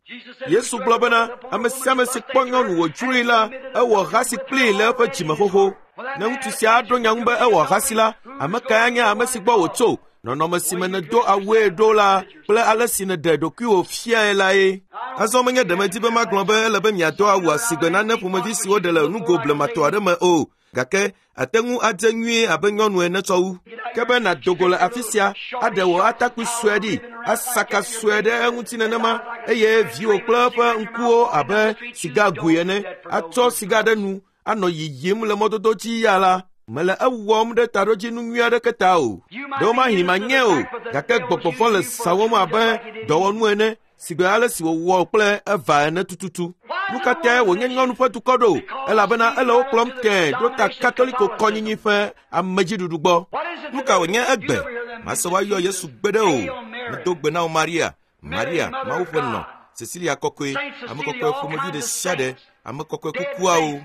Yesu gblɔ bena ame sia ame si kpɔ nyɔnu wòdzroe la, ewɔ ahasi kplii le eƒe dzime xoxo. Ne ŋutsu sia aɖo nya ŋu be ewɔ ahasi la, ame kae anye ame si gbɔ wòtso? Nɔnɔme si me nèdo awue ɖo la kple ale si nèɖe ɖokuiwò fiae lae. Azɔ menye ɖe medi be magblɔ be ele be miado awu asigbe nane ƒomevi si woɖe le nugo blematɔ aɖe me o, gake ate ŋu adze nyuie abe nyɔnu ene tsɔ wu. Ke be nàdo go le afi sia, aɖe wò atakpui sue ɖi, asaka sue ɖe eŋuti nenema eye viwò kple eƒe ŋkuwo abe sigagoe ene, atsɔ siga ɖe nu anɔ yiyim le mɔdodo dzi ya la, mele ewɔm ɖe taɖodzinu nyui aɖeke ta o. Ɖewomahi manye o, gake gbɔgbɔ vɔ̃ le sawɔm abe dɔwɔnu ene sigbe ale si wòwɔ kple Eva ene tututu. Nu ka tae wònye nyɔnu ƒe dukɔ ɖo? Elabena ele wo kplɔm tẽe ɖo ta Katoliko kɔnyinyi ƒe amedziɖuɖu gbɔ. Nu ka wònye egbe? Mase woayɔ Yesu gbeɖe o. Medo gbe na wò Maria, Maria, Mawu ƒe nɔ, Cecilia kɔkɔe, ame kɔkɔe ƒomevi ɖe sia ɖe, ame kɔkɔe kukuawo.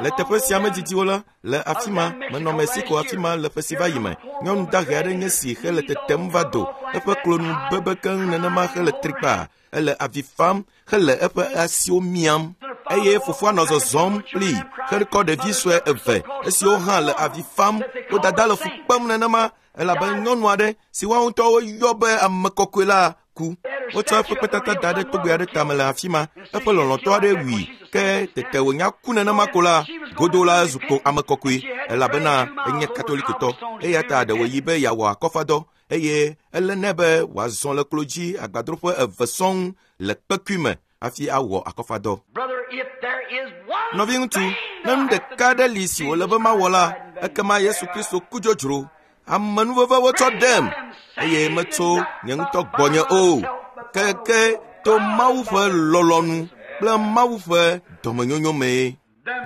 Le teƒe sia me didiwo la, le afi ma, menɔ Mexico afi ma le ƒe si va yi me. Nyɔnu dahe aɖe nye si hele tetem va do. Eƒe klonu bebe keŋ nenema hele trikpa. Ele avi fam hele eƒe asiwo miam. Eye fofoa nɔ zɔzɔm kplii hekɔ ɖevi sue eve esiwo hã le avi fam. Wo dada le fu kpem nenema elabe nyɔnu aɖe si woawo ŋutɔwo yɔ be ame kɔkɔe la ku. Wotsɔ eƒe kpetata da ɖe togbɛ aɖe tame le afi ma. Eƒe lɔlɔ̃tɔ aɖe wui ke tete wònya ku nenema ko la, godo la ezu ko ame kɔkɔe elabena enye katolikotɔ. Eya ta ɖe wòyi be yeawɔ akɔfadɔ eye ele nɛ be wòazɔ le klo dzi agbadroƒe eve sɔŋ le kpekui me hafi awɔ akɔfadɔ. Nɔviŋutsu, ne nu ɖeka aɖe li si wòle be mawɔ la, ekema Yesu Kristo ku dzodzro. Amenuveve wotsɔ ɖem eye metso nye ŋutɔ gbɔnye o, keke to Mawu ƒe lɔlɔ̃nu kple Mawu ƒe dɔmenyonyo mee.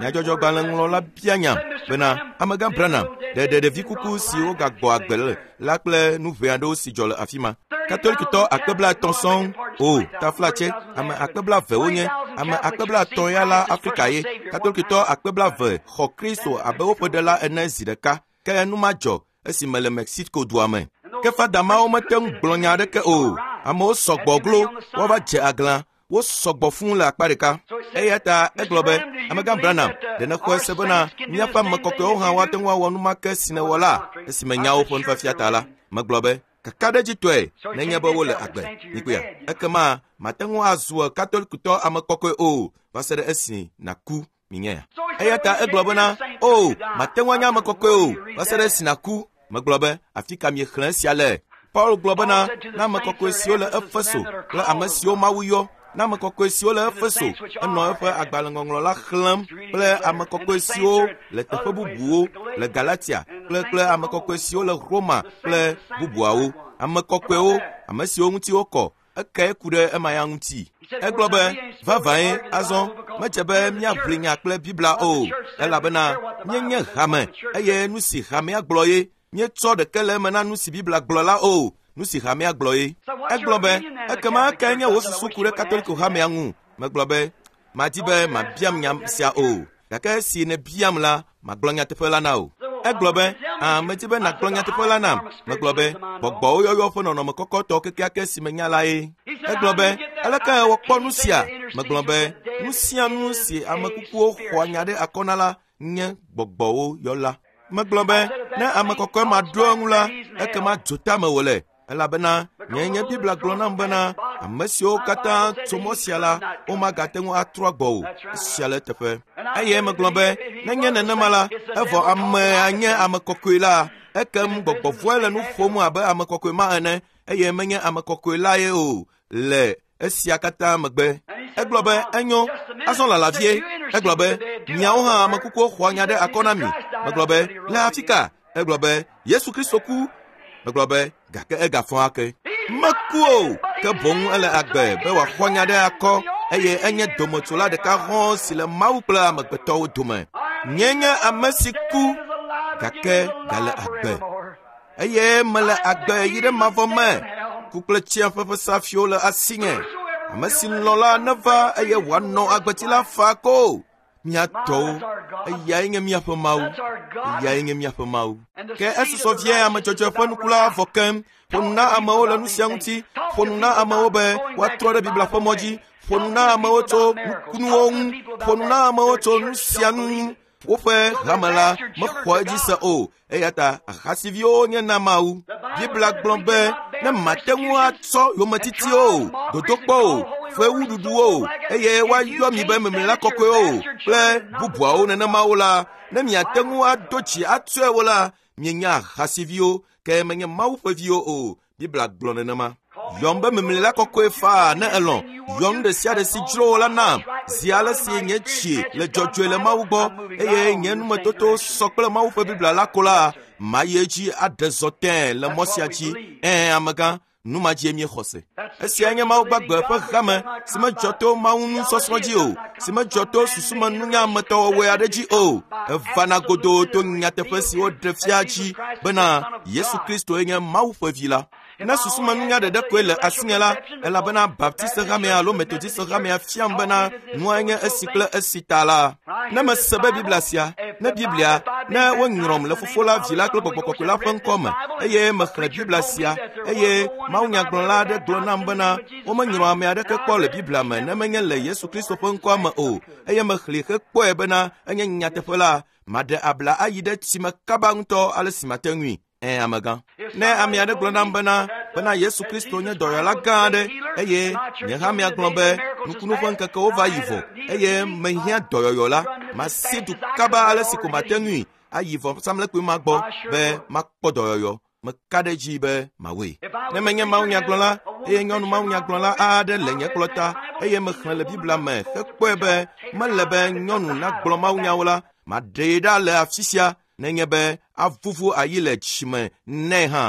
Nyadzɔdzɔgbalẽŋlɔla bia nya bena amegã Branham ɖe ɖe ɖevi kuku si wogagbɔ agbe le la kple nu ʋɛ aɖewo si dzɔ le afi ma. Katolikitɔ akpe blaetɔ̃ sɔŋ o taflatse ame akpe blaeve wonye ame akpe blaetɔ̃ ya la Afrika ye. Katolikitɔ akpe blaeve xɔ Kristo abe woƒe ɖela ene zi ɖeka. Ke nu ma dzɔ esime le Mexico dua me. Ke fada mawo mete ŋu gblɔ nya aɖeke o. Amewo sɔgbɔ glo woava dze aglã. Wo sɔgbɔ fũu le akpa ɖeka. Eya ta egblɔ be amegã Branham ɖe nexɔe se bena míaƒe ame kɔkɔewo hã woate ŋu awɔ nu ma ke si nèwɔ la esime nyawo ƒe nufiafia ta la. Megblɔ be kakaɖedzitɔe nenye be wole agbe. Mikpɔea ekema mate ŋu azu katolikitɔ ame kɔkɔe o va se ɖe esi nàku minyea. Eya ta egblɔ bena o mate ŋu anye ame kɔkɔe o va se ɖe esi nàku. Megblɔ be afi ka miexlẽ esia le? Paul gblɔ bena na ame kɔkɔe siwo le Efeso kple ame siwo Mawu yɔ na ame kɔkɔe siwo le Efeso enɔ eƒe agbalẽŋɔŋlɔ la xlẽm kple ame kɔkɔe siwo le teƒe bubuwo le Galatia kple kple ame kɔkɔe siwo le Roma kple bubuawo. Ame kɔkɔewo, ame siwo ŋuti wokɔ, ekae ku ɖe ema ya ŋuti. Egblɔ be vavãe azɔ medze be míaʋli nya kple Biblia o elabena míenye hame eye nu si hamea gblɔ ye míetsɔ ɖeke le eme na nu si Biblia gblɔ la o. Nu si hamea gblɔ ye. Egblɔ be ekema ekae nye wò susu ku ɖe Katoliko hamea ŋu? Megblɔ be madi be mabiam nya sia o gake esi nèbiam la magblɔ nyateƒe la na wò. Egblɔ be ã medi be nàgblɔ nyateƒe la nam. Megblɔ be gbɔgbɔwo yɔyɔ ƒe nɔnɔme kɔkɔtɔ kekeake si menya la ye. Egblɔ be aleke wòkpɔ nu sia? Megblɔ be nu sia nu si ame kukuwo xɔa nya ɖe akɔ na la nye gbɔgbɔwo yɔla. Megblɔ be ne ame kɔkɔe ma ɖo eŋu la ekema dzotame wòle elabena nye nye Biblia gblɔ nam bena ame siwo katã tso mɔ sia la womagate ŋu atrɔ agbɔ o. Esia le eteƒe. Eye megblɔ be nenye nenema la evɔ amea nye ame kɔkɔe la ekem gbɔgbɔ vɔ̃e le nu ƒom abe ame kɔkɔe ma ene eye menye ame kɔkɔe la ye o le esia katã megbe. Egblɔ be enyo azɔ lala vie. Egblɔ be miawo hã ame kukuwo xɔa nya ɖe akɔ na mi. Megblɔ be le afi ka? Egblɔ be Yesu Kristo ku. Megblɔ be gake egafɔ ake. Meku o ke boŋ ele agbe be wòaxɔ nya ɖe akɔ eye enye dometsola ɖeka hɔ̃ si le Mawu kple amegbetɔwo dome. Nye nye ame si ku gake gale agbe eye mele agbe yi ɖe mavɔ me. Ku kple tsiaƒe ƒe safiwo le asinye. Ame si lɔ̃ la neva eye wòanɔ agbeti la fa ko. Mía tɔwo, eyae nye míaƒe Mawu, eyae nye míaƒe Mawu. Ke esusɔ vie ame dzɔdzɔe ƒe nuku la vɔ keŋ. Ƒo nu na amewo le nu sia ŋuti. Ƒo nu na amewo be woatrɔ ɖe Biblia ƒe mɔ dzi. Ƒo nu na amewo tso nukunuwo ŋu. Ƒo nu na amewo tso nu sia nu ŋu. Woƒe hame la mexɔ edzi se o eya ta ahasiviwo nye na Mawu. Biblia gblɔ be ne mate ŋu atsɔ yometitiwo o, dodokpɔ o, fewuɖuɖuwo o eye woayɔ mi be memlela kɔkɔewo o kple bubuawo nenemawo la, ne miate ŋu ado dzi atsɔe wo la, mienye ahasiviwo ke menye Mawu ƒe viwo o. Biblia gblɔ nenema. Yɔm be memlela kɔkɔe faa ne elɔ̃. Yɔ nu ɖe sia ɖe si dzro wò la nam. Zi ale si nye tsi le dzɔdzɔe le Mawu gbɔ eye nye numetoto sɔ kple Mawu ƒe Biblia la ko la, mayi edzi aɖe zɔ tẽe le mɔ sia dzi. Ɛ̃ amegã, nu ma dzie míexɔ se. Esia nye Mawu gbagbe ƒe hame si medzɔ to Mawu nusɔsrɔ̃ dzi o, si medzɔ to susumenunya metɔwɔwɔe aɖe dzi o. Evana godoo to nyateƒe si woɖe fia dzi bena Yesu Kristoe nye Mawu ƒe vi la. Ne susumenunya ɖeɖe koe le asinye la, elabena Baptist hamea alo Methodist hamea fiam bena nua nye esi kple esi ta la, ne mese be Biblia sia, ne Biblia, ne wonyrɔm le Fofo la, Vi la kple Gbɔgbɔ Kɔkɔe la ƒe ŋkɔ me eye mexlẽ Biblia sia eye mawunyagblɔla aɖe gblɔ nam bena womenyrɔ ame aɖeke kpɔ le Biblia me ne menye le Yesu Kristo ƒe ŋkɔa me o eye mexlẽe hekpɔe bena enye nyateƒe la, maɖe abla ayi ɖe tsime kaba ŋutɔ ale si mate ŋui. Ɛ̃ amegã. Ne ame aɖe gblɔ nam bena bena Yesu Kristo nye dɔyɔla gã aɖe eye nye hamea gblɔ be nukunu ƒe ŋkekewo va yi vɔ eye mehiã dɔyɔyɔ la, masi du kaba ale si ko mate ŋui ayi vɔsamlekpui ma gbɔ be makpɔ dɔyɔyɔ. Meka ɖe edzi be mawɔe. Ne menye mawunyagblɔla eye nyɔnu mawunyagblɔla aɖe le nye kplɔta eye mexlẽ le Biblia me hekpɔe be mele be nyɔnu nagblɔ mawunyawo la, maɖee ɖa le afi sia. Nenye be avuvu ayi le tsime nɛ hã.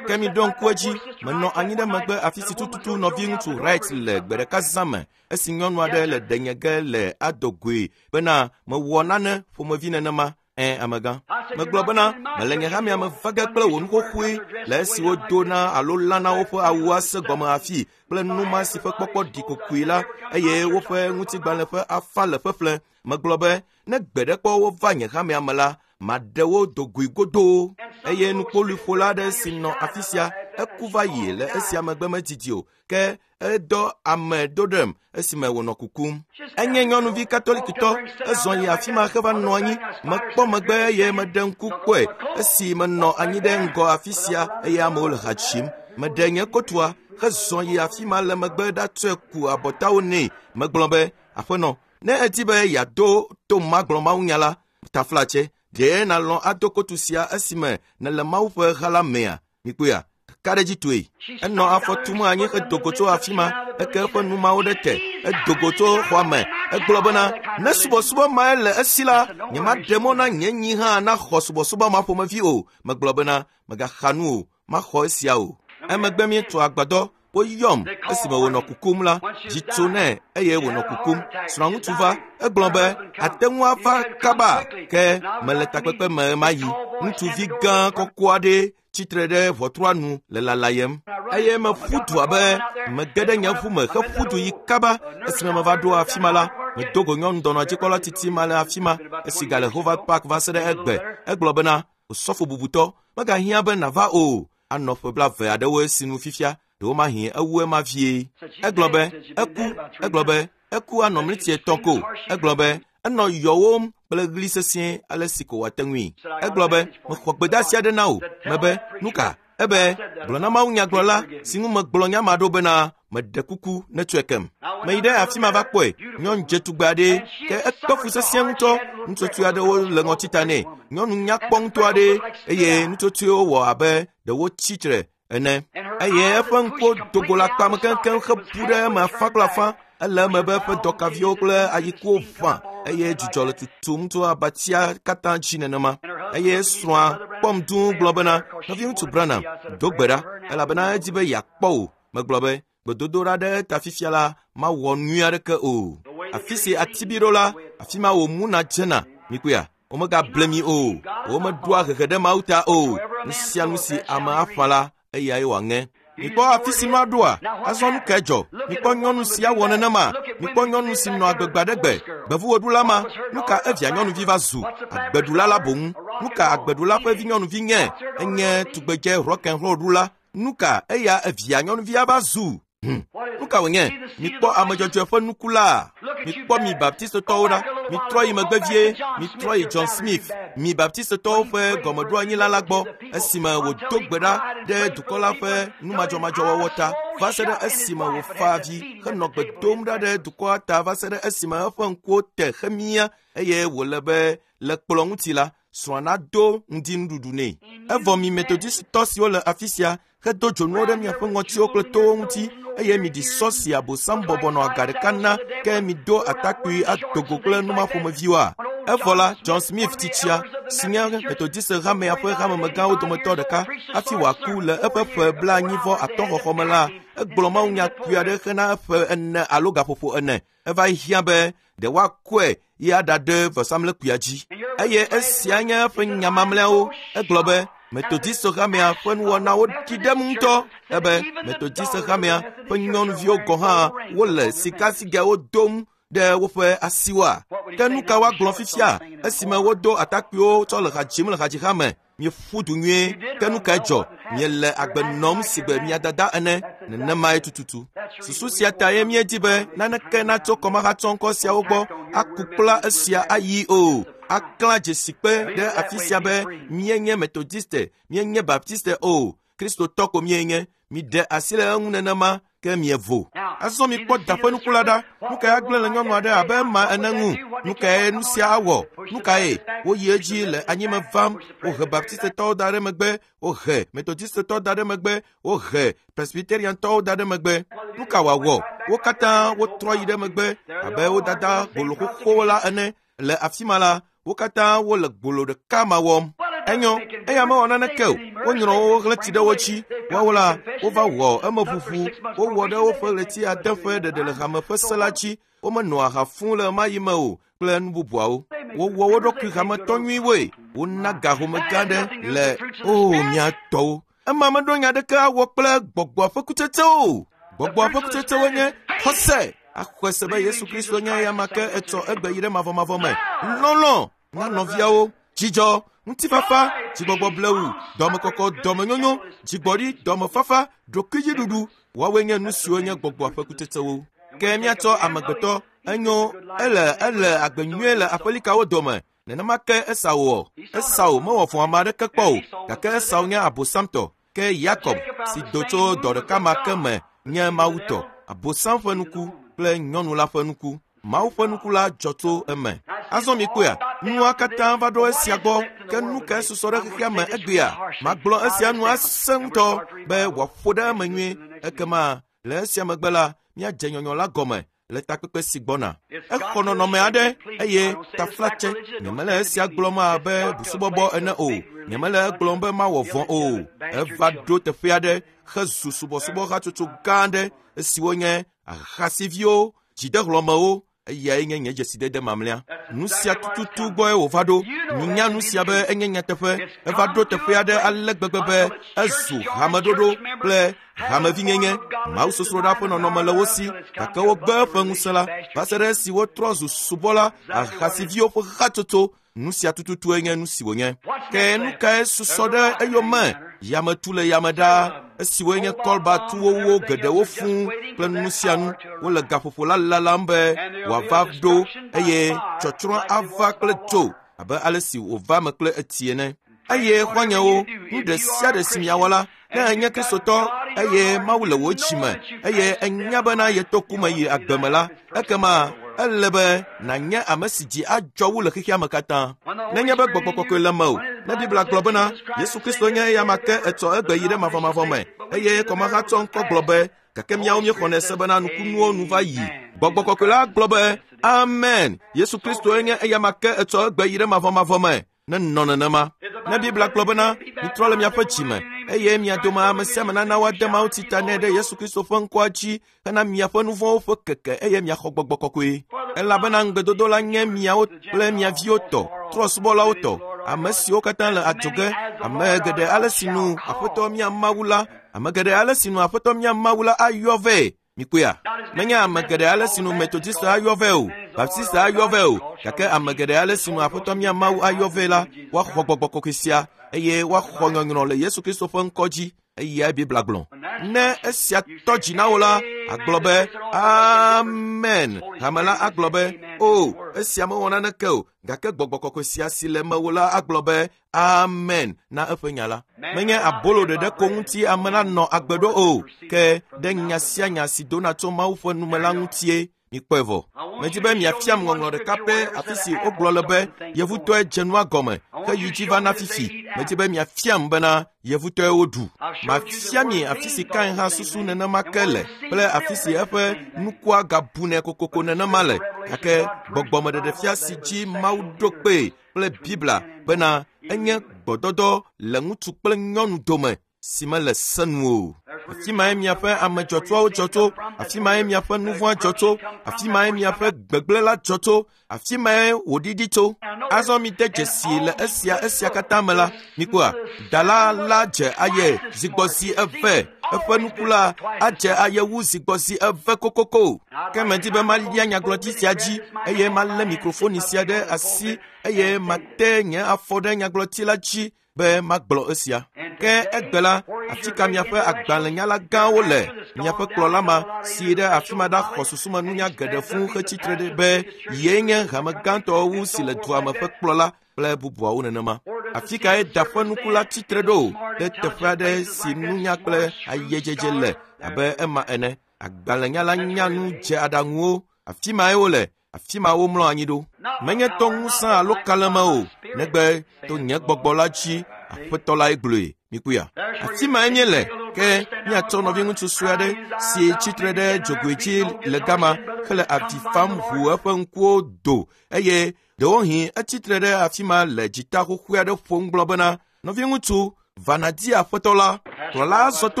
Ke mi ɖo ŋku edzi, menɔ anyi ɖe megbe afi si tututu nɔviŋutsu Wright le gbe ɖeka zã me esi nyɔnu aɖe le ɖenye ge le adogoe bena mewɔ nane ƒomevi nenema. Ẽ, amegã. Megblɔ bena mele nye hamea me va ge kple wò nuxoxoe le esi wodona alo lana woƒe awu ase gɔme hafi kple numa si ƒe kpɔkpɔ ɖi kokoe la eye woƒe ŋutigbalẽ ƒe afa le ƒeƒle. Megblɔ be ne gbe ɖe kpɔ wova nye hamea me la, maɖe wo dogoe godoo. Eye nukpoluiƒola aɖe si nɔ afi sia eku va yi le esia megbe medidi o ke edɔ ame do ɖem esime wònɔ kukum. Enye nyɔnuvi katolikitɔ, ezɔ yi afi ma heva nɔ anyi. Mekpɔ megbe eye meɖe ŋku kpɔe esi menɔ anyi ɖe ŋgɔ afi sia eye amewo le ha dzim. Meɖe nye kotua hezɔ yi afi ma le megbe ɖatsɔe ku abɔtawo nɛ. Megblɔ be, aƒenɔ, ne edi be yeado to magblɔ mawunya la, taflatse, ɖe nalɔ̃ ado kotu sia esime nèle Mawu ƒe ha la mea? Mikpɔea? Ka ɖe dzi toe. Enɔ afɔ tum anyi hedo go tso afi ma, eke eƒe numawo ɖe te. Edo go tso xɔa me. Egblɔ bena, ne subɔsubɔ mae le esi la, nyemaɖe mɔ na nye nyi hã naxɔ subɔsubɔ ma ƒomevi o. Megblɔ bena, megaxa nu o, maxɔ esia o. Emegbe míetu agbadɔ, woyɔm esime wònɔ kukum la, dzi tso nɛ eye wònɔ kukum. Srɔ̃ŋutsu va, egblɔ be, ate ŋu ava kaba, ke mele takpekpe me ɣemaɣi. Ŋutsuvi gã kɔkɔ aɖe tsitre ɖe ʋɔtrua nu le lalayem. Eye meƒu du abe mege ɖe nye ʋu me heƒu du yi kaba. Esime meva ɖo afi ma la, medo go nyɔnu dɔnɔdzikpɔla titi ma le afi ma esi gale Howard Park va se ɖe egbe. Egblɔ bena, osɔfo bubutɔ, megahiã be nàva o. Anɔ ƒe blaeve aɖewo esinu fifia, ɖewomahi ewu ema vie. Egblɔ be, eku. Egblɔ be, eku anɔ mliti etɔ̃ ko. Egblɔ be, enɔ yɔwom kple ɣli sesĩe ale si ko wòate ŋui. Egblɔ be, mexɔ gbedeasi aɖe na wò. Mebe, nu ka? Ebe, gblɔ na mawunyagblɔla si ŋu megblɔ nya ma ɖo bena meɖe kuku netsɔe kem. Meyi ɖe afi ma va kpɔe, nyɔnu dzetugbe aɖe, ke ekpe fu sesĩe ŋutɔ. Nutsotsoe aɖewo le ŋɔtita nɛ. Nyɔnu nyakpɔ ŋutɔ aɖe eye nutsotsoewo wɔ abe ɖe wotsi tre ene. Eye eƒe ŋkuwo do go le akpame keŋkeŋ hebu ɖe eme afã kple afã. Ele eme be eƒe dɔkaviwo kple ayikuwo ʋã eye dzudzɔ le tutum tso abatia katã dzi nenema. Eye srɔ̃a kpɔm dũu gblɔ bena, nɔviŋutsu Branham, do gbe ɖa elabena edi be yeakpɔ wò. Megblɔ be, gbedodoɖa ɖe eta fifia la mawɔ nyui aɖeke o. Afi si ati bi ɖo la, afi ma wò mu nadzena. Mikpɔea? Womegable mi o. Womeɖoa hehe ɖe Mawu ta o. Nu sia nu si ame aƒã la, eyae wòaŋe. Mikpɔ afi si nua ɖoa, azɔ nu kae dzɔ? Mikpɔ nyɔnu sia wɔ nenema. Mikpɔ nyɔnu si nɔ agbe gbe aɖe gbe, gbevuwoɖula ma. Nu ka evia nyɔnuvi va zu? Agbeɖula la boŋ. Nu ka agbeɖula ƒe vi nyɔnuvi nye? Enye tugbedze rock and roll ɖula. Nu ka eya evia nyɔnuvia va zu? Hmm. Nu ka wònye? Mikpɔ ame dzɔdzɔe ƒe nuku la. Mikpɔ mi baptistotɔwo ɖa. Mitrɔ yi megbe vie. Mitrɔ yi John Smith, mi baptistotɔwo ƒe gɔmeɖoanyila la gbɔ esime wòdo gbe ɖa ɖe dukɔ la ƒe numadzɔmadzɔwɔwɔ ta va se ɖe esime wòfa avi henɔ gbe dom ɖa ɖe dukɔa ta va se ɖe esime eƒe ŋkuwo te hemia eye wòle be le kplɔ ŋuti la, srɔ̃a nado ŋdinuɖuɖu nɛ. Evɔ mi metodisitɔ siwo le afi sia hedo dzonuwo ɖe miaƒe ŋɔtiwo kple towo ŋuti eye miɖi sɔ si abosam bɔbɔ nɔ aga ɖeka na ke mido atakpui adogo kple numaƒomeviwoa. Evɔ la, John Smith tsitsia si nye Methodist hamea ƒe hamemegãwo dometɔ ɖeka hafi wòaku le eƒe ƒe blaenyi vɔ atɔ̃ xɔxɔ me la, egblɔ mawunya kpui aɖe hena ƒe ene alo gaƒoƒo ene. Eva hiã be ɖe woakɔe yi aɖaɖe vɔsamlekpuia dzi. Eye esia nye eƒe nya mamlɛawo. Egblɔ be Methodist hamea ƒe nuwɔnawo ɖi ɖem ŋutɔ. Ebe Methodist hamea ƒe nyɔnuviwo gɔ̃ hã wole sikasigɛwo dom ɖe woƒe asiwoa. Ke nu ka woagblɔ fifia esime wodo atakpuiwo tsɔ le ha dzim le hadziha me? Mieƒu du nyuie. Ke nu kae dzɔ? Miele agbe nɔm sigbe mia dada ene. Nenemae tututu. Susu sia ta ye míedi be naneke natso kɔmahatsɔŋkɔ siawo gbɔ aku kpla esia ayi o. Aklã dzesikpe ɖe afi sia be míenye Methodiste, míenye Baptiste o. Kristotɔ ko míenye. Miɖe asi le eŋu nenema ke mievo. Azɔ mikpɔ da ƒe nuku la ɖa. Nu kae agblẽ le nyɔnu aɖe abe ema ene ŋu? Nu kae nu sia awɔ? Nu kae? Woyi edzi le anyime vam. Wohe Baptistetɔwo da ɖe megbe, wohe Methodistetɔwo da ɖe megbe, wohe Presbyteriantɔwo da ɖe megbe. Nu ka wòawɔ? Wo katã wotrɔ yi ɖe megbe abe wo dada gbolo xoxo la ene. Le afi ma la, wo katã wole gbolo ɖeka ma wɔm. Enyo, eya mewɔ naneke o. Wonyrɔ wo ɣleti ɖe wo dzi. Woawo la, wova wɔ emeʋuʋu. Wowɔ ɖe woƒe ɣleti ade ƒe ɖeɖe le hame ƒe se la dzi. Womenɔa ha fũu le ɣemaɣi me o kple nu bubuawo. Wowɔ wo ɖokui hametɔ nyuiwoe. Wona gahome gã aɖe le o mia tɔwo. Ema meɖo nya aɖeke awɔ kple gbɔgbɔa ƒe kutsetsewo o. Gbɔgbɔa ƒe kutsetsewo nye xɔse. Axɔe se be Yesu Kristo nye eya ma ke etsɔ egbe yi ɖe mavɔmavɔ me. Lɔlɔ̃ na nɔviawo, dzidzɔ, ŋutifafa, dzigbɔgbɔ blewu, dɔmekɔkɔ, dɔmenyonyo, dzigbɔɖi, dɔmefafa, ɖokuidziɖuɖu. Woawoe nye nu siwo nye gbɔgbɔa ƒe kutsetsewo. Ke míatsɔ amegbetɔ enyo ele ele agbe nyuie le aƒelikawo dome. Nenema ke Esau wɔ. Esau mewɔ vɔ̃ ame aɖeke kpɔ o, gake Esau nye abosamtɔ. Ke Yakob si do tso dɔ ɖeka ma ke me nye Mawu tɔ. Abosam ƒe nuku kple nyɔnu la ƒe nuku. Mawu ƒe nuku la dzɔ tso eme. Azɔ mikpɔea, nua katã va ɖo esia gbɔ. Ke nu kae susɔ ɖe xexea me egbea? Magblɔ esia nu asẽ ŋutɔ be wòaƒo ɖe eme nyuie. Ekema le esia megbe la, míadze nyɔnyɔ la gɔme le takpekpe si gbɔna. Exɔ nɔnɔme aɖe eye taflatse. Nyemele esia gblɔm abe busubɔbɔ ene o. Nyemele egblɔm be mawɔ vɔ̃ o. Eva ɖo teƒe aɖe hezu subɔsubɔhatsotso gã aɖe esiwo nye ahasiviwo, dzidehlɔ̃mewo. Eyae nye nye dzesidede mamlɛa. Nu sia tututu gbɔe wòva ɖo. Minya nu sia be enye nyateƒe. Eva ɖo teƒe aɖe ale gbegbe be ezu hameɖoɖo kple hamevinyenye. Mawusosroɖa ƒe nɔnɔme le wo si, gake wogbe eƒe ŋusẽ la va se ɖe esi wotrɔ zu subɔla ahasiviwo ƒe hatsotso. Nu sia tututue nye nu si wònye. Ke nu kae susɔ ɖe eyome? Yametu le yame ɖaa, esiwoe nye kɔlbatuwowó geɖewo fũu kple nu sia nu. Wole gaƒoƒo la lalam be wòava ɖo eye tsɔtsrɔ̃ ava kple dzo abe ale si wòva me kple etsi ene. Eye xɔ̃nyewo, nu ɖe sia ɖe si miawɔ la, ne enye Kristotɔ eye Mawu le wò dzi me eye enya bena yeto ku me yi agbe me la, ekema ele be nànye ame si dzi adzɔ wu le xexea me katã. Nenye be gbɔgbɔ kɔkɔe le mewò, ne Biblia gblɔ bena Yesu Kristo nye eya ma ke etsɔ egbe yi ɖe mavɔmavɔ me eye kɔmaha tsɔ ŋkɔ gblɔ be gake míawo míexɔnɛ se bena nukunuwo nu va yi. Gbɔgbɔ kɔkɔe la gblɔ be amen. Yesu Kristo nye eya ma ke etsɔ egbe yi ɖe mavɔmavɔ me. Nenɔ nenema. Ne Biblia gblɔ bena mitrɔ le miaƒe dzi me eye mia dome ame sia ame nana woade Mawu tsi ta nɛ ɖe Yesu Kristo ƒe ŋkɔa dzi hena miaƒe nu vɔ̃wo ƒe keke eye miaxɔ gbɔgbɔ kɔkɔe. Elabena ŋugbedodo la nye miawo kple mia viwo tɔ, trɔ̃subɔlawo tɔ, ame siwo katã le adzɔge, ame geɖe ale si nu Aƒetɔ mía Mawu la, ame geɖe ale si nu Aƒetɔ mía Mawu la ayɔ vɛ. Mikpɔea? Menye ame geɖe ale si nu Metodista ayɔ vɛ o, Baptista ayɔ vɛ o, gake ame geɖe ale si nu Aƒetɔ mía Mawu ayɔ vɛ la, woaxɔ gbɔgbɔ kɔkɔe sia eye woaxɔ nyɔnyrɔ le Yesu Kristo ƒe ŋkɔ dzi. Eyae Biblia gblɔ. Ne esia tɔ dzi na wò la, agblɔ be amen. Hame la agblɔ be o, esia mewɔ naneke o, gake gbɔgbɔ kɔkɔe sia si le mewò la agblɔ be amen na eƒe nya la. Menye abolo ɖeɖe ko ŋuti ame la nɔ agbe ɖo o, ke ɖe nya sia nya si dona tso Mawu ƒe nume la ŋutie. Mikpɔe vɔ. Medi be miafiam ŋɔŋlɔ ɖeka pɛ afi si wogblɔ le be yevutɔe dze nua gɔme heyi dzi va na fifi. Medi be miafiam bena yevutɔe woɖu. Mafia mi afi si Kain hã susu nenema ke le kple afi si eƒe nukua gabunɛ kokoko nenema le. Gake gbɔgbɔmeɖeɖefia si dzi Mawu ɖo kpee kple Biblia bena enye gbɔdɔdɔ le ŋutsu kple nyɔnu dome si mele se nu o. Afi mae miaƒe ame dzɔtsoawo dzɔ tso, afi mae miaƒe nu vɔ̃a dzɔ tso, afi mae miaƒe gbegblẽ la dzɔ tso, afi mae wòɖiɖi tso. Azɔ mide dzesi le esia esia katã me la, mikpɔa, dala la dze aye zigbɔzi eve, eƒe nuku la adze aye wu zigbɔzi eve kokoko. Ke medi be malia nyagblɔɖi sia dzi eye malé mikrofoni sia ɖe asi eye mate nye afɔ ɖe nyagblɔti la dzi be magblɔ esia. Ke egbe la, afi ka miaƒe agbalẽnyala gãwo le? Miaƒe kplɔla ma si ɖe afi ma ɖaxɔ susumenunya geɖe fũu hetsitre ɖe be yee nye hame gãtɔ wu si le dua me ƒe kplɔla kple bubuawo nenema. Afi kae da ƒe nuku la tsitre ɖo ɖe teƒe aɖe si nunya kple ayedzedze le abe ema ene? Agbalẽnyala nya nu dze aɖaŋuwo. Afi mae wole. Afi ma womlɔ anyi ɖo. Menye to ŋusẽ alo kalẽme o, negbe to nye gbɔgbɔ la dzi, Aƒetɔ lae gblɔe. Mikpɔea? Afi mae míele. Ke míatsɔ nɔviŋutsu sue aɖe si tsitre ɖe dzogoe dzi le gama hele avi fam ʋu eƒe ŋkuwo do eye ɖewohĩ etsitre ɖe afi ma le dzita xoxoe aɖe ƒom gblɔ bena nɔviŋutsu va nàdi aƒetɔ la. Kplɔla zɔ to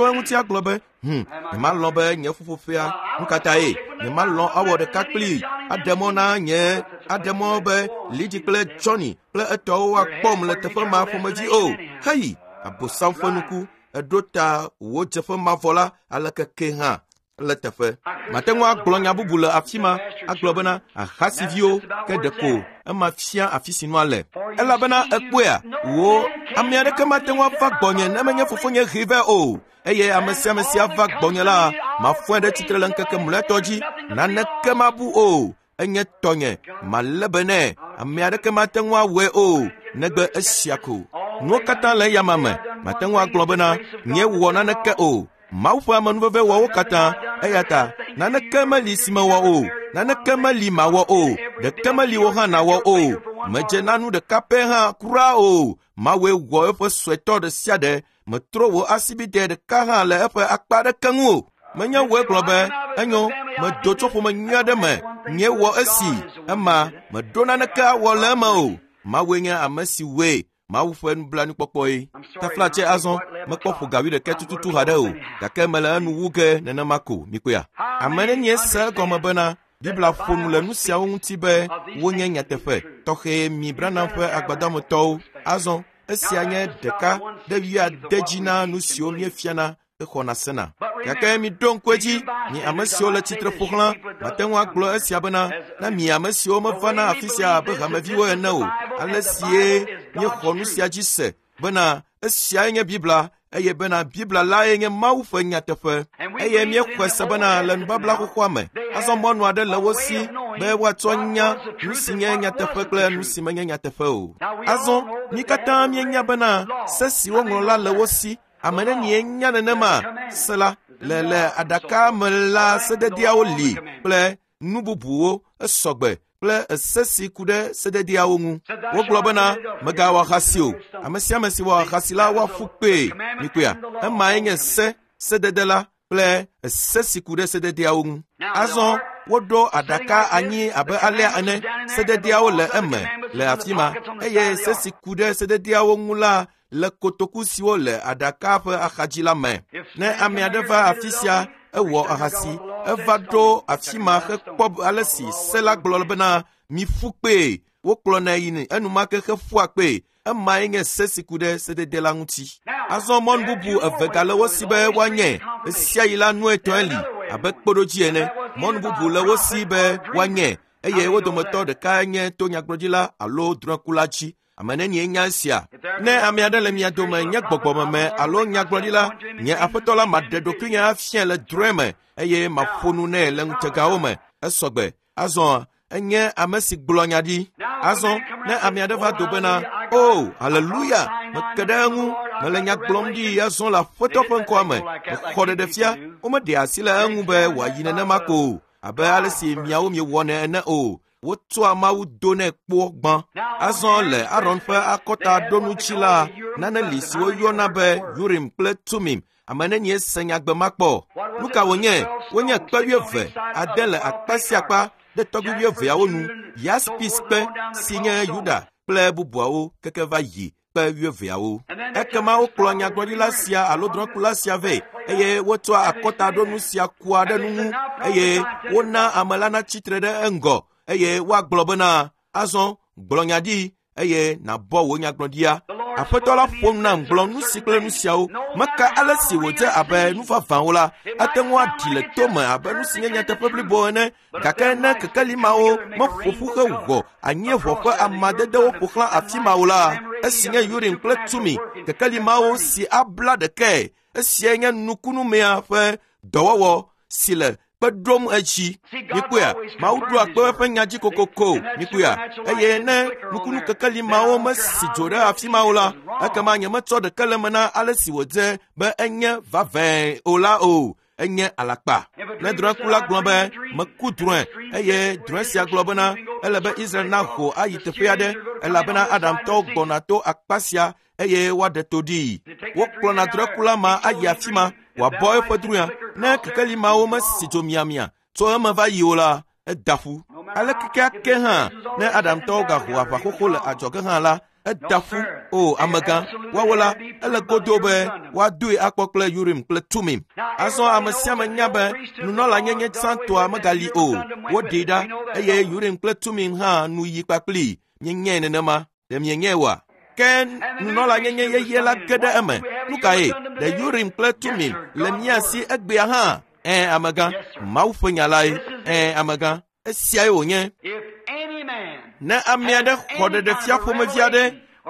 eŋuti agblɔ be hm nyemalɔ̃ be nye ƒuƒoƒea nu ka tae nyemalɔ̃ awɔ ɖeka kplii aɖe mɔ na nye aɖe mɔ be Lidi kple Johnny kple etɔwo woakpɔm le teƒe ma ƒomevi o. Heyi abosam ƒe nuku eɖo ta wò dzeƒe mavɔ la aleke ke hã le teƒe. Mate ŋu agblɔ nya bubu le afi ma agblɔ bena ahasiviwo ke ɖeko ema fia afi si nua le. Elabena ekpɔea wo ame aɖeke mate ŋu ava gbɔnye ne menye fofonye hee vɛ o. Eye ame sia ame si ava gbɔnye la mafɔe ɖe tsitre le ŋkeke mlɔetɔ dzi. Naneke mabu o. Enye tɔnye malé be nɛ. Ame aɖeke mate ŋu awɔe o negbe esia ko. Nuwo katã le eyama me. Mate ŋu agblɔ bena nye wɔ naneke o. Mawu ƒe amenuveve wɔ wo katã eya ta naneke meli si mewɔ o, naneke meli mawɔ o, ɖeke meli wo hã nawɔ o. Medze na nu ɖeka pɛ hã kura o. Mawue wɔ eƒe suetɔ ɖe sia ɖe. Metrɔ wò asibidɛ ɖeka hã le eƒe akpa aɖeke ŋu o. Menye wòe gblɔ be enyo medo tso ƒome nyui aɖe me nye wɔ esi ema meɖo naneke awɔ le eme o. Mawue nye ame si wɔe. Mawu ƒe nublanuikpɔkpɔe. Taflatse azɔ mekpɔ ƒo gawi ɖeke tututu haɖe o gake mele enu wu ge nenema ko mikpɔea. Ame nenie se egɔme bena Biblia ƒo nu le nu siawo ŋuti be wonye nyateƒe tɔxɛ mi Branham ƒe agbadɔmetɔwo. Azɔ esia nye ɖeka ɖe wuiade dzi na nu siwo míefiana exɔna sena. Gake miɖo ŋku edzi mi ame siwo le tsitre ƒo xlã mate ŋu agblɔ esia bena na mi ame siwo mevana afi sia abe hameviwo ene o ale sie míexɔ nu sia dzi se bena esiae nye Biblia eye bena Biblia lae nye Mawu ƒe nyateƒe eye míexɔe se bena le nubabla xoxoa me azɔ mɔnu aɖe le wo si be woatsɔ nya nu si nye nyateƒe kple nu si menye nyateƒe o. Azɔ mí katã míenya bena se si woŋlɔ la le wo si. Ame nenie nya nenema se la le le aɖaka me la sededeawo li kple nu bubuwo esɔgbe kple ese si ku ɖe sededeawo ŋu. Wogblɔ bena mègawɔ ahasi o. Ame sia ame si wɔ ahasi la woaƒu kpee. Mikpɔea emae nye se sedede la kple ese si ku ɖe sededeawo ŋu. Azɔ woɖo aɖaka anyi abe alea ene. Sededeawo le eme le afi ma eye se si ku ɖe sededeawo ŋu la le kotoku siwo le aɖaka ƒe axadzi la me. Ne ame aɖe va afi sia ewɔ ahasi eva ɖo afi ma hekpɔ ale si se la gblɔ bena miƒu kpee. Wokplɔnɛ yina enumake heƒua kpee. Emae nye se si ku ɖe sedede la ŋuti. Azɔ mɔnu bubu eve gale wo si be woanye. Esia yi la nu etɔ̃e li abe kpeɖodzi ene. Mɔnu bubu le wo si be woanye eye wo dometɔ ɖeka nye to nyagblɔɖila alo drɔ̃ekula dzi. Ame nenie nya esia? Ne ame aɖe le mia dome nye gbɔgbɔmeme alo nyagblɔɖila, nye aƒetɔ la maɖe ɖokuinye afia le drɔ̃e me eye maƒo nu nɛ le ŋutegawo me. Esɔgbe. Azɔ enye ame si gblɔ nya ɖi. Azɔ ne ame aɖe va do bena o haleluya meke ɖe eŋu mele nya gblɔm ɖi azɔ le aƒetɔ ƒe ŋkɔa me mexɔ ɖeɖefia womeɖe asi le eŋu be wòayi nenema ko o abe ale si miawo miewɔnɛ ene o. Wotsɔa Mawu do nɛ kpɔ gbã. Azɔ le Aron ƒe akɔtaɖonutsi la nane li si woyɔna be Urim kple Tumim. Ame nenie se nyagbe ma kpɔ? Nu ka wònye? Wonye kpe wuieve ade le akpa sia akpa ɖe tɔgbi wuieveawo nu. Yaspis kpe si nye Yuda kple bubuawo keke va yi kpe wuieveawo. Ekema wokplɔ nyagblɔɖila sia alo drɔ̃kula sia vɛ eye wotsɔa akɔtaɖonu sia kua ɖe nu ŋu eye wona ame la natsitre ɖe eŋgɔ eye woagblɔ bena azɔ gblɔ nya ɖi eye nàbɔ wò nyagblɔɖia. Aƒetɔ la ƒo nu nam gblɔ nu si kple nu siawo. Meka ale si wòdze abe nu vavãwo la ate ŋu aɖi le tome abe nu si nye nyateƒe blibo ene gake ne kekeli mawo meƒo ƒu hewɔ anyieʋɔ ƒe amadedewo ƒo xlã afi mawo la esi nye Urim kple Tumi kekeli mawo si abla ɖekae. Esiae nye nukunumea ƒe dɔwɔwɔ si le kpe ɖom edzi. Mikpɔea Mawu ɖoa kpe eƒe nya dzi kokoko. Mikpɔea eye ne nukunu kekeli mawo mesi dzo ɖe afi mawo la ekema nyemetsɔ ɖeke le me na ale si wòdze be enye vavãe o la o. Enye alakpa. Ne drɔ̃ekula gblɔ be meku drɔ̃e eye drɔ̃e sia gblɔ bena ele be Israel naho ayi teƒe aɖe elabena Adamtɔwo gbɔna to akpa sia eye woaɖe to ɖii. Wokplɔna drɔ̃ekula ma ayi afi ma Wòabɔ eƒe drɔ̃ea. Ne kekeli mawo mesi tso miamia tso eme va yi o la, eda ƒu. Aleke keake hã ne Adamtɔwo gaho aʋa xoxo le adzɔge hã la, eda ƒu. O amegã, woawo la, ele godo be woadoe akpɔ kple Urim kple Tumim. Azɔ ame sia ame nya be nunɔlanyenye tsãtɔa megali o. Woɖee ɖa eye Urim kple Tumim hã nu yi kpakplii. Mienyae nenema. Ɖe mienyae oa? Ke nunɔlanyenye yeye la ge ɖe eme. Nu kae? Ɖe Urim kple Tumim le mía si egbea hã? Ẽ, amegã, Mawu ƒe nya lae. Ẽ, amegã, esiae wònye. Ne ame aɖe xɔ ɖeɖefia ƒomevi aɖe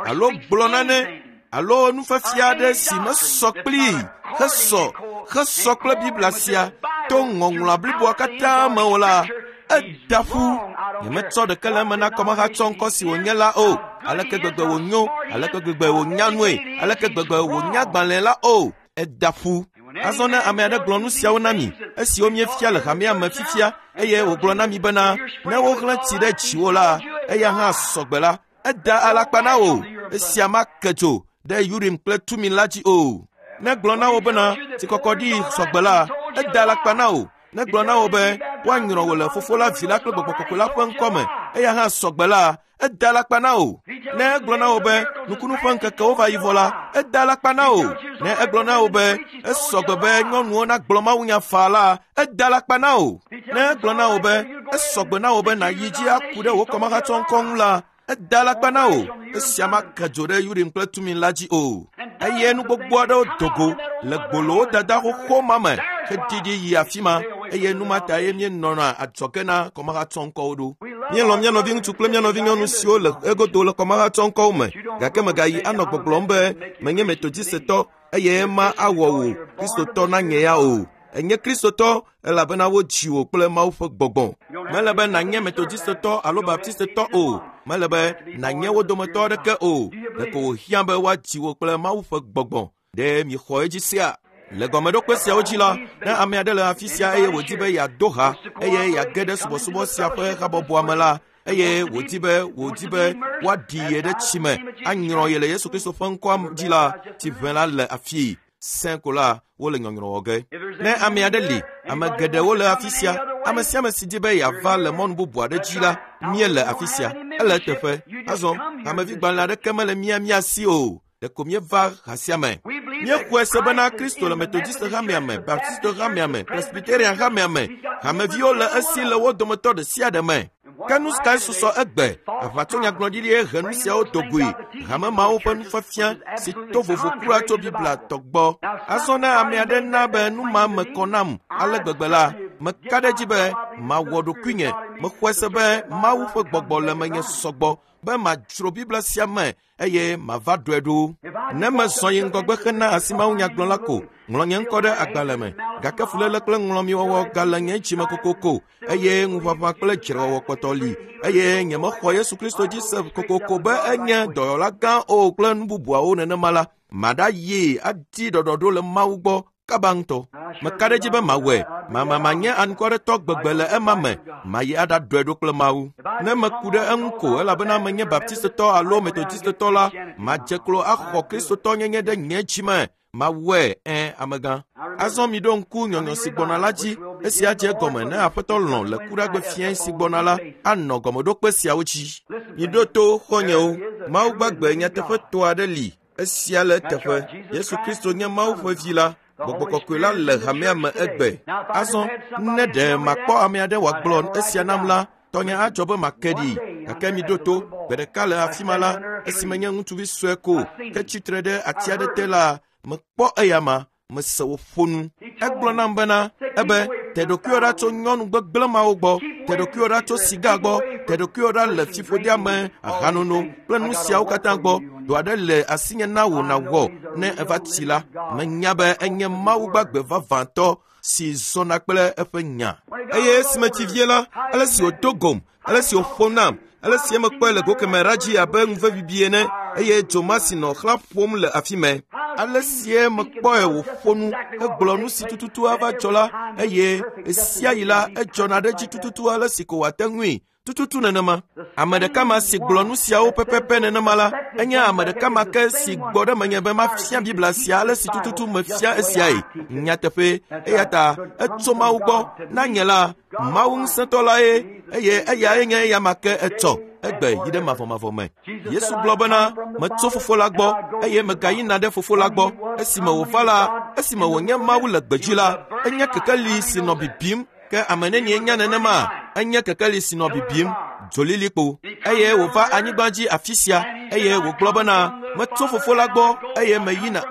alo gblɔ nane alo nufiafia aɖe si mesɔ kplii hesɔ hesɔ kple Biblia sia to ŋɔŋlɔa bliboa katã me o la, eda ƒu. Nyemetsɔ ɖeke le eme na kɔmehatsɔ ŋkɔ si wònye la o. Aleke gbegbe wònyo, aleke gbegbe wònya nue, aleke gbegbe wònya agbalẽ la o. Eda ƒu. Azɔ ne ame aɖe gblɔ nu siawo na mi, esiwo miefia le hamea me fifia, eye wògblɔ na mi bena ne woxlẽ tsi ɖe dziwò la, eya hã sɔgbe la, eda alakpa na wò. Esia make dzo ɖe Urim kple Tumim la dzi o. Ne gblɔ na wò bena tsikɔkɔɖi sɔgbe la, eda alakpa na wò. Ne gblɔ na wò be woanyrɔ wò le Fofo la, Vi la kple Gbɔgbɔ Kɔkɔe la ƒe ŋkɔ me, eya hã sɔgbe la, eda alakpa na wò. Ne egblɔ na wò be nukunu ƒe ŋkekewo va yi vɔ la, eda alakpa na wò. Ne egblɔ na wò be esɔgbe be nyɔnuwo nagblɔ mawunya faa la, eda alakpa na wò. Ne egblɔ na wò be esɔgbe na wò be nàyi dzi aku ɖe wò kɔmehatsɔ ŋkɔ ŋu la, eda alakpa na wò. Esia make dzo ɖe Urim kple Tumim la dzi o. Eye nu gbogbo aɖewo do go le gbolowo dada xoxo ma me heɖiɖi yi afi ma, eye nu ma ta ye míenɔna adzɔge na kɔmehatsɔ ŋkɔwo ɖo. Míelɔ̃ mía nɔviŋutsu kple mía nɔvinyɔnu siwo le egodo le kɔmehatsɔ ŋkɔwo me, gake megayi anɔ gbɔgblɔm be menye Metodistɔ eye ema awɔ wò Kristotɔ nanye ya o. Enye Kristotɔ elabena wodzi wò kple Mawu ƒe gbɔgbɔ. Mele be nànye Metodistɔ alo Baptistɔ o. Mele be nànye wo dometɔ aɖeke o. Ɖeko wòhiã be woadzi wò kple Mawu ƒe gbɔgbɔ. Ɖe miexɔ edzi sea? Le gɔmeɖokpe siawo dzi la, ne ame aɖe le afi sia eye wòdi be yeado ha eye yeage ɖe subɔsubɔ sia ƒe habɔbɔa me la, eye wòdi be wòdi be woaɖi ye ɖe tsi me anyrɔ ye le Yesu Kristo ƒe ŋkɔa dzi la, tsiʋẽ la le afii. Sẽ ko la, wole nyɔnyrɔ wɔ ge. Ne ame aɖe li, ame geɖewo le afi sia. Ame sia ame si di be yeava le mɔnu bubu aɖe dzi la, míele afi sia. Ele eteƒe. Azɔ, hamevigbalẽ aɖeke mele mía mía si o. Ɖeko míeva ha sia me. Míexɔe se bena Kristo le Metodist hamea me, Baptist hamea me, Presbyterian hamea me. Hameviwo le esi le wo dometɔ ɖe sia ɖe me. Ke nu kae susɔ egbe? Aʋatsonyagblɔɖiɖie he nu siawo do goe. Hame mawo ƒe nufiafia si to vovo kura tso Biblia tɔ gbɔ. Azɔ ne ame aɖe na be nu ma me kɔ nam ale gbegbe la, meka ɖe edzi be mawɔ ɖokuinye. Mexɔe se be Mawu ƒe gbɔgbɔ le menye sɔgbɔ be madzro Biblia sia me eye mava ɖɔe ɖo. Ne mezɔ yi ŋgɔgbe hena asi mawunyagblɔla ko, ŋlɔ nye ŋkɔ ɖe agbalẽ me, gake fuléle kple ŋlɔmiwɔwɔ gale nye dzime kokoko, eye ŋuʋaʋã kple dzrewɔwɔ kpɔtɔ li, eye nyemexɔ Yesu Kristo dzi se kokoko be enye dɔyɔla gã o kple nu bubuawo nenema la, maɖayi adi ɖɔɖɔɖo le Mawu gbɔ kaba ŋutɔ. Meka ɖe edzi be mawɔe. Mama manye anukwaretɔ gbegbe le ema me. Mayi aɖaɖɔe ɖo kple Mawu. Ne meku ɖe eŋu ko elabena menye Baptistɔ alo Metodistɔ la, madze klo axɔ Kristotɔnyenye ɖe nye dzi me. Mawɔe, ẽ, amegã. Azɔ miɖo ŋku nyɔnyɔ si gbɔna la dzi. Esia dze egɔme ne Aƒetɔ lɔ̃ le kuɖagbe fiẽ si gbɔna la anɔ gɔmeɖokpe siawo dzi. Miɖo to xɔ̃nyewo. Mawu gbagbe nyateƒetɔ aɖe li. Esia le eteƒe. Yesu Kristo nye Mawu ƒe vi la. Gbɔgbɔ kɔkɔe la le hamea me egbe. Azɔ ne ɖe makpɔ ame aɖe wòagblɔ esia nam la, tɔnye adzɔ be make ɖi. Gake miɖo to, gbe ɖeka le afi ma la, esime nye ŋutsuvi sue ko ke tsitre ɖe ati aɖe te la, mekpɔ eyama, mese wòƒo nu. Egblɔ nam bena, ebe, te ɖokuiwò ɖa tso nyɔnu gbegblẽ mawo gbɔ, te ɖokuiwò ɖa tso siga gbɔ, te ɖokuiwò ɖa le fiƒodea me, ahanono kple nu siawo katã gbɔ. Dɔ aɖe le asinye na wò nàwɔ ne eva tsi la. Menya be enye Mawu gbagbe vavãtɔ si zɔna kple eƒe nya. Eye esime tsi vie la, ale si wòdo gom, ale si wòƒo nam, ale si mekpɔe le go kemɛ ɖa dzi abe ŋuvebibi ene, eye dzo ma si nɔ xlã ƒom le afi mɛ. Ale sie mekpɔe wòƒo nu hegblɔ nu si tututu ava dzɔ la, eye ɣe sia ɣi la edzɔna ɖe edzi tututu ale si ko wòate ŋui. Tututu nenema. Ame ɖeka ma si gblɔ nu siawo pɛpɛpɛ nenema la, enye ame ɖeka ma ke si gbɔ ɖe menye be mafia Biblia sia ale si tututu mefia esiae. Nyateƒe, eya ta etso Mawu gbɔ na nye la, Mawu ŋusẽtɔ la ye, eye eyae nye eya ma ke etsɔ egbe yi ɖe mavɔmavɔ me. Yesu gblɔ bena, metso fofo la gbɔ, eye megayina ɖe fofo la gbɔ. Esime wòva la, esime wònye Mawu le gbedzi la, enye kekeli si nɔ bibim. Ke ame nenie nya nenema, enye kekeli si nɔ bibim, dzolilikpo. Eye wòva anyigba dzi afi sia, eye wògblɔ bena, metso fofo la gbɔ, eye meyina,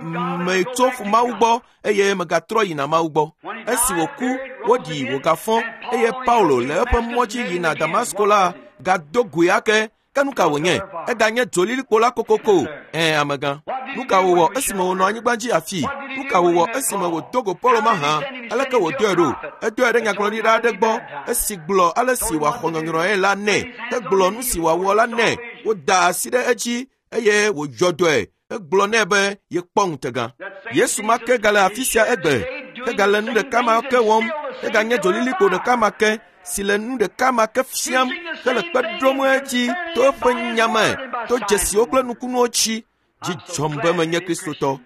metso Mawu gbɔ, eye megatrɔ yina Mawu gbɔ. Esi wòku, woɖi wògafɔ, eye Paulo le eƒe mɔ dzi yina Damasko la, gado goe ake. Ke nu ka wònye? Eganye dzolilikpo la kokoko. Ẽ, amegã. Nu ka wòwɔ esime wònɔ anyigba dzi afi? Nu ka wòwɔ esime wòdo go Paulo mahã? Aleke wòdoe ɖo? Edoe ɖe nyagblɔɖila aɖe gbɔ, esi gblɔ ale si wòaxɔ nyɔnyrɔe la nɛ, hegblɔ nu si wòawɔ la nɛ. Woda asi ɖe edzi eye wòdzɔ dɔe. Egblɔ nɛ be yekpɔ ŋutega. Yesu ma ke gale afi sia egbe, egale nu ɖeka ma ke wɔm, eganye dzolilikpo ɖeka ma ke si le nu ɖeka ma ke fiam hele kpe ɖom edzi to eƒe nya me, to dzesiwo kple nukunuwo dzi. Dzi dzɔm be menye Kristotɔ.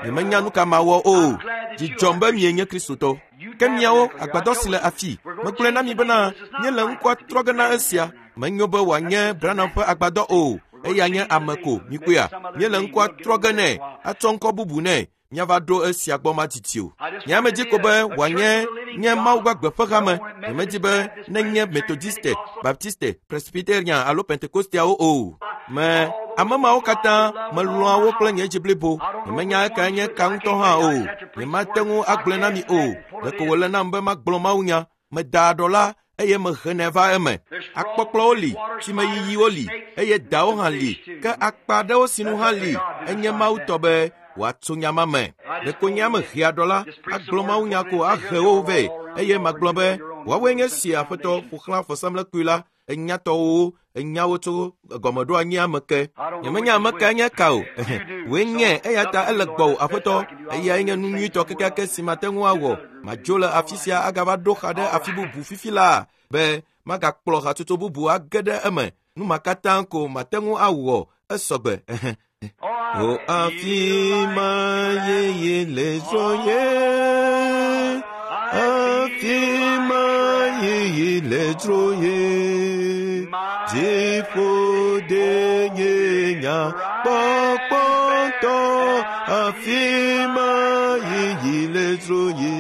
Nyemenya nu ka mawɔ o. Dzi dzɔm be mienye Kristotɔ. Ke miawo, agbadɔ si le afi, megblɔe na mi bena míele ŋkɔa trɔ ge na esia. Menyo be wòanye Branham ƒe agbadɔ o. Eya nye ame ko, mikpɔea. Míele ŋkɔa trɔ ge nɛ, atsɔ ŋkɔ bubu nɛ. Míava ɖo esia gbɔ madidi o. Nye ame dzi ko be wòanye nye Mawu gbagbe ƒe hame. Nyemedi be nenye Methodiste, Baptiste, Presbyterian alo Pentekosteawo o. Me ame mawo katã melɔ̃a wo kple nye dzi blibo. Nyemenya ekae nye ka ŋutɔ hã o. Nyemate ŋu agblɔe na mi o. Ɖeko wòle nam be magblɔ mawunya. Meda aɖɔ la, eye mehenɛ va eme. Akpɔkplɔwo li, tsimeyiyiwo li, eye dawo hã li. Ke akpa aɖewo sinu hã li. Enye Mawu tɔ be wòatso nya ma me. Ɖeko nye ame hea ɖɔ la, agblɔ mawunya ko ahe wo vɛ, eye magblɔ be woawoe nye si Aƒetɔ ƒo xlã vɔsamlekpui la, enyatɔwo, enyawo tso gɔmeɖoanyia me ke. Nyemenya ame kae nye ka o. Wòe nye, eya ta ele gbɔwò Aƒetɔ. Eyae nye nu nyuitɔ kekeake si mate ŋu awɔ. Madzo le afi sia agava ɖo xa ɖe afi bubu fifi laa be magakplɔ hatsotso bubu age ɖe eme. Nu ma katã ko mate ŋu awɔ esɔgbe. O afi ma yeye le zɔ ye, afi ma yeye le dzro ye, dziƒo de nye nya kpɔkpɔtɔ, afi ma yeye le dzro ye.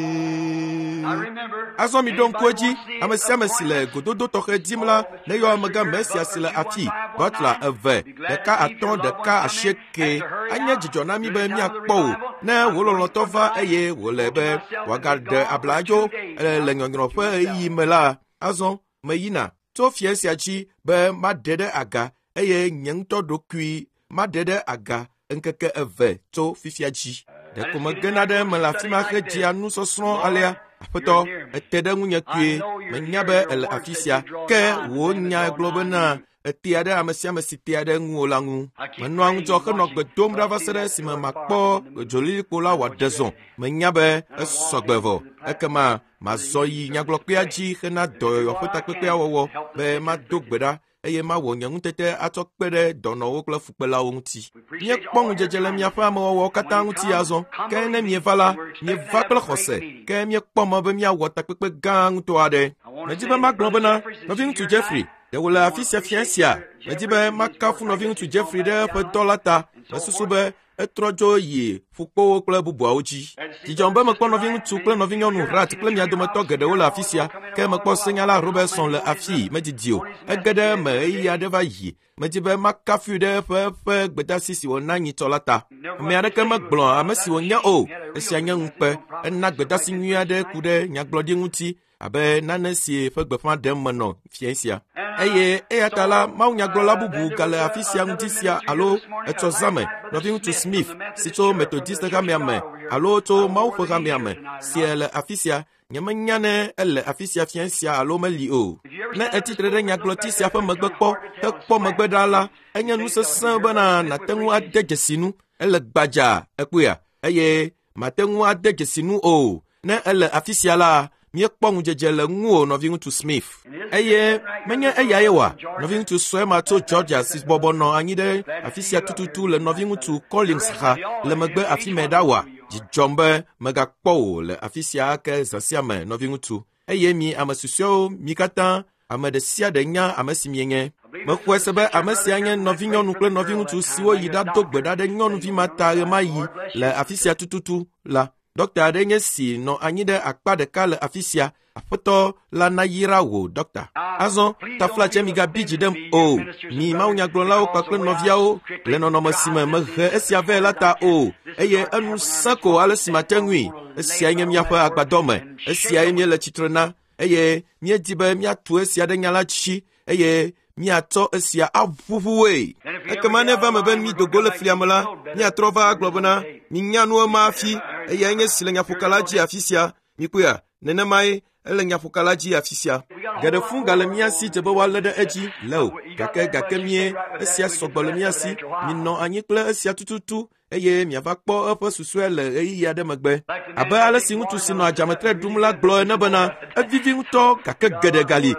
Azɔ mi ɖo ŋku edzi, ame sia ame si le gododo tɔxɛ dim la, neyɔ amegã Mesia si le afi, Butler eve, ɖeka atɔ̃ ɖeka asieke. Anye dzidzɔ na mi be míakpɔ wò, ne wò lɔlɔ̃tɔ va eye wòle be wòagaɖe abladzo le nyɔnyrɔ ƒe ɣeyiɣi me la, azɔ meyina tso fia sia dzi be maɖe ɖe aga eye nye ŋutɔ ɖokui maɖe ɖe aga ŋkeke eve tso fifia dzi. Ɖeko megena ɖe eme le afi ma hedzea nusɔsrɔ̃ alea. Aƒetɔ, ete ɖe ŋunye kpuie, menya be ele afi sia. Ke wò nya gblɔ bena etea ɖe ame sia ame si tea ɖe ŋuwò la ŋu. Menɔa ŋudzɔ henɔ gbe dom ɖa va se ɖe esime makpɔ dzolilikpo la wòaɖe zɔ. Menya be esɔgbe vɔ. Ekema mazɔ yi nyagblɔkpea dzi hena dɔyɔyɔ ƒe takpekpea wɔwɔ be mado gbe ɖa eye mawɔ nye ŋutete atsɔ kpe ɖe dɔnɔwo kple fukpelawo ŋuti. Míekpɔ ŋudzedze le miaƒe amewɔwɔwo katã ŋuti azɔ. Ke ne mieva la, mieva kple xɔse, ke míekpɔ mɔ be míawɔ takpekpe gã ŋutɔ aɖe. Medi be magblɔ bena, nɔviŋutsu Jeffrey, ɖe wòle afi sia fia sia? Medi be makafu nɔviŋutsu Jeffrey ɖe eƒe dɔ la ta. Mesusu be etrɔ dzo yi ƒukpowo kple bubuawo dzi. Dzidzɔm be mekpɔ nɔviŋutsu kple nɔvinyɔnu Rat kple mia dometɔ geɖewo le afi sia. Ke mekpɔ senyala Robertson le afii, medidi o. Ege ɖe eme ɣeyiɣi aɖe va yi. Medi be makafui ɖe eƒe eƒe gbedeasi si wòna nyitsɔ la ta. Ame aɖeke megblɔ ame si wònye o. Esia nye ŋukpe. Ena gbedeasi nyui aɖe ku ɖe nyagblɔɖi ŋuti abe nane si ƒe gbeƒã ɖem menɔ fia sia. Eye eya ta la, mawunyagblɔla bubu gale afi sia ŋdi sia alo etsɔ zã me, nɔviŋutsu Smith si tso Methodist hamea me alo tso Mawu ƒe hamea me si le afi sia. Nyemenya ne ele afi sia fia sia alo meli o. Ne etsitre ɖe nyagblɔti sia ƒe megbe kpɔ hekpɔ megbe ɖa la, enye nu sesẽ bena nàte ŋu ade dzesi nu. Ele gbadza ekpɔea, eye mate ŋu ade dzesi nu o. Ne ele afi sia la, Míekpɔ ŋudzedze le ŋuwò nɔviŋutsu Smith. Eye menye eyae wa nɔviŋutsu sue ma tso Georgia si bɔbɔ nɔ anyi ɖe afi sia tututu le nɔviŋutsu Collins xa le megbe afi mɛ ɖa wa. Dzidzɔm be megakpɔ wò le afi sia ake zã sia me nɔviŋutsu. Eye mi ame susɔewo mi katã ame ɖe sia ɖe nya ame si mienye. Mexɔe se be ame sia nye nɔvinyɔnu kple nɔviŋutsu siwo yi ɖado gbe ɖa ɖe nyɔnuvi ma ta ɣemaɣi le afi sia tututu la. Dɔkta aɖe nye si nɔ anyi ɖe akpa ɖeka le afi sia. Aƒetɔ la nayra wò dɔkta. Azɔ taflatse migabi dzi ɖem o. Mi mawunyagblɔlawo kpakple nɔviawo le nɔnɔme si me mehe esia vɛ la ta o. Eye enu sẽ ko ale si mate ŋui. Esiae nye míaƒe agbadɔ me. Esiae míele tsitre na. Eye míedi be míatu esia ɖe nya la dzi eye míatsɔ esia aʋuʋue. Ekema ne va me be mi dogo le flia me la, míatrɔ va agblɔ bena minya nu ema hafi eyae nye si le nyaƒoka la dzi afi sia. Mikpɔea, nenemae ele nyaƒoka la dzi afi sia. Geɖe fũ gale mía si dze be woalé ɖe edzi le o. Gake gake mie esia sɔgbɔ le mía si. Minɔ anyi kple esia tututu eye miava kpɔ eƒe susɔe le ɣeyiɣi aɖe megbe. Abe ale si ŋutsu si nɔ adzametre ɖum la gblɔ ene bena evivi ŋutɔ gake geɖe gali.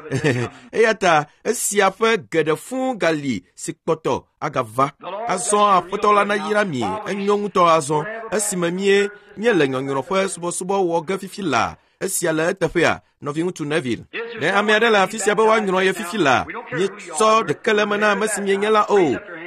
Eya ta esia ƒe geɖe fũ gali si kpɔtɔ agava. Azɔ aƒetɔ la nayra mi enyo ŋutɔ azɔ esime mie míele nyɔnyrɔ ƒe subɔsubɔ wɔ ge fifi la. Esia le eteƒea nɔviŋutsu Neville. Ne ame aɖe le afi sia be woanyrɔ ye fifi la, míetsɔ ɖeke le eme na ame si mienye la o.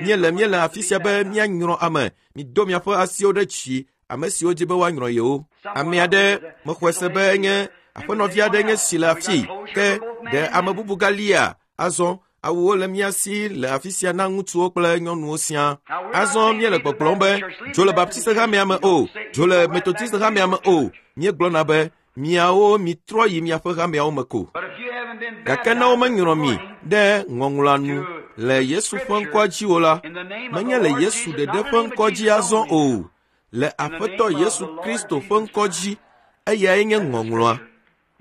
Míele míele afi sia be míanyrɔ ame. Mido miaƒe asiwo ɖe dzi ame siwo dzi be woanyrɔ yewo. Ame aɖe mexɔe se be enye aƒenɔvi aɖe nye si le afi ke ɖe ame bubu galia azɔ awuwo le mía si le afi sia na ŋutsuwo kple nyɔnuwo siaa. Azɔ míele gbɔgblɔm be dzo le Baptist hamea me o, dzo le Methodist hamea me o. Míegblɔna be miawo mitrɔ yi miaƒe hameawo me ko. Gake ne womenyrɔ mi ɖe ŋɔŋlɔa nu le Yesu ƒe ŋkɔa dzi o la, menye le Yesu ɖeɖe ƒe ŋkɔ dzi azɔ o, le Aƒetɔ Yesu Kristo ƒe ŋkɔ dzi, eyae nye ŋɔŋlɔa.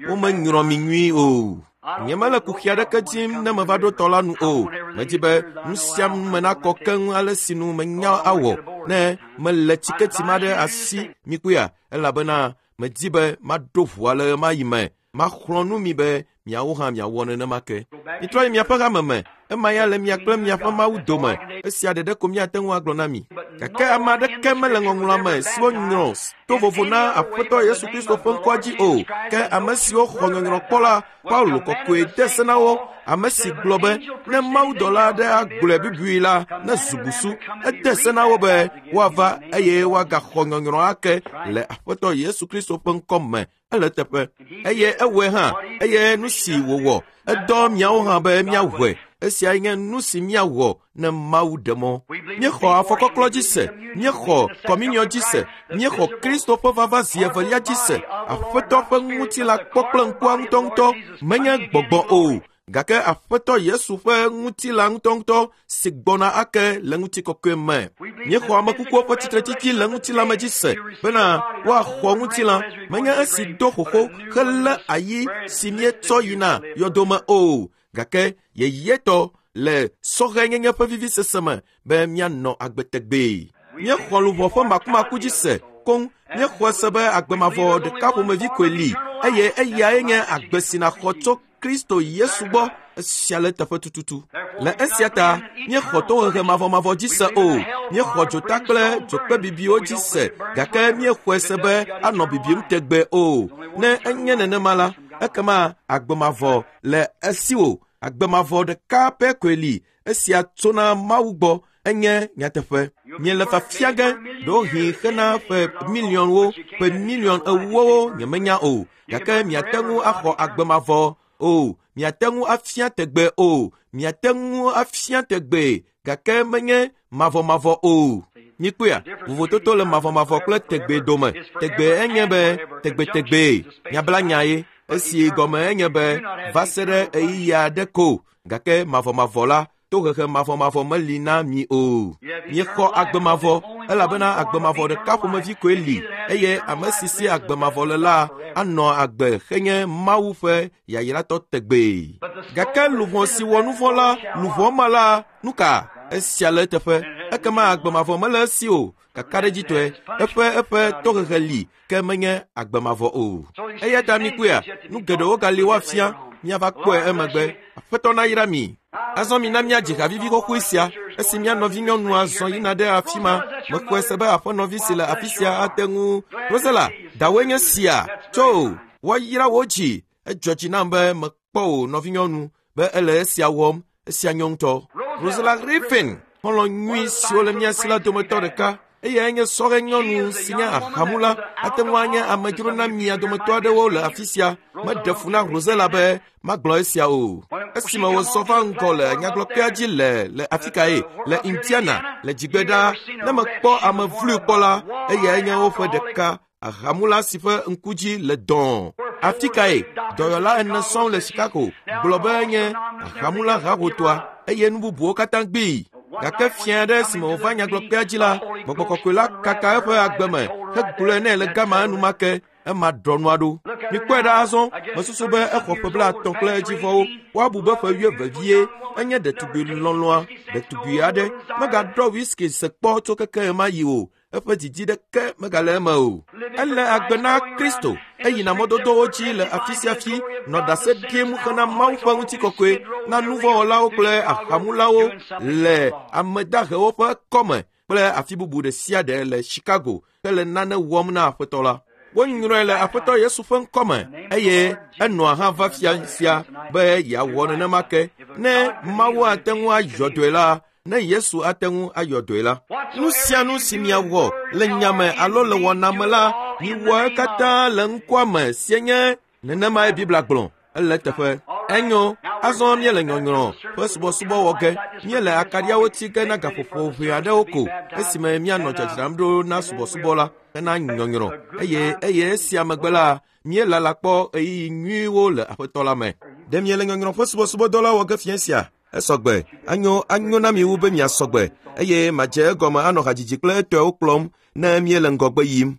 Womenyrɔ mi nyuie o. Nyemele kuxi aɖeke dim ne meva ɖo tɔ la nu o. Medi be nu sia nu me nakɔ keŋ ale si nu menya awɔ ne mele tsiketi ma ɖe asi mikpɔea, elabena medi be maɖo ʋua le ɣemaɣi me. Maxlɔ̃ nu mi be miawo hã miawɔ nenema ke. Mitrɔ yi miaƒe hame me. Ema ya le mia kple miaƒe Mawu dome. Esia ɖeɖe ko miate ŋu agblɔ na mi. Gake ame aɖeke mele ŋɔŋlɔa me siwo nyrɔ to vovo na Aƒetɔ Yesu Kristo ƒe ŋkɔa dzi o. Ke ame siwo xɔ nyɔnyrɔ kpɔ la, Paulo kɔkɔe de se na wo. Ame si gblɔ be ne mawudɔla aɖe agblɔe bubui la, ne zu busu. Ede se na wo be woava eye woagaxɔ nyɔnyrɔ ake le Aƒetɔ Yesu Kristo ƒe ŋkɔ me. Ele teƒe. Eye ewɔe hã. Eye nu si wòwɔ, edɔ miawo hã be míawɔe. Esiae nye nu si míawɔ ne Mawu ɖe mɔ. Míexɔ afɔkɔklɔ dzi se, míexɔ kɔminiɔ dzi se, míexɔ Kristo ƒe vava zi evelia dzi se. Aƒetɔ ƒe ŋutilã kpɔ kple ŋkua ŋutɔŋutɔ menye gbɔgbɔ o. Gake Aƒetɔ Yesu ƒe ŋutilã ŋutɔŋutɔ si gbɔna ake le ŋutikɔkɔe me. Míexɔ amekukuwo ƒe tsitretsitsi le ŋutilã me dzi se bena woaxɔ ŋutilã menye esi do xoxo helé ayi si míetsɔ yina yɔdome o. Gake yeyetɔ le sɔhɛnyenye ƒe vivisese me be míanɔ agbe tegbee. Míexɔ luʋɔ ƒe makumaku dzi se koŋ. Míexɔe se be agbemavɔ ɖeka ƒomevi koe li eye eyae nye agbe si nàxɔ tso Kristo Yesu gbɔ. Esia le teƒe tututu. Le esia ta míexɔ tohehe mavɔmavɔ dzi se o. Míexɔ dzota kple dzokpe bibiwo dzi se gake míexɔe se be anɔ bibim tegbee o. Ne enye nenema la, ekema agbemavɔ le esiwò. Agbemavɔ ɖeka pɛ koe li. Esia tsona Mawu gbɔ. Enye nyateƒe. Miele fafia ge ɖewohĩ xena ƒe miliɔnwo, ƒe miliɔn ewowo nyemenya o. Gake miate ŋu axɔ agbemavɔ o. Miate ŋu afia tegbee o. Miate ŋu afia tegbee gake menye mavɔmavɔ o. Mikpɔea, vovototo le mavɔmavɔ kple tegbee dome. Tegbee enye be tegbetegbee. Nyabla nya ye. Esi gɔme enye be va se ɖe ɣeyiɣi aɖe ko. Gake mavɔmavɔ la, tohehe mavɔmavɔ meli na mi o. Míexɔ agbemavɔ elabena agbemavɔ ɖeka ƒomevi koe li eye ame si si agbemavɔ le la anɔ agbe henye Mawu ƒe yayratɔ tegbee. Gake luʋɔ si wɔ nu vɔ̃ la, luʋɔ ma la, nu ka? Esia le eteƒe. Ekema agbemavɔ mele esi o. Kakaɖedzitɔe, eƒe eƒe tohehe li ke menye agbemavɔ o. Eya ta mikpɔea, nu geɖewo gali woafia, miava kpɔe emegbe. Aƒetɔ nayra mi. Azɔ mina míadzi ha vivi xoxoe sia esi mía nɔvinyɔnua zɔ yina ɖe afi ma. Mexɔe se be aƒenɔvi si le afi sia ate ŋu. Rosella, dawoe nye sia. Tso, woayra wò dzi. Edzɔ dzi nam be mekpɔ wò nɔvinyɔnu be ele esia wɔm. Esia nyɔ ŋutɔ. Rosella Griffin, xɔlɔ̃ nyui siwo le mía si la dometɔ ɖeka. Eyae nye sɔhɛ nyɔnu si nye ahamula. Ate ŋu anye amedzro na mia dometɔ aɖewo le afi sia. Meɖe fu na Rosella be magblɔ esia o. Esime wòzɔ va ŋgɔ le nyagblɔkpea dzi le le afi kae? Le Indiana, le dzigbe ɖaa. Ne mekpɔ ame vloe kpɔ la, eyae nye woƒe ɖeka. Ahamula si ƒe ŋku dzi le dɔ̃. Afi kae? Dɔyɔla ene sɔŋ le Chicago gblɔ be nye ahamula hahotoa eye nu bubuwo katã gbee. Gake fia aɖe esime wòva nyagblɔkpea dzi la, gbɔgbɔ kɔkɔe la kaka eƒe agbe me hegblɔe nɛ le gama enumake. Ema ɖɔ nua ɖo. Mikpɔe ɖa azɔ, mesusu be exɔ ƒe blaetɔ̃ kple edzivɔwo. Woabu be ƒe wuieve vie. Enye ɖetugbi lɔlɔ̃a, ɖetugbi aɖe. Megaɖɔ whisky se kpɔ tso keke ɣemaɣi yi o. Eƒe didi ɖeke megale eme o. Ele agbe na Kristo. Eyina mɔdodowo dzi le afi sia afi, nɔ ɖase ɖim hena Mawu ƒe ŋutikɔkɔe na nuvɔ̃wɔlawo kple ahamulawo le ame dahewo ƒe kɔme kple afi bubu ɖe sia ɖe le Chicago hele nane wɔm na Aƒetɔ la. Wonyrɔe le Aƒetɔ Yesu ƒe ŋkɔme eye enɔa hã va fia sia be yeawɔ nenema ke. Ne Mawu ate ŋu ayɔ dɔe la, ne Yesu ate ŋu ayɔ dɔe la, nu sia nu si miawɔ le nyame alo le wɔna me la, miwɔ katã le ŋkɔa me sie nye nenemae Biblia gblɔ. Ele teƒe. Enyo, azɔ míele nyɔnyrɔ ƒe subɔsubɔ wɔ ge. Míele akaɖiawo tsi ge na gaƒoƒo ʋɛ aɖewo ko esime míanɔ dzadzram ɖo na subɔsubɔ la hena nyɔnyrɔ. Eye eye esia megbe la, míelala kpɔ ɣeyiɣi nyuiwo le Aƒetɔ la me. Ɖe miele nyɔnyrɔ ƒe subɔsubɔdɔ la wɔ ge fia sia? Esɔgbe. Anyo anyo na mi wu be miasɔgbe eye madze egɔme anɔ hadzidzi kple etɔewo kplɔm ne míele ŋgɔgbe yim.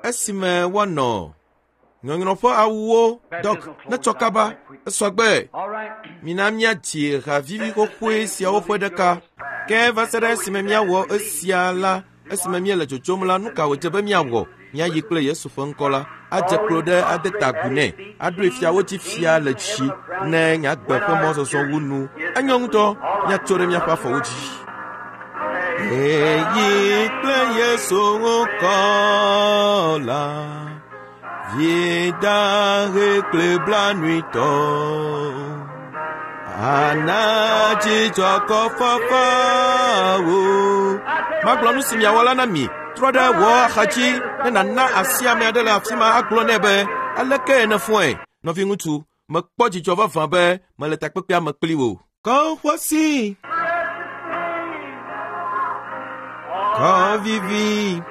Esime woanɔ nyɔnyrɔ ƒe awuwo dɔk netsɔ kaba esɔgbe. Mina míadzi ha vivi xoxoe siawo ƒe ɖeka. Ke va se ɖe esime míawɔ esia la, esime míele dzodzom la, nu ka wòdze be míawɔ? Míayi kple Yesu ƒe ŋkɔ la, adze klo ɖe ade ta agu nɛ, aɖoe fiawo dzi fia le dzi ne nyagbe ƒe mɔzɔzɔ wu nu. Enyo ŋutɔ, míatso ɖe míaƒe afɔwo dzi. Eyi kple Yesu ŋkɔ la, vidahe kple blanuitɔ, ana dzidzɔ kɔfafawo. Magblɔ nu si miawɔ la na mi. Trɔ ɖe wò axadzi ne nàna asi ame aɖe le afi ma agblɔ nɛ be aleke nèfɔe. Nɔviŋutsu, mekpɔ dzidzɔ vavã be mele takpekpea me kpli wò. Kɔƒosi, kɔvivi,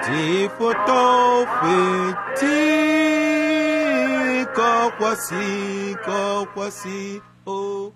dziƒotɔwo ƒe ti, kɔƒosi, kɔƒosi, o.